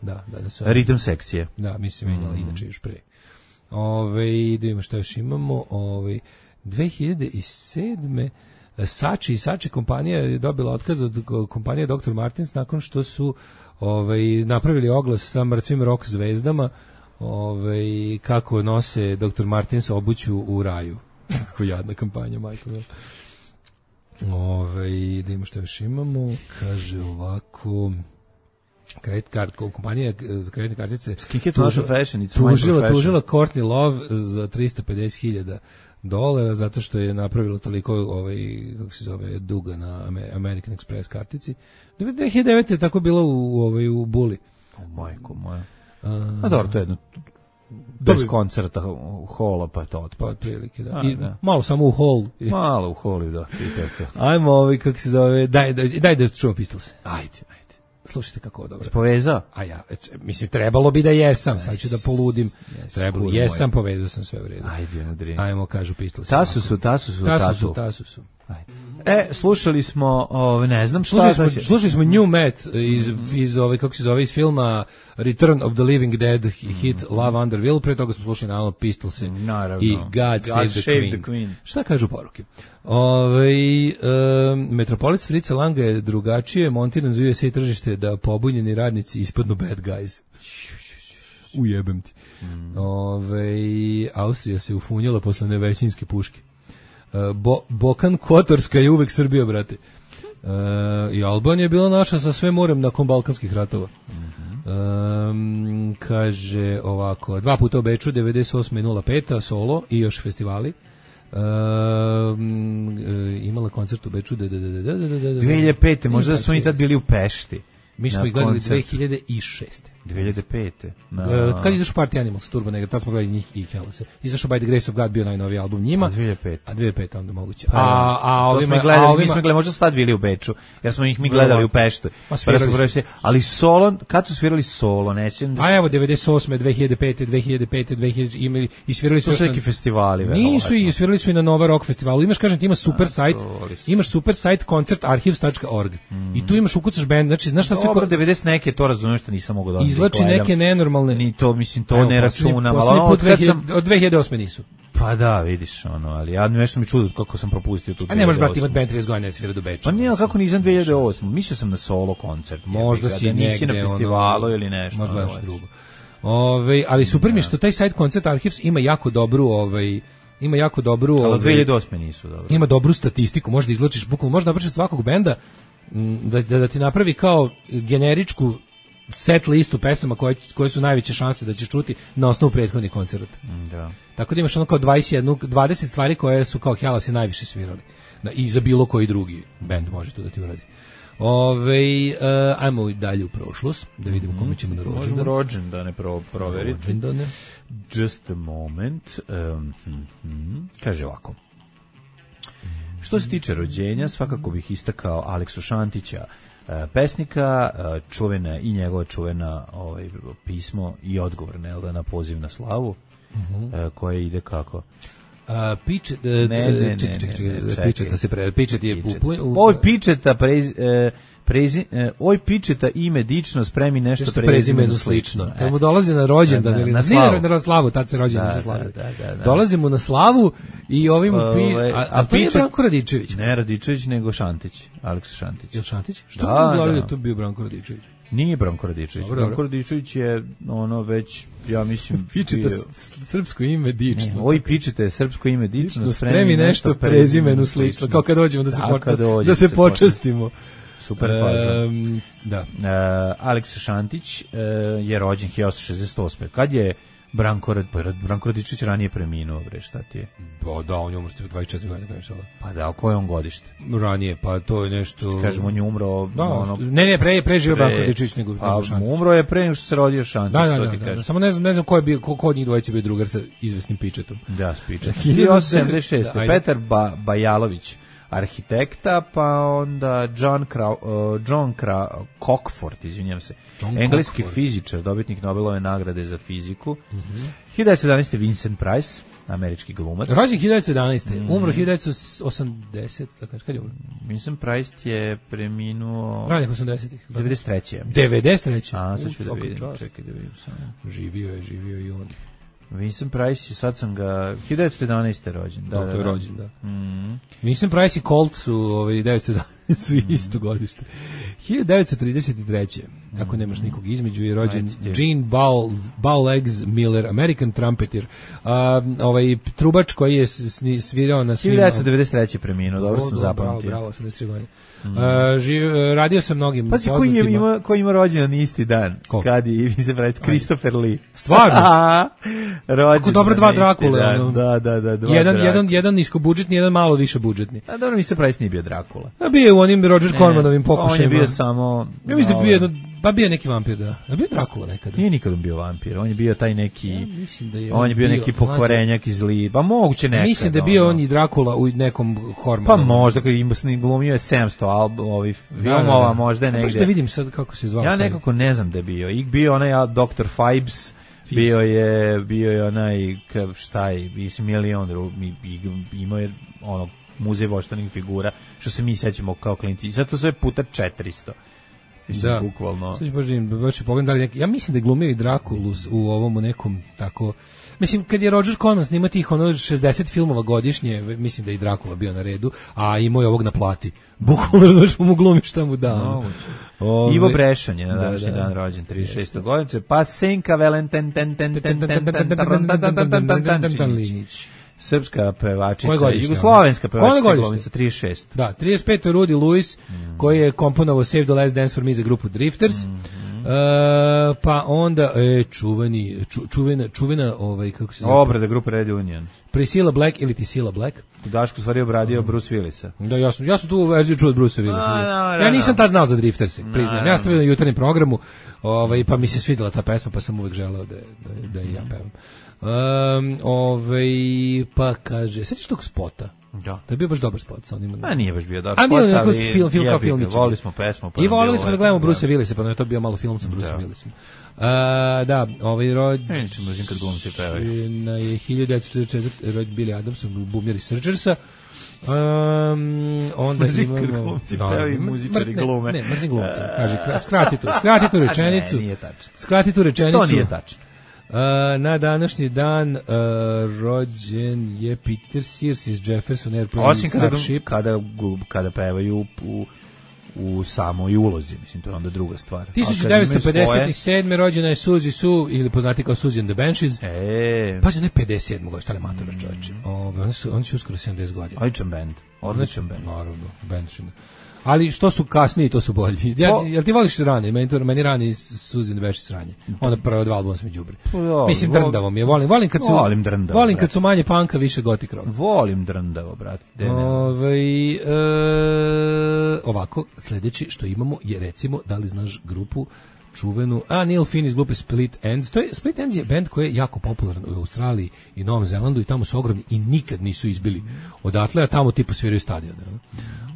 su. Ritam sekcije. Da, mislim, menjala inače još pre. Da imamo što još imamo. 2007. Sači kompanija je dobila otkaz od kompanije Dr. Martens nakon što su napravili oglas sa mrtvim rock zvezdama kako nose Dr. Martens obuću u raju. Kako jadna kampanja, majko. Da imamo što još imamo. Kaže ovako... kompanija za kreditne kartice tužila Courtney Love za $350,000 zato što je napravila toliko kako se zove duga na American Express kartici. 2009 je tako bilo u Buli. Majko moja. Dobro, to je jedno bez koncerta hola, pa je to otprilike, da. Malo samo u hol. Malo u holu, da. Ajmo kako se zove, daj da čujemo Pistols. Ajde. Slušajte kako dobro. Povezao? A ja, mislim, trebalo bi da jesam, sad ću da poludim. Jesam, povezao sam sve u redu. Ajde, nadri. Ajmo, kažu Pistols. Tasu su. Slušali smo, ne znam šta. Slušali smo New Met iz kako se zove, iz filma Return of the Living Dead, hit Love Under Will, pre toga smo slušali naravno Pistolse i God Save the Queen. Šta kažu poruke? Metropolis Fritza Langa je drugačije montiran za USA tržište da pobunjeni radnici ispadnu bad guys. Ujebem ti. Austrija se ufunjala posle nevećinske puške. Bokan Kotorska je uvek Srbija, brate. I Albanija je bila naša sa sve morem nakon Balkanskih ratova. Kaže ovako, 2 puta u Beču, 98. i 05. solo i još festivali. Imala koncert u Beču 2005. Možda smo i tad bili u Pešti. Mi smo ih gledali 2006. 2005. Kad izašao Party Animals, Turbo Negro, tad smo gledali njih i Hellase. Izašao By the Grace of God, bio najnoviji album njima. 2005. A 2005 onda moguće. Mi smo gledali, možda su tad bili u Beču, jer smo ih mi gledali u Peštu. Ali solo, kad su svirali solo, nećem... A evo, 98. 2005. imali i svirali su... To su neki festivali. Nisu i svirali su i na Nova Rock festivalu. Imaš, kažem ti, imaš super sajt concertarchives.org i tu imaš ukucaš band, znači, znaš šta sve... Dobro, 90 neke, to razumeš što nisam mogu da izvlači neke nenormalne. Ni to, mislim, to ne računam, ali od 2008. nisu. Pa da, vidiš, ali ja nešto mi čudo kako sam propustio tu 2008. A ne možeš, brati, imati band 30 godina da svira do Beča. Pa nije, kako nisam 2008. Mislio sam na solo koncert. Možda si nisi na festivalu ili nešto. Možda nešto drugo. Ali super mi je što taj sajt Concert Archives ima jako dobru ali 2008. nisu, dobro. Ima dobru statistiku, možda izvlačiš bukvalno, možda napraviš svakog benda da ti napravi kao generičku set listu pesama koje su najveće šanse da ćeš čuti na osnovu prethodnih koncerata. Da. Tako da imaš ono kao 20 stvari koje su kao Hellasi najviše svirali. I za bilo koji drugi bend može to da ti uradi. Ajmo dalje u prošlost, da vidimo kome ćemo na rođendan. Možemo rođendane proveriti. Rođendane. Just a moment. Kaže ovako. Što se tiče rođenja, svakako bih istakao Aleksu Šantića, pesnika, čuvena i njegova čuvena pismo i odgovor na poziv na slavu, koje ide kako? Oj pičeta ime dično, spremi nešto prezimenu slično. Kad mu dolazi na rođendan ili na slavu, tad se rođendan se slavi. Dolazimo na slavu i ovim a to je Branko Radičević. Ne Radičević, nego Šantić, Aleksa Šantić. Je Šantić? Što bi govorili da to bio Branko Radičević? Nije Branko Radičević. Branko Radičević je već, ja mislim... Pičeta srpsko ime dično. Oj, pičeta srpsko ime dično, spremi nešto prezimenu slično. Kao kad dođemo da se počastimo. Super faza. Da. Aleksa Šantić je rođen 1968. Kad je Branko Radičević ranije preminuo, bre, šta ti je? Pa da, on je umro 24 godine, kažeš sada. Pa da, koje on godište? Ranije, pa to je nešto... Kažemo, on je umro... Da, preživio Branko Radičević nego Šantić. Umro je pre nego što se rodio Šantić, da. Samo ne znam ko od njih dvojice bio drugar sa izvesnim Pičetom. Da, s Pičetom. 1976. Petar Bajalović, arhitekta, pa onda John Cockford, izvinjam se, engleski fizičar, dobitnik Nobelove nagrade za fiziku. 1917. Vincent Price, američki glumac. Rođen 1917. Umro 1980. Kad je umro? Vincent Price je preminuo... Ranih 80-ih. 93. 93. A, sad ću da vidim, čekaj da vidim samo. Živio je i on. Vincent Price, sad sam ga 1911. rođen. Da, to je rođen, da. Vincent Price i Colt su 1911. su isto godište. 1933. Ako nemaš nikog između, je rođen Gene Bowlegs Miller, American trumpeter, trubač koji je svirao na svim... 1993. preminuo, dobro sam zapamtio. Bravo, 83 godine. Radio sam mnogim... Pazi, koji ima rođendan isti dan? Kad je Vincent Price, Christopher Lee. Stvarno? Rođendan. Ako dobro dva Drakule. Da. Jedan niskobudžetni, jedan malo više budžetni. A dobro, Vincent Price nije bio Drakula. A bio je u onim Roger Cormanovim pokušajima. On je bio samo... Ja mislim da bio bio neki vampir, da. A bio Drakula nekada. Nije nikad bio vampir, on je bio taj neki... Ja mislim da je on je bio neki pokvarenjak iz zli, pa moguće nekada. Mislim da je bio on i Drakula u nekom Cormanovom. Pa možda, kad im glumio je 700 filmova, možda je negde. Pa što vidim sad kako se zvao. Ja nekako ne znam da je bio. I bio onaj Dr. Fibes, bio je onaj, šta je, milion, imao je ono, muzej voštanih figura, što se mi sećamo kao klinci. I sad to sve puta 400. Mislim, bukvalno. Sad ću baš pogledam da li neki... Ja mislim da je glumio i Drakulu u ovom nekom tako... Mislim, kad je Roger Corman snima tih 60 filmova godišnje, mislim da je i Drakula bio na redu, a imao je ovog na plati. Bukvalno razumiješ mu glumi šta mu da. Ivo Brešan je na današnji dan rođen, 36. godišnje, pa Senka Valentin srpska pevačica, jugoslovenska pevačica, glumica, 36. Da, 35. Rudy Lewis, koji je komponovao Save the Last Dance for Me za grupu Drifters. Pa onda čuvena kako se zove? Obrada grupe Red Union. Priscilla Black ili Tisila Black. Daško stvari obradio Bruce Willisa. Da, ja sam tu verziju čuo od Brucea Willisa. Ja nisam tad znao za Drifters, priznajem. Ja sam to na jutarnjem programu, pa mi se svidela ta pesma, pa sam uvek želeo da i ja pevam. Pa kaže, sećaš tog spota? Da. To je bio baš dobar spot sa onim. A nije baš bio dobar spot, ali kao filmić. Volili smo pesmu. I volili smo da gledamo Brucea Willisa, pa je to bio malo film sa Bruceom Willisom. Da, rođen... Nećemo razim kad glumci pevaju. Na je 1944 rođen Billy Adams, bumjer iz Surgersa. Onda imamo... Pevaju muzičari glume. Ne, mrzim glumca. Kaže, skrati tu rečenicu. Ne, nije tačno. Skrati tu rečenicu. To nije tačno. Na današnji dan rođen je Peter Sears iz Jefferson Airplane. Osim kada pevaju u samoj ulozi, mislim, to je onda druga stvar. 1957. rođena je Suzy Sue, ili poznati kao Suzy and the Banshees. Pazi, ne 57. godište, ali matora čovječe. Oni su uskoro 70 godina. Odličan band. Naravno, Banshees. Ali što su kasniji, to su bolji. Jel ti voliš rane? Meni rani Suzy and the Banshees sranje. Onda prvo dva albuma smo đubri. Mislim, drndavo mi je. Volim kad su manje panka, više gotik rock. Volim drndavo, brate. ovako, sledeći što imamo je, recimo, da li znaš grupu čuvenu, Neil Finn iz grupe Split Enz. Split Enz je bend koji je jako popularan u Australiji i Novom Zelandu i tamo su ogromni i nikad nisu izbili odatle, a tamo tipa sviraju stadione.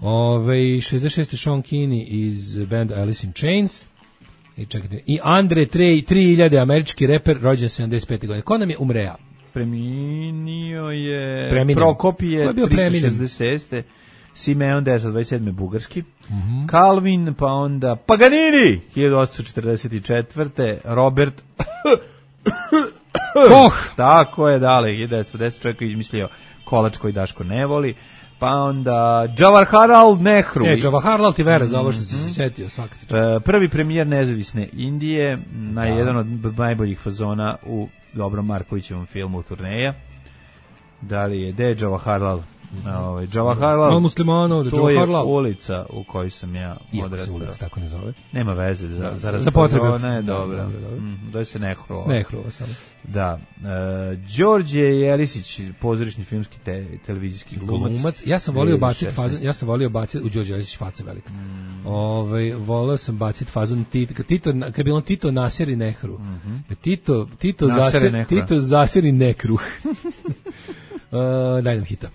66. Sean Kinney iz band Alice in Chains. I čekajte, i Andre 3000, američki reper, rođen 75. godine. Ko nam je umreja? Preminio je Prokopije 366. Simeon 1927. bugarski. Calvin, pa onda Paganini 1844. Robert Koch. Tako je, dale, 1910. čovjek je izmislio kolač koji Daško ne voli. Pa onda Jawaharlal Nehru. Jawaharlal ti vera za ovo što si se setio, svaka ti čast. Prvi premijer nezavisne Indije, jedan od najboljih fazona u dobrom Markovićevom filmu Turneja. Da li je Jawaharlal? Jawaharlal muslimanov, to je ulica u kojoj sam ja odrastao. Iako se ulica tako ne zove. Nema veze, za potrebe. Ona je dobra. Zove se Nehrova. Nehrova samo. Da. Đorđe Jelisić, pozorišni filmski televizijski glumac. Ja sam volio baciti u Đorđe Jelisić faca velika. Volio sam baciti fazon kad je bilo Tito naseri Nehru. Tito zaseri Nekruh. Daj nam hita.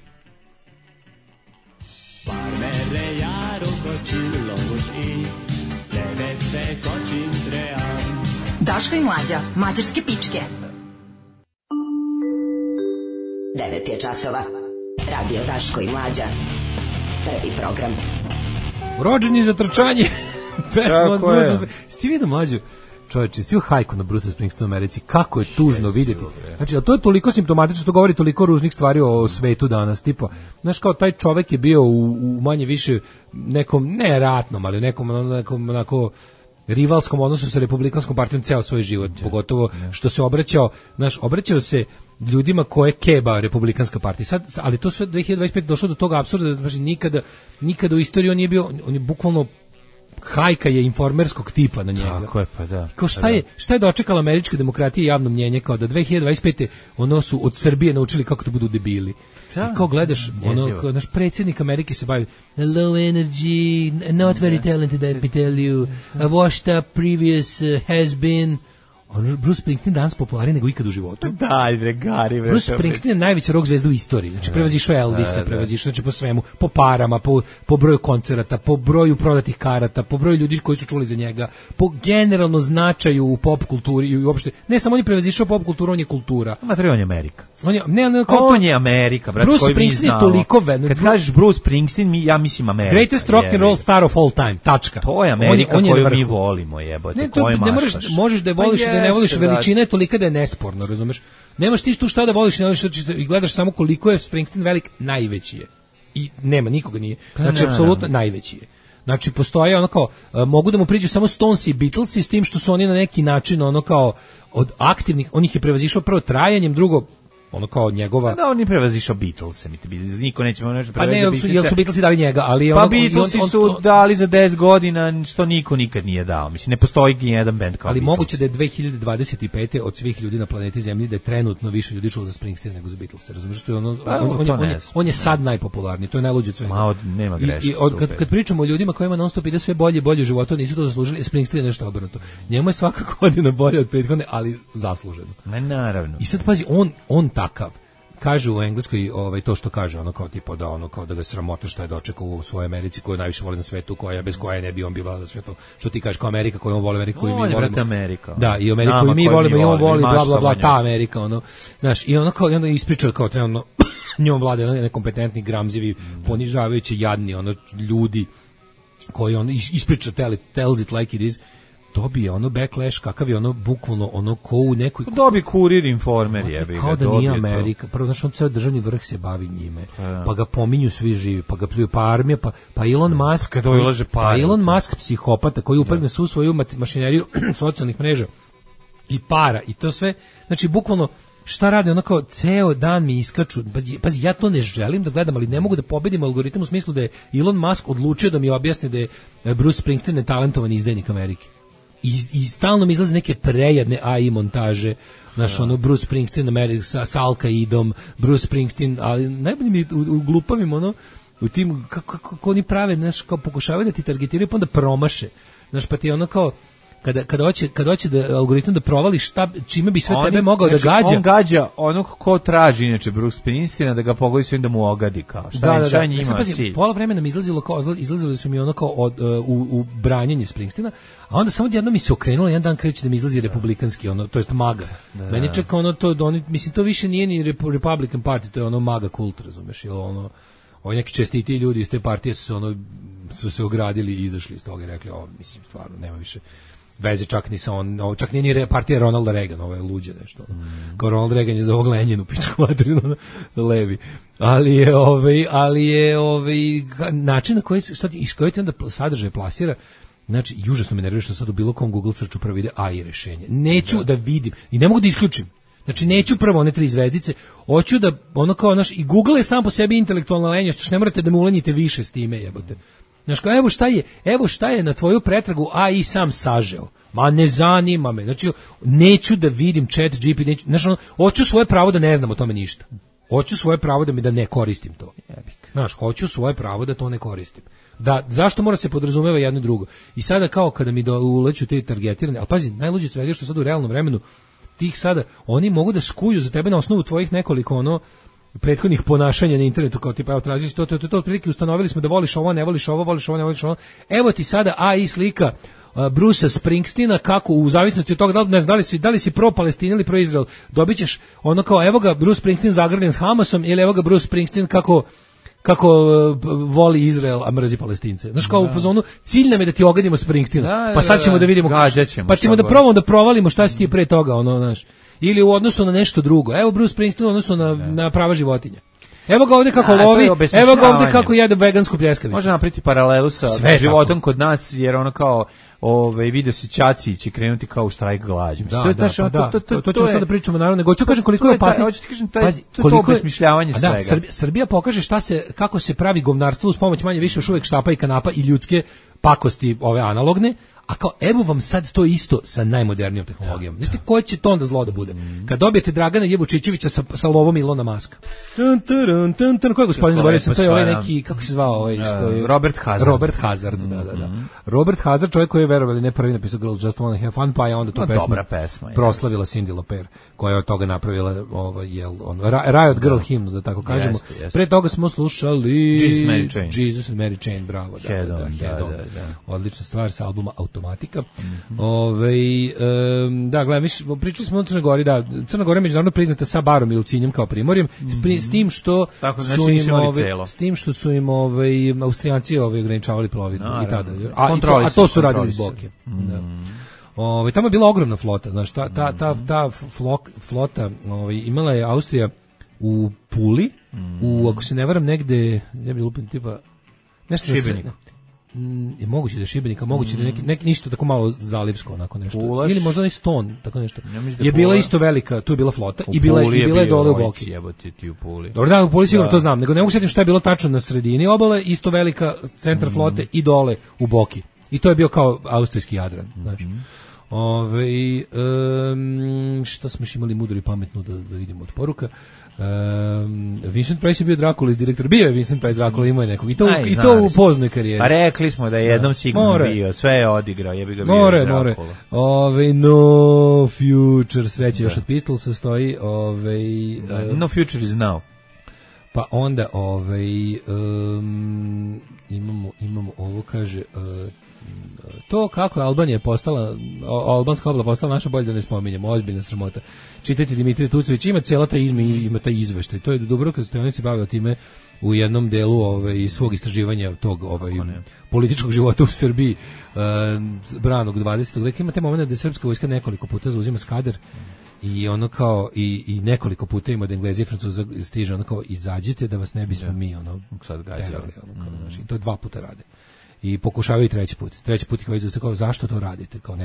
Parmere jaro kočuloš i devete kočim tream. Daško i Mlađa, mađarske pičke. 9 je časova. Radio Daško i Mlađa. Prvi program. Rođeni za trčanje. Pesma od Brusa. Sti vidio Mlađu? Čovječe, svi hajku na Bruce Springsteen u Americi, kako je tužno vidjeti. Znači, a to je toliko simptomatično, to govori toliko ružnih stvari o svetu danas, tipa, znaš, kao taj čovjek je bio u manje više nekom, ne ratnom, ali nekom onako rivalskom odnosu sa Republikanskom partijom ceo svoj život, pogotovo što se obraćao se ljudima koje keba Republikanska partija. Sad, ali to sve 2025 došlo do toga apsurda, znači nikada u istoriji on nije bio, on je bukvalno hajka je informerskog tipa na njega. Tako je, pa da. Kao šta je dočekala američka demokratija i javno mnjenje, kao da 2025. ono su od Srbije naučili kako da budu debili. I kao gledaš, kao naš predsjednik Amerike se bavi low energy, not very talented, let me tell you, washed up, previous, has been. Bruce Springsteen danas popularniji nego ikad u životu. Daj, bre, Gari. Bruce Springsteen je najveća rock zvezda u istoriji. Znači, prevazišao Elvisa, prevazišao po svemu, po parama, po broju koncerata, po broju prodatih karata, po broju ljudi koji su čuli za njega, po generalno značaju u pop kulturi i uopšte. Ne samo on je prevazišao pop kulturu, on je kultura. On je Amerika. On je Amerika, brate. Bruce Springsteen je toliko kad kažeš Bruce Springsteen, ja mislim Amerika. Greatest rock and roll star of all time. Tačka. To je Amerika koju mi volimo, jebote. Ne možeš da je voliš da ne voliš, veličina je tolika da je nesporno, razumeš? Nemaš ti tu šta da voliš, i gledaš samo koliko je Springsteen velik, najveći je. I nema, nikoga nije. Znači, apsolutno najveći je. Znači, postoje ono kao, mogu da mu priđu samo Stones i Beatles, s tim što su oni na neki način ono kao od aktivnih, on ih je prevazišao prvo trajanjem, drugo ono kao njegova. Da, on je prevazišao Beatlese, niko neće nešto prevazišao. Pa ne, jel su Beatlesi dali njega, ali pa Beatlesi su dali za 10 godina, što niko nikad nije dao. Mislim, ne postoji ni jedan bend kao ali moguće da je 2025. od svih ljudi na planeti Zemlji da je trenutno više ljudi čulo za Springsteen nego za Beatlese. Razumiješ što je on je sad najpopularniji, to je najluđe od svega. Nema greške. I kad pričamo o ljudima kojima non stop ide sve bolje u životu, nisu to zaslužili, Springsteen je nešto obrnuto. Njemu je svaka godina bolje od prethodne, ali zasluženo. Naravno. I sad pazi, on takav. Kaže u engleskoj to što kaže, ono kao tipa da ono kao da ga sramota što je dočekao u svojoj Americi koju najviše voli na svetu, koja bez koje ne bi on bila na svetu. Što ti kažeš kao Amerika koju on voli, Amerika koju mi volimo. Amerika. Da, i Ameriku koju mi volimo i on voli bla bla bla, ta Amerika, ono. Znaš, i ono kao i onda ispričao kao trenutno njom vlada nekompetentni, gramzivi, ponižavajući, jadni ono ljudi koji on ispriča tells it like it is. Dobije ono backlash, kakav je ono bukvalno ono ko u nekoj... Dobije Kurir, Informer, jebi ga. Kao da nije Amerika. Prvo, znaš, on ceo državni vrh se bavi njime. Pa ga pominju svi živi, pa ga pljuju, pa armija, pa Elon Musk... Pa Elon Musk, psihopata, koji upadne svu svoju mašineriju socijalnih mreža i para, i to sve. Znači, bukvalno, šta rade, ono kao ceo dan mi iskaču, pazi, ja to ne želim da gledam, ali ne mogu da pobedim algoritam u smislu da je Elon Musk odlučio da mi objasni da je Bruce Springsteen netalentovan izdajnik Amerike. I stalno mi izlaze neke prejadne AI montaže, znaš, ono, Bruce Springsteen sa Al-Qaidom, Bruce Springsteen, ali najbolje mi u glupavim, ono, u tim kako oni prave, znaš, kao pokušavaju da ti targetiraju, pa onda promaše. Znaš, pa ti ono kao kada hoće da algoritam da provali čime bi sve tebe mogao da gađa. On gađa onog ko traži inače Bruce Springsteena da ga pogodi sve da mu ogadi kao. Šta njima cilj? Pola vremena mi izlazili su mi ono kao u branjenje Springsteena, a onda samo jedno mi se okrenulo, jedan dan kreće da mi izlazi republikanski, ono, to jest MAGA. Meni čeka ono to, mislim, to više nije ni Republican Party, to je ono MAGA kult, razumeš, ili ono, ovi neki čestiti ljudi iz te partije su se ogradili i izašli iz toga i rekli, mislim, stvarno, nema više veze čak ni sa čak nije ni partija Ronalda Reagan, ovo je luđe nešto. Kao Ronald Reagan je za ovog Lenjinu, pičku materinu, levi. Ali je način na koji iz koji ti onda sadržaj plasira, znači, užasno me nervira što sad u bilo kom Google searchu prvo ide AI rešenje. Neću da vidim i ne mogu da isključim. Znači, neću prvo one 3 zvezdice, hoću da, ono kao, naš, i Google je sam po sebi intelektualna lenja, što ne morate da mu ulenjite više s time, jebote. Znači, kao, evo šta je na tvoju pretragu AI sam sažeo. Ma ne zanima me. Znači, neću da vidim chat GPT, znači, hoću svoje pravo da ne znam o tome ništa. Hoću svoje pravo da ne koristim to. Znaš, hoću svoje pravo da to ne koristim. Zašto mora se podrazumeva jedno i drugo? I sada kao kada mi uleću te targetirane, ali pazi, najluđe svega je što sad u realnom vremenu tih sada, oni mogu da skuju za tebe na osnovu tvojih nekoliko prethodnih ponašanja na internetu, kao tipa, evo, tražili to, otprilike ustanovili smo da voliš ovo, ne voliš ovo, voliš ovo, ne voliš ovo. Evo ti sada AI slika Brucea Springsteena, kako u zavisnosti od toga da li si pro Palestina ili pro Izrael, dobićeš ono kao, evo ga Bruce Springsteen zagrljen s Hamasom, ili evo ga Bruce Springsteen kako voli Izrael, a mrzi Palestince. Znaš, kao u fazonu, cilj nam je da ti ogadimo Springsteena, pa sad ćemo da vidimo, pa ćemo da probamo da provalimo šta si ti pre toga, ono, znaš. Ili u odnosu na nešto drugo. Evo Bruce Springsteen u odnosu na prava životinja. Evo ga ovdje kako lovi, evo ga ovdje kako jede vegansku pljeskavicu. Može napriti paralelu sa životom kod nas, jer ono kao video si Ćaci će krenuti kao u štrajk glađu. To ćemo sad da pričamo, naravno, nego ću kažem koliko je opasno. To je obesmišljavanje svega. Srbija pokaže kako se pravi govnarstvo uz pomoć manje više još uvijek štapa i kanapa i ljudske pakosti ove analogne, a kao evo vam sad to isto sa najmodernijom tehnologijom. Znate koje će to onda zlo da bude? Kad dobijete Dragana Jevučićevića sa lovom Ilona Maska. Ko je gospodin, zaboravio sam, to je ovaj neki, kako se zvao ovaj što je Robert Hazard, da. Robert Hazard, čovjek koji je, verovali ne, prvi napisao Girls Just Wanna Have Fun, pa je onda tu pesmu proslavila Cyndi Lauper, koja je od toga napravila Riot Girl himnu, da tako kažemo. Pre toga smo slušali Jesus and Mary Chain, bravo. Da. Odlična stvar sa albuma Automatika. Da, gledam, pričali smo o Crnoj Gori, da, Crna Gora je međunarodno priznata sa barom i Lucinjem kao primorjem, s tim što su im Austrijanci ograničavali plovidbu i tada. A to su radili iz Boke. Tamo je bila ogromna flota, znaš, ta flota imala je Austrija u Puli, ako se ne varam negde, ne bi lupim tipa nešto Šibenik. Je moguće da je Šibenika, moguće da neki ništa tako malo zalivsko, onako nešto. Ili možda i Ston, tako nešto. Je bila isto velika, tu je bila flota i bila je dole u Boki. Dobro, da, u Puli sigurno to znam, nego ne mogu sjetiti šta je bilo tačno na sredini obale, isto velika centar flote i dole u Boki. I to je bio kao austrijski Jadran, znači. Šta smo još imali mudro i pametno da vidimo od poruka. Vincent Price je bio Dracula iz direktora. Bio je Vincent Price Dracula, imao je nekog. I to u poznoj karijeri. Pa rekli smo da je jednom sigurno bio. Sve je odigrao, jebi ga bio Dracula. No Future, sreće još od Pistolsa stoji. No Future is now. Pa onda imamo ovo, kaže... To kako je Albanija postala, albanska obla postala naša, bolje da ne spominjemo, ozbiljna sramota. Čitajte Dimitrije Tucović, ima cijela ta ima taj izveštaj. To je dobro kad se bavio time u jednom delu svog istraživanja tog političkog života u Srbiji branog 20. veka. Ima te momenta da srpska vojska nekoliko puta zauzima Skadar i ono kao i nekoliko puta ima da Englezi i Francuza stiže ono kao izađite da vas ne bismo mi sad terali, i to 2 puta rade. I pokušavaju treći put ih kao zašto to radite, kao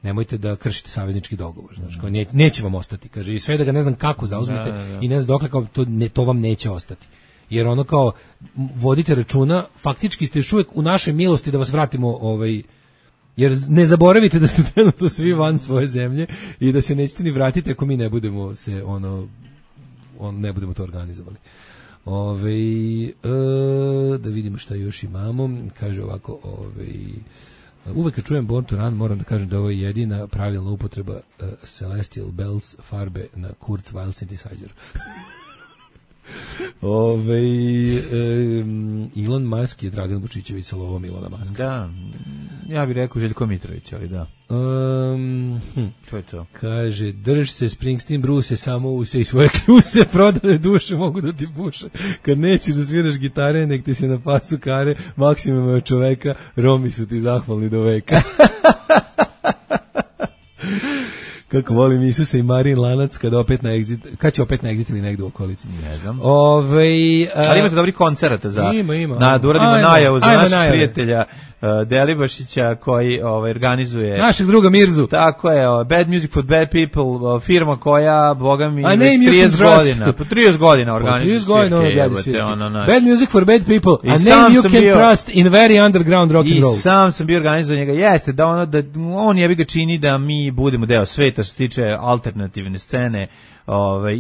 nemojte da kršite saveznički dogovor, znači kao neće vam ostati, kaže, i sve da ga ne znam kako zauzmete i ne znam dokle, kao to vam neće ostati, jer ono kao vodite računa, faktički ste još uvijek u našoj milosti da vas vratimo, jer ne zaboravite da ste trenutno svi van svoje zemlje i da se nećete ni vratiti ako mi ne budemo se ne budemo to organizovali. Da vidimo šta još imamo. Kaže ovako, uvek kad čujem Born to Run moram da kažem da ovo je jedina pravilna upotreba Celestial Bells farbe na Kurzweil synthesizer. Elon Musk je Dragan Vučićević sa lovom Ilona Muska. Da, ja bih rekao Željko Mitrović, ali da. To je to. Kaže, drž se Springsteen, Bruce, samo use i svoje kljuse, prodane duše mogu da ti puše. Kad nećeš da sviraš gitare, nek ti se na pasu kare, maksimum od čoveka, Romi su ti zahvalni do veka. Kako volim Isusa i Marin Lanac kad opet na exit, kad će opet na exit ili negdje u okolici. Ne znam. Ali imate dobri koncerata za ima. Da uradimo najavu za našeg prijatelja Delibašića koji organizuje našeg druga Mirzu. Tako je, Bad Music for Bad People, firma koja, boga mi, već 30 godina. Po 30 godina organizuje svirke. Bad Music for Bad People, a name you can trust in very underground rock and roll. I sam sam bio organizuje njega. Jeste, da on jebi ga čini da mi budemo deo sveta što se tiče alternativne scene,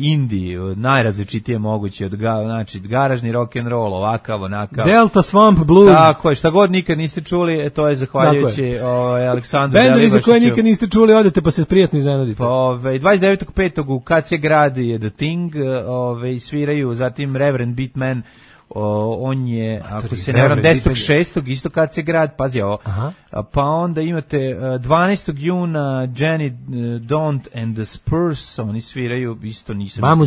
indie, najrazličitije moguće, znači garažni rock and roll, ovakav, onakav. Delta Swamp Blues. Tako je, šta god nikad niste čuli, to je zahvaljujući Aleksandru Delibašiću. Bendovi za koje nikad niste čuli, odete pa se prijatno iznenadite. 29.5. u KC gradi je The Thing, sviraju, zatim Reverend Beatman, on je, ako se ne varam, 10.6. isto kad se grad, pazi ovo. Pa onda imate 12. juna Jenny Don't and the Spurs, oni sviraju, isto nisam.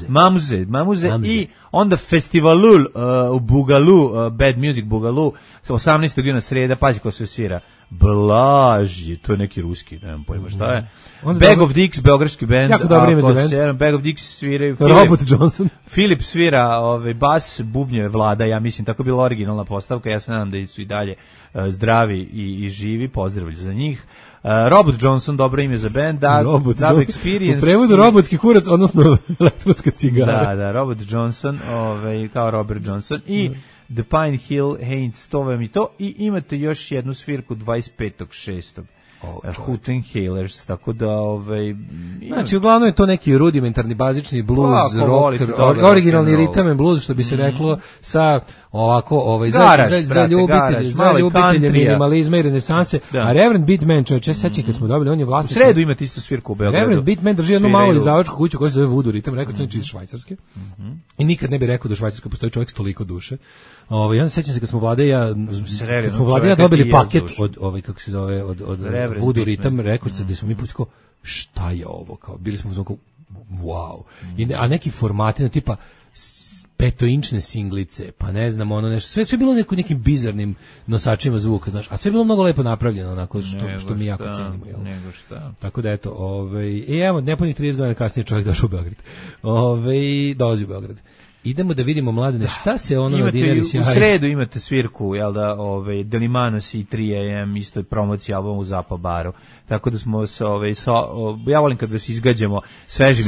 Mamuze. I onda Festivalul u Bugalu, Bad Music Bugalu, 18. juna sreda, pazi ko sve svira. Blaži, to je neki ruski, nemam pojma šta je. Bag of Dicks, beogradski bend. Jako dobro ime za bend. Bag of Dicks sviraju. Robert Johnson. Filip svira bas, bubnjeve Vlada, ja mislim, tako je bila originalna postavka, ja se nadam da su i dalje zdravi i živi, pozdravlj za njih. Robert Johnson, dobro ime za bend, Dub Experience. U prevodu robotski kurac, odnosno elektronska cigara. Da, Robert Johnson, kao Robert Johnson i The Pine Hill Haints, to vam i to, i imate još jednu svirku 25.6. Huttenhalers, tako da znači uglavnom je to neki rudimentarni bazični blues, rock, originalni ritam and blues, što bi se reklo, sa ovako za ljubitelje minimalizma i renesanse. A Reverend Beatman, čovječe, sećam kad smo dobili, on je vlasnik. U sredu imate isto svirku u Beogradu. Reverend Beatman drži jednu malu izdavačku kuću koja se zove Voodoo Ritam, rekao sam iz Švajcarske. I nikad ne bi rekao da u Švajcarskoj postoji čovjek s toliko duše. Ja sećam se kad smo Vlada ja dobili paket od kako se zove od Voodoo Ritam, rekao se da smo mi pucko šta je ovo, kao bili smo uzmano wow. A neki formati tipa 5-inčne singlice, pa ne znam, ono nešto, sve bilo nekim bizarnim nosačima zvuka, znaš, a sve bilo mnogo lepo napravljeno, onako što mi jako cenimo, jel? Nego šta. Tako da eto, evo, nepunih 30 godina kasnije čovjek došao u Beograd. Dolazi u Beograd. Idemo da vidimo, Mladene, šta se ono na Dinari sjaji. U sredu imate svirku, jel da, Delimanos i 3AM, isto promocija albuma u Zapa baru. Tako da smo ja volim kad vas izgađamo svežim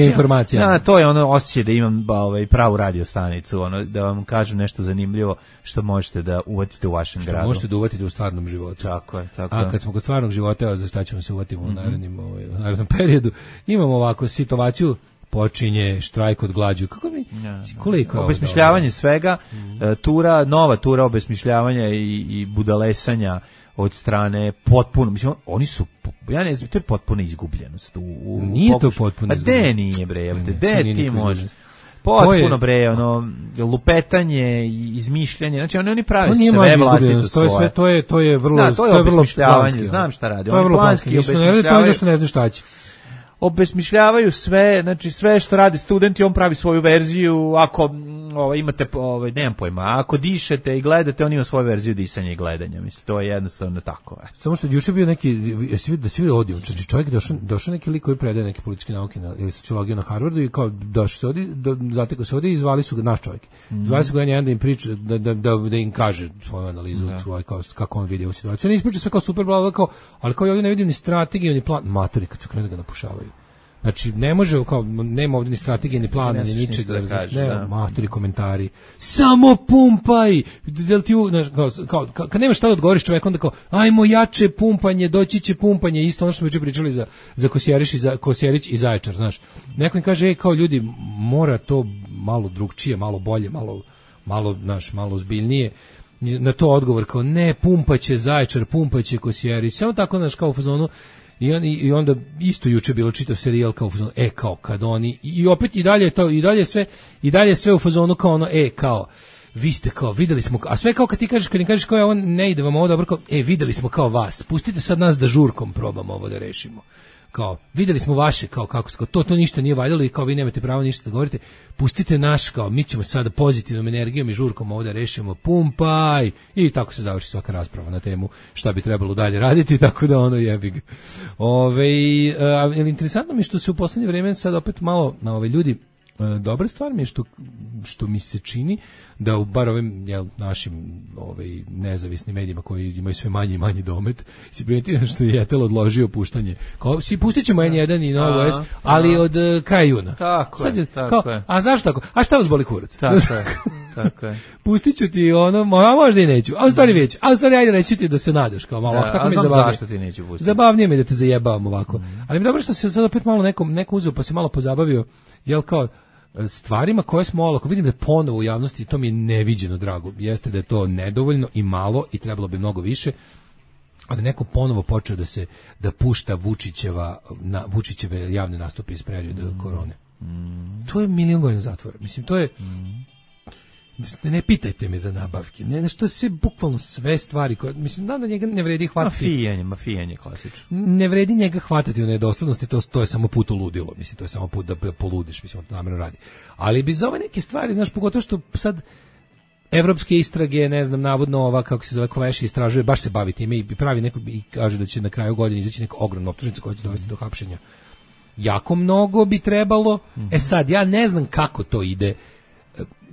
informacijama. To je ono osjećaj da imam pravu radio stanicu, da vam kažem nešto zanimljivo što možete da uvatite u vašem gradu. Možete da uvatite u stvarnom životu. Tako je. A kad smo kod stvarnog života, za šta ćemo se uvatiti u narednom periodu, imamo ovako situaciju, počinje štrajk od glađu. Koliko je obesmišljavanje svega, nova tura obesmišljavanja i budalesanja od strane potpuno, mislim, oni su, ja ne znam, to je potpuna izgubljenost. Nije to potpuno izgubljenost. A nije bre, gde ti može? Potpuno bre, lupetanje, izmišljanje, znači oni prave sve vlastito svoje. To je vrlo obesmišljavanje, znam šta radi. To je vrlo planski, to je zašto ne znaš šta će. Obesmišljavaju sve, znači sve što radi studenti, on pravi svoju verziju, ako imate, nemam pojma, ako dišete i gledate, on ima svoju verziju disanja i gledanja, mislim, to je jednostavno tako. Samo što juče bio neki, da svi odio, znači čovjek došao neki lik koji predaje neke političke nauke ili sociologiju na Harvardu i kao došao se ovdje, zatekao se ovdje i zvali su ga, naš čovjek, zvali su ga jedan da im priča, da im kaže svoju analizu, kako on vidi ovu situaciju. On ispriča sve kao super, ali kao ja ovdje ne vidim ni strategiju, ni plan, matori kad su krenu da ga napušavaju. Znači, ne može, kao, nema ovdje ni strategije, ni plana, ni ničega. Ne, matori komentari. Samo pumpaj! Kad nemaš šta da odgovoriš čovjek, onda kao, ajmo jače pumpanje, doći će pumpanje, isto ono što smo juče pričali za Kosjerić i Zaječar, znaš. Neko im kaže, kao ljudi, mora to malo drugčije, malo bolje, malo ozbiljnije. Na to odgovor kao, ne, pumpaće Zaječar, pumpaće Kosjerić. Samo tako, znaš, kao u fazonu. I onda isto juče bilo čitav serijal kao u fazonu, kao kad oni i opet i dalje sve u fazonu kao ono, kao vi ste kao videli smo, a sve kao kad im kažeš kao on ne ide vam ovo dobro, kao videli smo kao vas, pustite sad nas da žurkom probamo ovo da rešimo. Kao videli smo vaše kako to ništa nije valjalo i kao vi nemate pravo ništa da govorite, pustite naš, kao mi ćemo sada pozitivnom energijom i žurkom ovo da rešimo, pumpaj, i tako se završi svaka rasprava na temu šta bi trebalo dalje raditi, tako da ono jebi ga. Interesantno mi je što se u poslednje vreme sad opet malo na ljudi, dobra stvar mi je što mi se čini da u bar ovim našim nezavisnim medijima koji imaju sve manji i manji domet, si primetio što je Jetel odložio puštanje. Kao pustit ćemo N1 i Novo S, ali od kraja juna. Tako je. A zašto tako? A šta vas boli kurac? Tako je. Pustit ću ti ono, možda i neću, a u stvari već. A u stvari ajde reći ti da se nadaš, kao malo. Tako mi zabavnije. Zašto ti neću pustiti? Zabavnije mi da te zajebavam ovako. Ali mi dobro što se sad opet malo neko uzeo pa se malo pozabavio, kao stvarima koje smo olako, vidim da ponovo u javnosti, to mi je neviđeno drago, jeste da je to nedovoljno i malo i trebalo bi mnogo više, ali neko ponovo počeo da pušta Vučićeve javne nastupe iz perioda korone. To je 1.000.000 godina zatvora. Mislim, to je ne pitajte me za nabavke, što je sve, bukvalno sve stvari koje, mislim, da njega ne vredi hvatati. Mafijanje klasično. Ne vredi njega hvatati u nedoslednosti, to je samo put u ludilo, mislim, to je samo put da poludiš, mislim, on to namjerno radi. Ali bi za ove neke stvari, znaš, pogotovo što sad evropske istrage, ne znam, navodno ova, kako se zove, Koveši istražuje, baš se bavi time i pravi neko, i kaže da će na kraju godine izaći neka ogromna optužnica koja će dovesti do hapšenja. Jako mnogo bi trebalo, sad, ja ne znam kako to ide.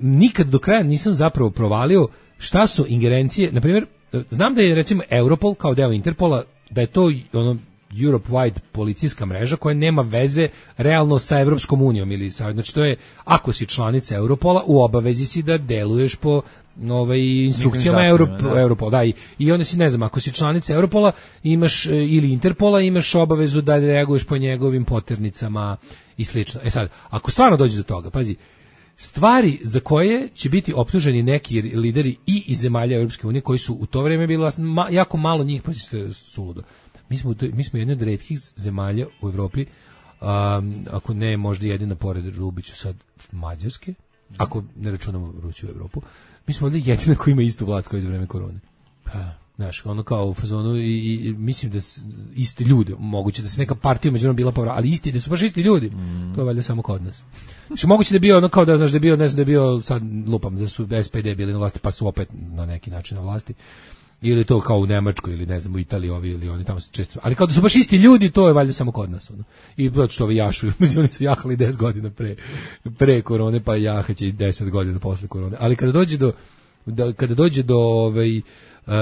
Nikad do kraja nisam zapravo provalio šta su ingerencije, na primjer, znam da je recimo Europol kao deo Interpola, da je to ono Europe-wide policijska mreža koja nema veze realno sa Evropskom unijom ili sa, znači to je, ako si članica Europola, u obavezi si da deluješ po instrukcijama Europola, da, i onda si, ne znam, ako si članica Europola imaš, ili Interpola, imaš obavezu da reaguješ po njegovim poternicama i slično. Sad, ako stvarno dođe do toga, pazi, stvari za koje će biti optuženi neki lideri i iz zemalja Europske unije koji su u to vrijeme bili jako malo njih, pa se suludo. Mi smo jedna od retkih zemalja u Evropi, ako ne možda jedina pored Rubiću sad Mađarske, ako ne računamo Ruću u Evropu, mi smo ovdje jedina koji ima istu vlast kao iz vreme korone. Znaš, ono kao u fazonu i mislim da isti ljudi, moguće da se neka partija međunom bila povra, ali isti, da su baš isti ljudi, to je valjda samo kod nas. Znači, moguće da je bio ono kao da, znaš, da je bio, ne znam, da je bio, sad lupam, da su SPD bili na vlasti, pa su opet na neki način na vlasti, ili to kao u Nemačkoj, ili ne znam, u Italiji ovi, ili oni tamo se često, ali kao da su baš isti ljudi, to je valjda samo kod nas, ono. I zato što ovi jašuju, oni su jahali 10 godina pre korone, pa jahaće i 10 godina posle korone, ali kada dođe do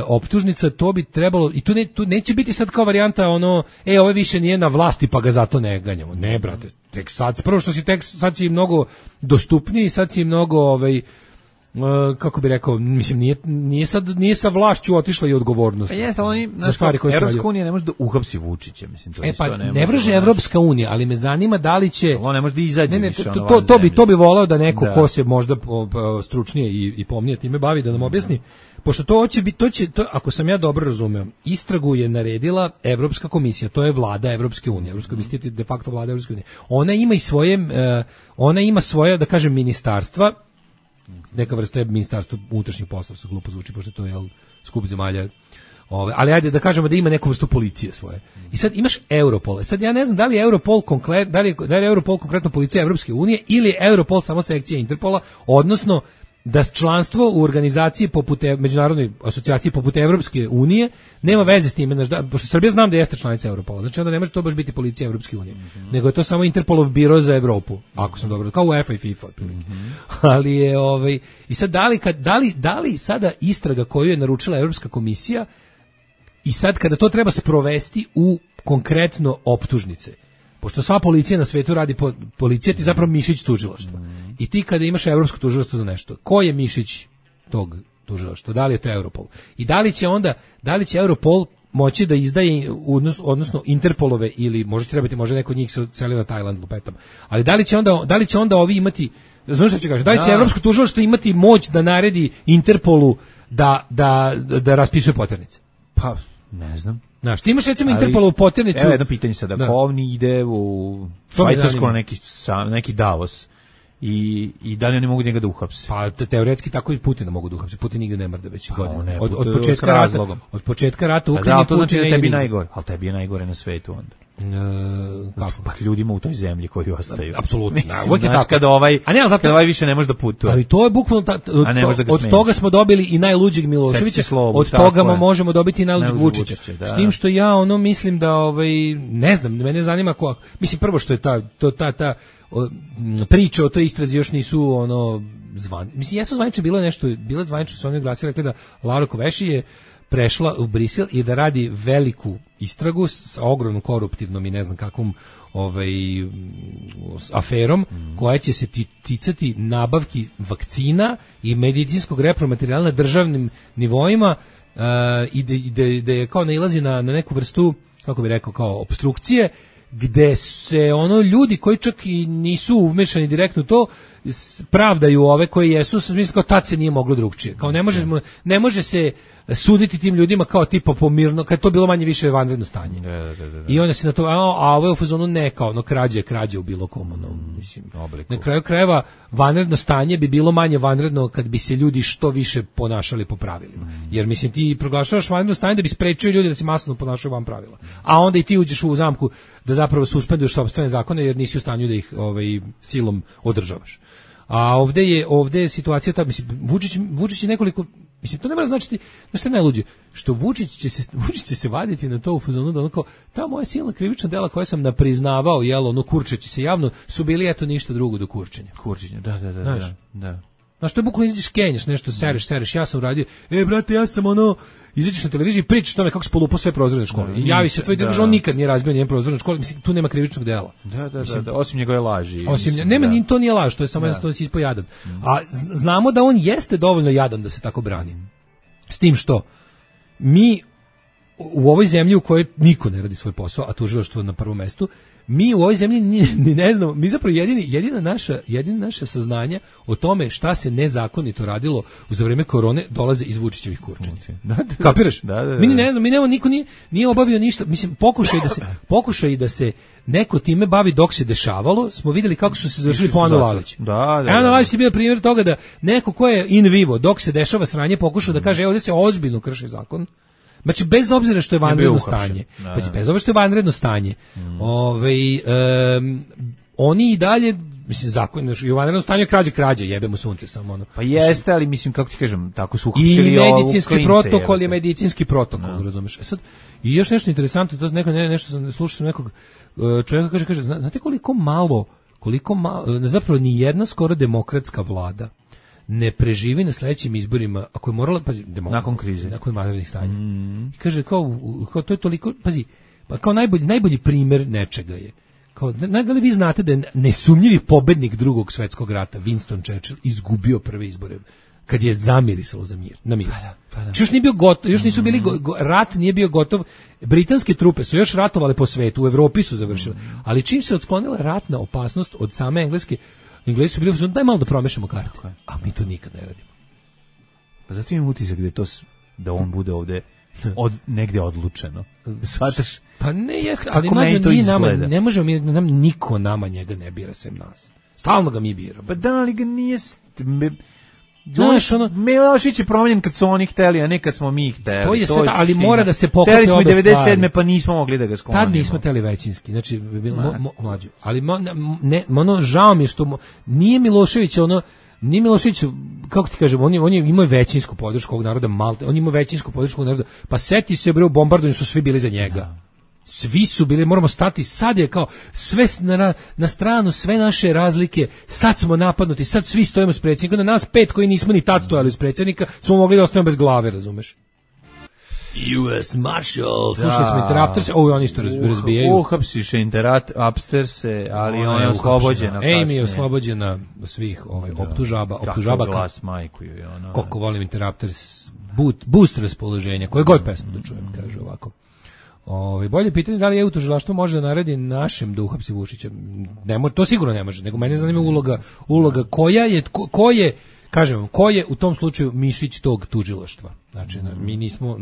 optužnica, to bi trebalo, i tu neće biti sad kao varijanta ono, ovo više nije na vlasti pa ga zato ne ganjamo. Ne, brate, tek sad, prvo što sad si mnogo dostupniji, sad si mnogo kako bi rekao, mislim, nije sa vlašću otišla i odgovornost. Jeste, oni, Evropska unija ne može da uhapsi Vučića, mislim, to pa ne vrže Evropska unija, ali me zanima da li će... On ne može da izađe više. To bi volao da neko ko se možda stručnije i pomnije time bavi, da nam objasni, pošto to ako sam ja dobro razumeo, istragu je naredila Evropska komisija, to je vlada Evropske unije, Evropska komisija je de facto vlada Evropske unije. Ona ima svoje, da kažem, ministarstva, neka vrsta ministarstva unutrašnjih poslova, se glupo zvuči, pošto to je skup zemalja, ali ajde da kažemo da ima neku vrstu policije svoje. I sad imaš Europol. Sad ja ne znam da li je Europol konkretno policija Evropske unije ili je Europol samo sekcija Interpola, odnosno da članstvo u organizaciji poput međunarodnoj asocijaciji poput Evropske unije nema veze s time, pošto Srbija znam da jeste članica Europola, znači onda ne može to baš biti policija Evropske unije, nego je to samo Interpolov biro za Evropu, ako sam dobro, kao UEFA i FIFA otprilike. Ali je i sad da li sada istraga koju je naručila Evropska komisija i sad kada to treba sprovesti u konkretno optužnice, pošto sva policija na svetu radi policija ti zapravo mišić tužilaštva. I ti kada imaš evropsko tužilaštvo za nešto, ko je mišić tog tužilaštva? Da li je to Europol? I da li će Europol moći da izdaje odnosno Interpolove ili može neko od njih se odselio na Tajland lupetom. Ali da li će onda ovi imati, znaš šta ću kažem, da li će evropsko tužilaštvo imati moć da naredi Interpolu da raspisuje poternice? Pa, ne znam. Znaš, ti imaš recimo Interpolovu poternicu. Evo jedno pitanje sada, ako ovni ide u Švajcarsku na neki Davos i da li oni mogu njega da uhapse? Pa teoretski tako i Putina mogu da uhapse. Putin nigde ne mrda već godine. Od početka rata Ukrajine. To znači da tebi najgore, ali tebi je najgore na svetu onda. Kako? Pa ljudima u toj zemlji koji ostaju. Apsolutno. Znači kada ovaj više ne može da putuje. Ali to je bukvalno od toga smo dobili i najluđeg Miloševića, od toga možemo dobiti i najluđeg Vučića. S tim što ja mislim da ne znam, mene zanima mislim prvo što je ta priče o toj istrazi još nisu mislim jesu zvanično bilo zvanično su oni glasili rekli da Laura Kövesi je prešla u Brisel i da radi veliku istragu sa ogromnom koruptivnom i ne znam kakvom aferom koja će se ticati nabavki vakcina i medicinskog repromaterijala na državnim nivoima i da je kao nailazi na neku vrstu, kako bi rekao, kao opstrukcije, gde se ljudi koji čak i nisu umešani direktno u to pravdaju ove koji jesu, mislim kao tad se nije moglo drugčije. Kao ne može se suditi tim ljudima kao tipa pomirno, kad je to bilo manje više vanredno stanje. I onda se na to, a ovo je u fazonu ne kao krađe u bilo kom mislim. Na kraju krajeva vanredno stanje bi bilo manje vanredno kad bi se ljudi što više ponašali po pravilima. Jer mislim ti proglašavaš vanredno stanje da bi sprečio ljudi da se masovno ponašaju van pravila. A onda i ti uđeš u zamku da zapravo suspenduješ sopstvene zakone jer nisi u stanju da ih silom održavaš. A ovdje je situacija ta, mislim, Vučić je nekoliko, mislim, to ne mora značiti, znaš što je najluđe, što Vučić će se vaditi na to u fazonu da onako, ta moja silna krivična dela koja sam napriznavao, kurčeći se javno, su bili eto ništa drugo do kurčenja. Kurčenja, da. Znaš, to je bukvalno izađeš kenješ, nešto sereš, ja sam uradio, brate, ja sam izađeš na televiziji i pričaš tome kako se polupao sve prozorne škole. I javi se tvoj druž, on nikad nije razbio nijedan prozorne škole, mislim, tu nema krivičnog dela. Da, osim njegove laži. To nije laž, to je samo jednostavno si ispao jadan. A znamo da on jeste dovoljno jadan da se tako brani. S tim što mi u ovoj zemlji u kojoj niko ne radi svoj posao, a tužilaštvo na prvom mestu, mi u ovoj zemlji ni ne znamo, mi zapravo jedina naša saznanja o tome šta se nezakonito radilo za vreme korone dolaze iz Vučićevih kurčenja. Kapiraš? Mi ne znamo, niko nije obavio ništa. Mislim, pokušaj da se neko time bavi dok se dešavalo, smo vidjeli kako su se završili po Anu Lalić. Anu Lalić je bio primjer toga da neko ko je in vivo, dok se dešava sranje, pokušao da kaže, ovdje se ozbiljno krši zakon. Znači, bez obzira što je vanredno stanje. Bez obzira što je vanredno stanje. Oni i dalje, mislim, zakon, i u vanrednom stanju krađe, jebemo sunce samo Pa jeste, ali mislim, kako ti kažem, tako su uhapsili i medicinski protokol je medicinski protokol, razumeš. Sad, i još nešto interesantno, to nešto sam slušao nekog čovjeka kaže, znate koliko malo, zapravo ni jedna skoro demokratska vlada ne preživi na sledećim izborima, ako je morala, pazi, nakon krize, nakon vanrednih stanja. I kaže, kao to je toliko, pazi, pa kao najbolji primjer nečega je, kao, da li vi znate da je nesumnjivi pobednik Drugog svjetskog rata, Winston Churchill, izgubio prve izbore, kad je zamirisalo na mir. Pa da. Još nije bio gotov, još nisu bili, rat nije bio gotov, britanske trupe su još ratovale po svetu, u Evropi su završile, ali čim se otklonila ratna opasnost od same Engleske, Englesi su bili, daj malo da promešamo karte. A mi to nikad ne radimo. Pa zato imam utisak da on bude ovde negde odlučeno. Shvataš? Pa ne jeste, ali ne možemo niko nama njega ne bira sem nas. Stalno ga mi biramo. Pa da, ali ga nije... Milošić je promenjen kad su oni hteli, a ne kad smo mi hteli. To je sve, ali mora da se pokrete obe stvari. Hteli smo i 97. pa nismo mogli da ga sklonimo. Tad nismo hteli većinski, znači mlađe. Ali žao mi je što nije Milošević nije Milošević, kako ti kažem, on je imao većinsku podršku ovog naroda Malte, on ima većinsku podršku ovog naroda, pa seti se u bombardovanju su svi bili za njega. Svi su bili, moramo stati, sad je kao sve na stranu, sve naše razlike, sad smo napadnuti, sad svi stojimo s predsjednikom, na nas 5 koji nismo ni tad stojali s predsjednika, smo mogli da ostanemo bez glave, razumeš? US Marshal, slušali smo Interrupters, oni isto razbijaju. Uhapsiš Upsterse, ali ona je oslobođena. Amy je oslobođena svih optužaba. Glas majku je ona. Koliko volim Interrupters, boost raspoloženja, koje god pesmu da čujem, kaže ovako. Bolje pitanje da li EU tužilaštvo može da naredi našem da uhapsi Vučića. Ne može, to sigurno ne može, nego mene zanima uloga ko je u tom slučaju mišić tog tužilaštva. Znači, mi nismo,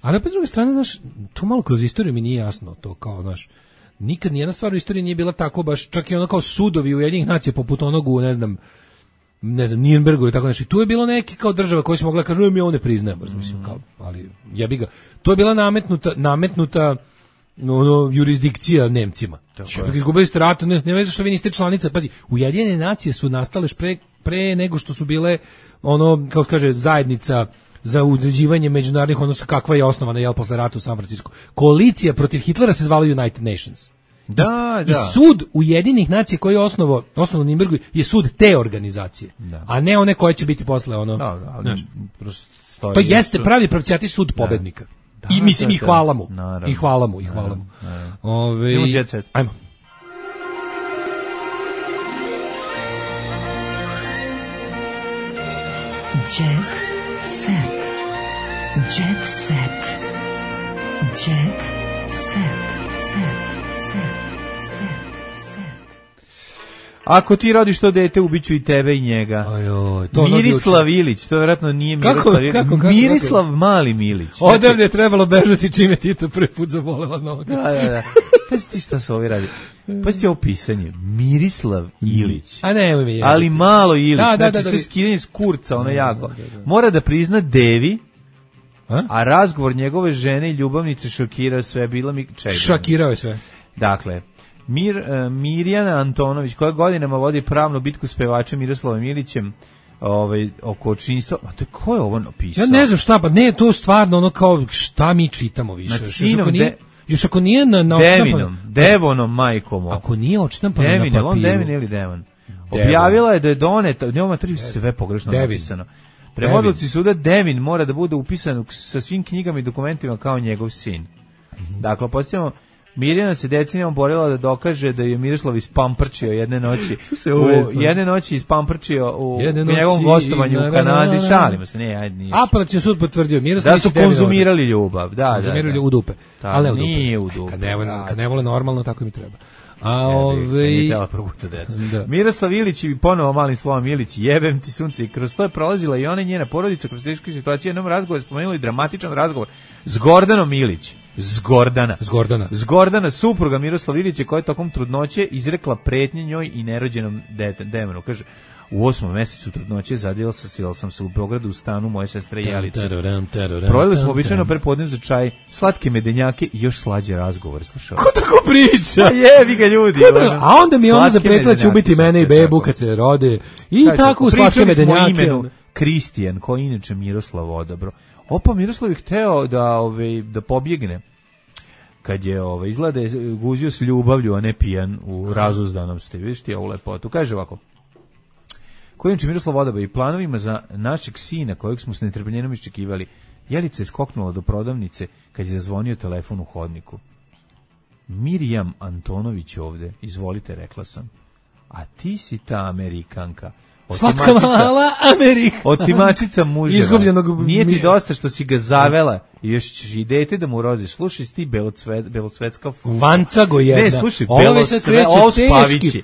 a na druge strane, to malo kroz istoriju mi nije jasno, to kao, nikad nijedna stvar u istoriji nije bila tako baš, čak i ono kao sudovi Ujedinjenih nacija poput onog u, ne znam, Nirnbergu ili tako nešto. Tu je bilo neki kao država koji su mogla kažu mi ovo ne priznajemo, mislim, kao, ali jebi ga. To je bila nametnuta jurisdikcija Nemcima. Izgubili ste rat, ne veze što vi niste članica. Pazi, Ujedinjene nacije su nastale pre nego što su bile kako kaže, zajednica za uređivanje međunarodnih odnosa kakva je osnovana posle rata u San Francisco. Koalicija protiv Hitlera se zvala United Nations. Da. I sud Ujedinjenih nacija koji je osnovao u Nirnbergu je sud te organizacije, a ne one koje će biti posle to jeste pravi pravcijati sud pobednika. I mislim, i hvala mu. I hvala mu. Idemo Jet Set. Ajmo. Jet Set. Jet Set. Jet Set. Ako ti rodiš to dete, ubiću i tebe i njega. Mirislav Ilić, to vjerojatno nije Miroslav Ilić. Mirislav Mali Milić. Odavde je trebalo bežati čime Tito prvi put zabolela noga. Da. Pazi ti šta se ovi radi. Pazi ti ovo pisanje. Mirislav Ilić. A ne, mi je. Ali malo Ilić. Znači sve skidanje s kurca, ono jako. Mora da prizna Devi, a razgovor njegove žene i ljubavnice šokirao sve. Šokirao je sve. Dakle, Mirjana Antonović, koja godinama vodi pravnu bitku s pevačem Miroslavom Ilićem oko očinstva. A to ko je ovo napisao? Ja ne znam šta, pa ne, to stvarno ono kao šta mi čitamo više. Još ako nije na Devonom majkom. Ako nije odštampano na papiru. Devin ili Devon. Objavila je da je doneta, njoma sve pogrešno napisano. Prema odluci suda Devin mora da bude upisan sa svim knjigama i dokumentima kao njegov sin. Dakle, postavljamo, Mirjana se decenijom borila da dokaže da je Miroslav ispamprčio jedne noći ispamprčio u njegovom gostovanju u Kanadi. Šalimo se, nije. Apelacioni sud potvrdio Miroslav da su konzumirali ljubav. Konzumirali u dupe. Ali nije u dupe. Kad ne vole normalno, tako mi treba. Miroslav Ilić i ponovo malim slovom Ilić, jebem ti sunce, i kroz to je prolazila i ona i njena porodica kroz teške situacije. Jednom razgovoru spomenuli dramatičan razgovor s Gordanom Ilić. Zgordana, supruga Miroslava Ilića, koja je tokom trudnoće izrekla pretnje njoj i nerođenom demonu. Kaže, u 8. mesecu trudnoće zadjela sam se u Beogradu u stanu moje sestre Jelice. Proveli smo običajno prepodne za čaj, slatke medenjake i još slađe razgovor. Slušao. Ko tako priča? Pa jebi ga ljudi. A onda mi ona zapretila će ubiti mene i bebu kad se rode. I tako u slatke medenjake. Imenu Kristijan, koji inače Miroslav odabro. Opa, Miroslav je hteo da pobjegne. Kad je izgleda guzio s ljubavlju, a ne pijan u razuzdanom ste. Vidiš ti ovu lepotu. Kaže ovako. Koji inače Miroslav odabro i planovima za našeg sina, kojeg smo s netrpljenjem iščekivali. Jelica je skoknula do prodavnice kad je zazvonio telefon u hodniku. Mirjam Antonović ovde, izvolite, rekla sam. A ti si ta Amerikanka. Slatka mala Amerika. Otimačica muževa. Nije ti dosta što si ga zavela i još ćeš i dete da mu rodiš. Slušaj, ti belosvetska Vancago jedna. Ne, slušaj, ovo spavići.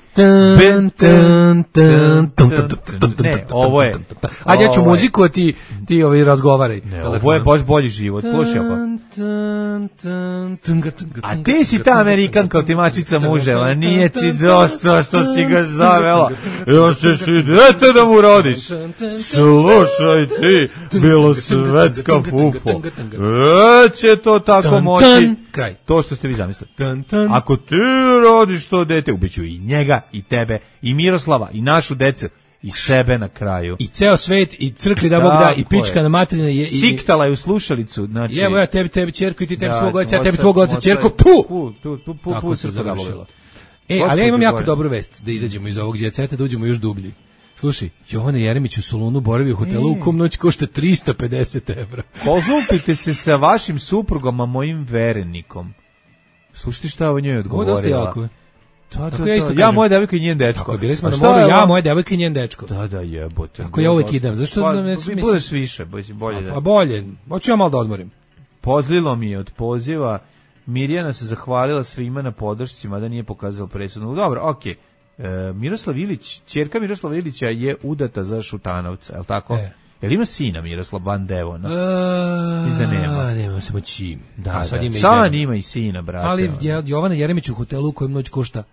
Ne, ovo je. Ajde, ja ću muziku, a ti razgovaraj. Ne, ovo je baš bolji život. Slušaj, ovo. A ti si ta Amerikanka, otimačica muževa. Nije ti dosta što si ga zavela. Još ćeš i dete da mu rodiš. Slušaj ti, belosvetska fufo. Će to tako moći. To što ste vi zamislili. Ako ti rodiš to dete, ubiću i njega, i tebe, i Miroslava, i našu decu, i sebe na kraju. I ceo svet, i crkli da Bog da, i pička na materina. Siktala je u slušalicu. Znači, evo ja tebi ćerku i ti tebi svog oca, ja tebi tvog oca ćerku. Tako se završilo. Ali ja imam jako dobru vest da izađemo iz ovog djeceta, da uđemo još dublji. Slušaj, Jovana Jeremić u Solunu boravi u hotelu u kom noć košta 350 evra. Konzultujte se sa vašim suprugom, a mojim verenikom. Slušajte šta o njoj odgovorila. Ja, moja devojka i njen dečko. Tako, bili smo na moru, ja, moja devojka i njen dečko. Da, jebote. Tako ja uvijek idem. Zašto ne mislim? Budeš više, bolje da. A bolje, hoću ja malo da odmorim. Pozlilo mi je od poziva. Mirjana se zahvalila svima na podršci, mada nije pokazala presudnu. Dobro, okej. Miroslav Ilić, ćerka Miroslava Ilića je udata za Šutanovca, je li tako? Jel ima sina Miroslav Van Devona? Nema samo čim. Sad ima i sina, brate. Ali Jovana Jeremić u hotelu u kojem noć košta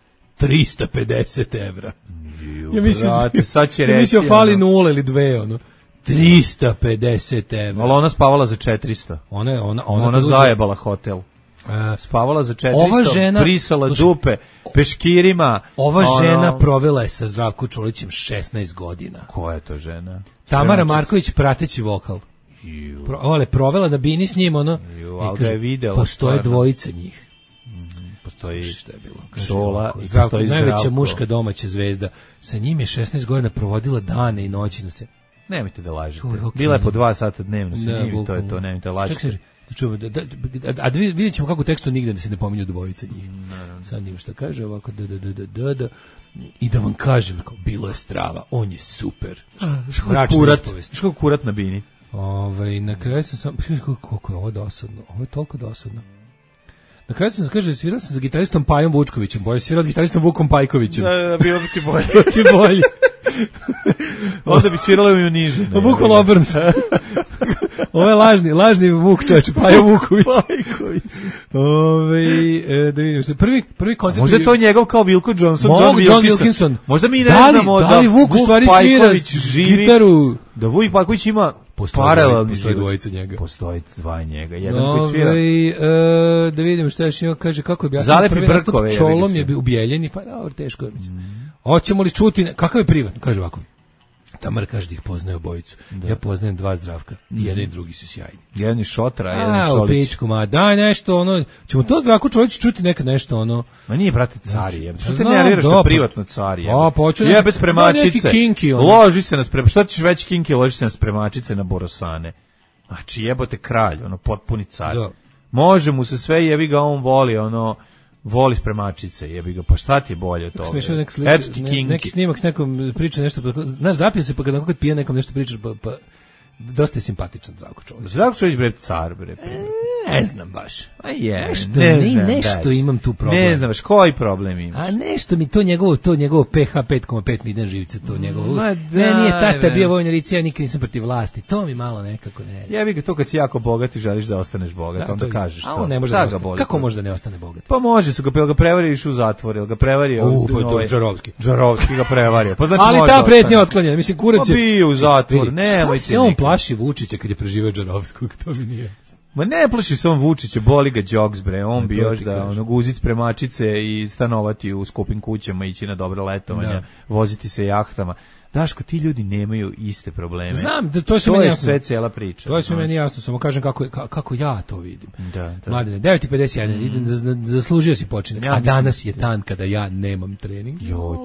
350 evra. Ja mislim fali 0 ili 2, ono. 350 evra. Ali ona spavala za 400. Ona zajebala hotel. Spavala za 400, žena, prisala dupe, peškirima. Ova žena provela je sa Zdravko Čolićem 16 godina. Koja je to žena? Tamara Marković, prateći vokal. Provela da bini s njim, ono. Ali ga je videla. Postoje dvojice njih. Postoji Šola i Zdravko, najveća muška domaća zvezda. Sa njim je 16 godina provodila dane i noći. Nemojte da lažete. Bila je po 2 sata dnevno sa njim, to je to, nemojte da lažete. A vidjet ćemo kako u tekstu nigde da se ne pominju dvojica njih. Sad njim što kaže ovako i da vam kažem, bilo je strava, on je super. Ško kurat na bini. Na kraju sam koliko je ovo dosadno, ovo je toliko dosadno. Na kraju sam kaže, svirao sam sa gitaristom Pajom Vučkovićem, bolje svirao s gitaristom Vukom Pajkovićem. Da, bilo bi ti bolje. To ti bolje. Onda bi sviralo i u niže. Vukom obrnuto. Ovo je lažni Vuk, čovječe, Pajo Vuković. Da vidim što. Prvi koncert. Možda je to njegov kao Wilko Johnson, John Wilkinson. Možda mi ne znamo da li Vuk u stvari svira gitaru. Da Vuk Pajković ima paralelni život. Dvojica njega. Postoji dva njega, jedan koji svira. Da vidim šta još ima, kaže kako je objasnio. Zalepi brkove. Čolom je ubijeljeni, pa dobro, teško je. Hoćemo li čuti, kakav je privatno, kaže ovako. Tamara kaže da ih poznaje obojicu. Ja poznajem 2 Zdravka. I jedan i drugi su sjajni. Jedan je Šotra, a jedan Čolić. Pičku, daj nešto, ono. Ćemo to Zdravko Čolić čuti nekad nešto, ono. Ma nije, brate, car. Što te nerviraš na privatno car? Ja bez spremačice. Loži se na spremačice. Što ćeš već kinki, loži se na spremačice na borosane. Znači, jebote kralj, ono, potpuni car. Može mu se sve, jebi ga, on voli, ono, voli spremačice, jebi ga, pa šta ti je bolje od toga? Neki snimak s nekom priča nešto, znaš, zapije se pa kad pije nekom nešto pričaš, pa dosta je simpatičan Zdravko Čolić. Zdravko Čolić, bre, car, bre. Ne znam baš. A je, nešto imam tu problem. Ne znam baš, koji problem imaš? A nešto mi to njegovo PH 5,5 milina živice, to njegovo. Ne, nije tata bio vojna licija, ja nikad nisam protiv vlasti. To mi malo nekako ne. Ja bih ga to kad si jako bogat i želiš da ostaneš bogat, onda kažeš to. A on ne može da ostane. Kako može da ne ostane bogat? Pa može, su ga prevario u zatvor, ili ga prevario. Džarovski ga prevario. Pa znači ali ta pretnja otklonjena, mislim kurac je bio u zatvor, nemojte. Se on plaši Vučića kad je preživeo Džarovskog, to mi nije. Ma ne plaši se on Vučića, boli ga džoks, bre, on bi još da guzit spremačice i stanovati u skupim kućama, ići na dobre letovanja, voziti se jahtama. Daško, ti ljudi nemaju iste probleme. Znam, to je sve cijela priča. To je sve meni jasno, samo kažem kako ja to vidim. Da. Mladine, 9:51, idem zaslužio si počinak, a danas je dan kada ja nemam trening.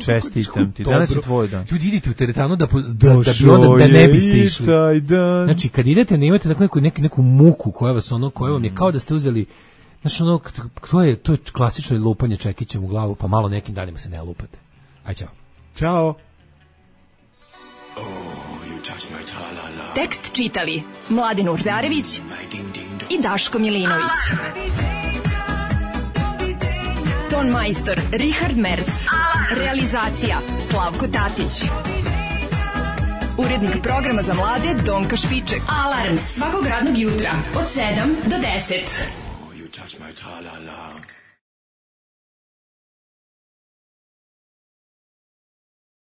Čestitam ti, danas je tvoj dan. Ljudi, idite u teretanu da ne biste išli. Znači, kad idete, ne imate neku muku koja vam je kao da ste uzeli. Znači, to je klasično lupanje čekićem u glavu, pa malo nekim danima se ne lupate. Aj, čao. Ćao. Tekst čitali Mladin Urdarević i Daško Milinović. Ton majstor Richard Merc. Realizacija Slavko Tatić. Urednik programa za mlade Donka Špiček. Alarms svakog radnog jutra od 7 do 10.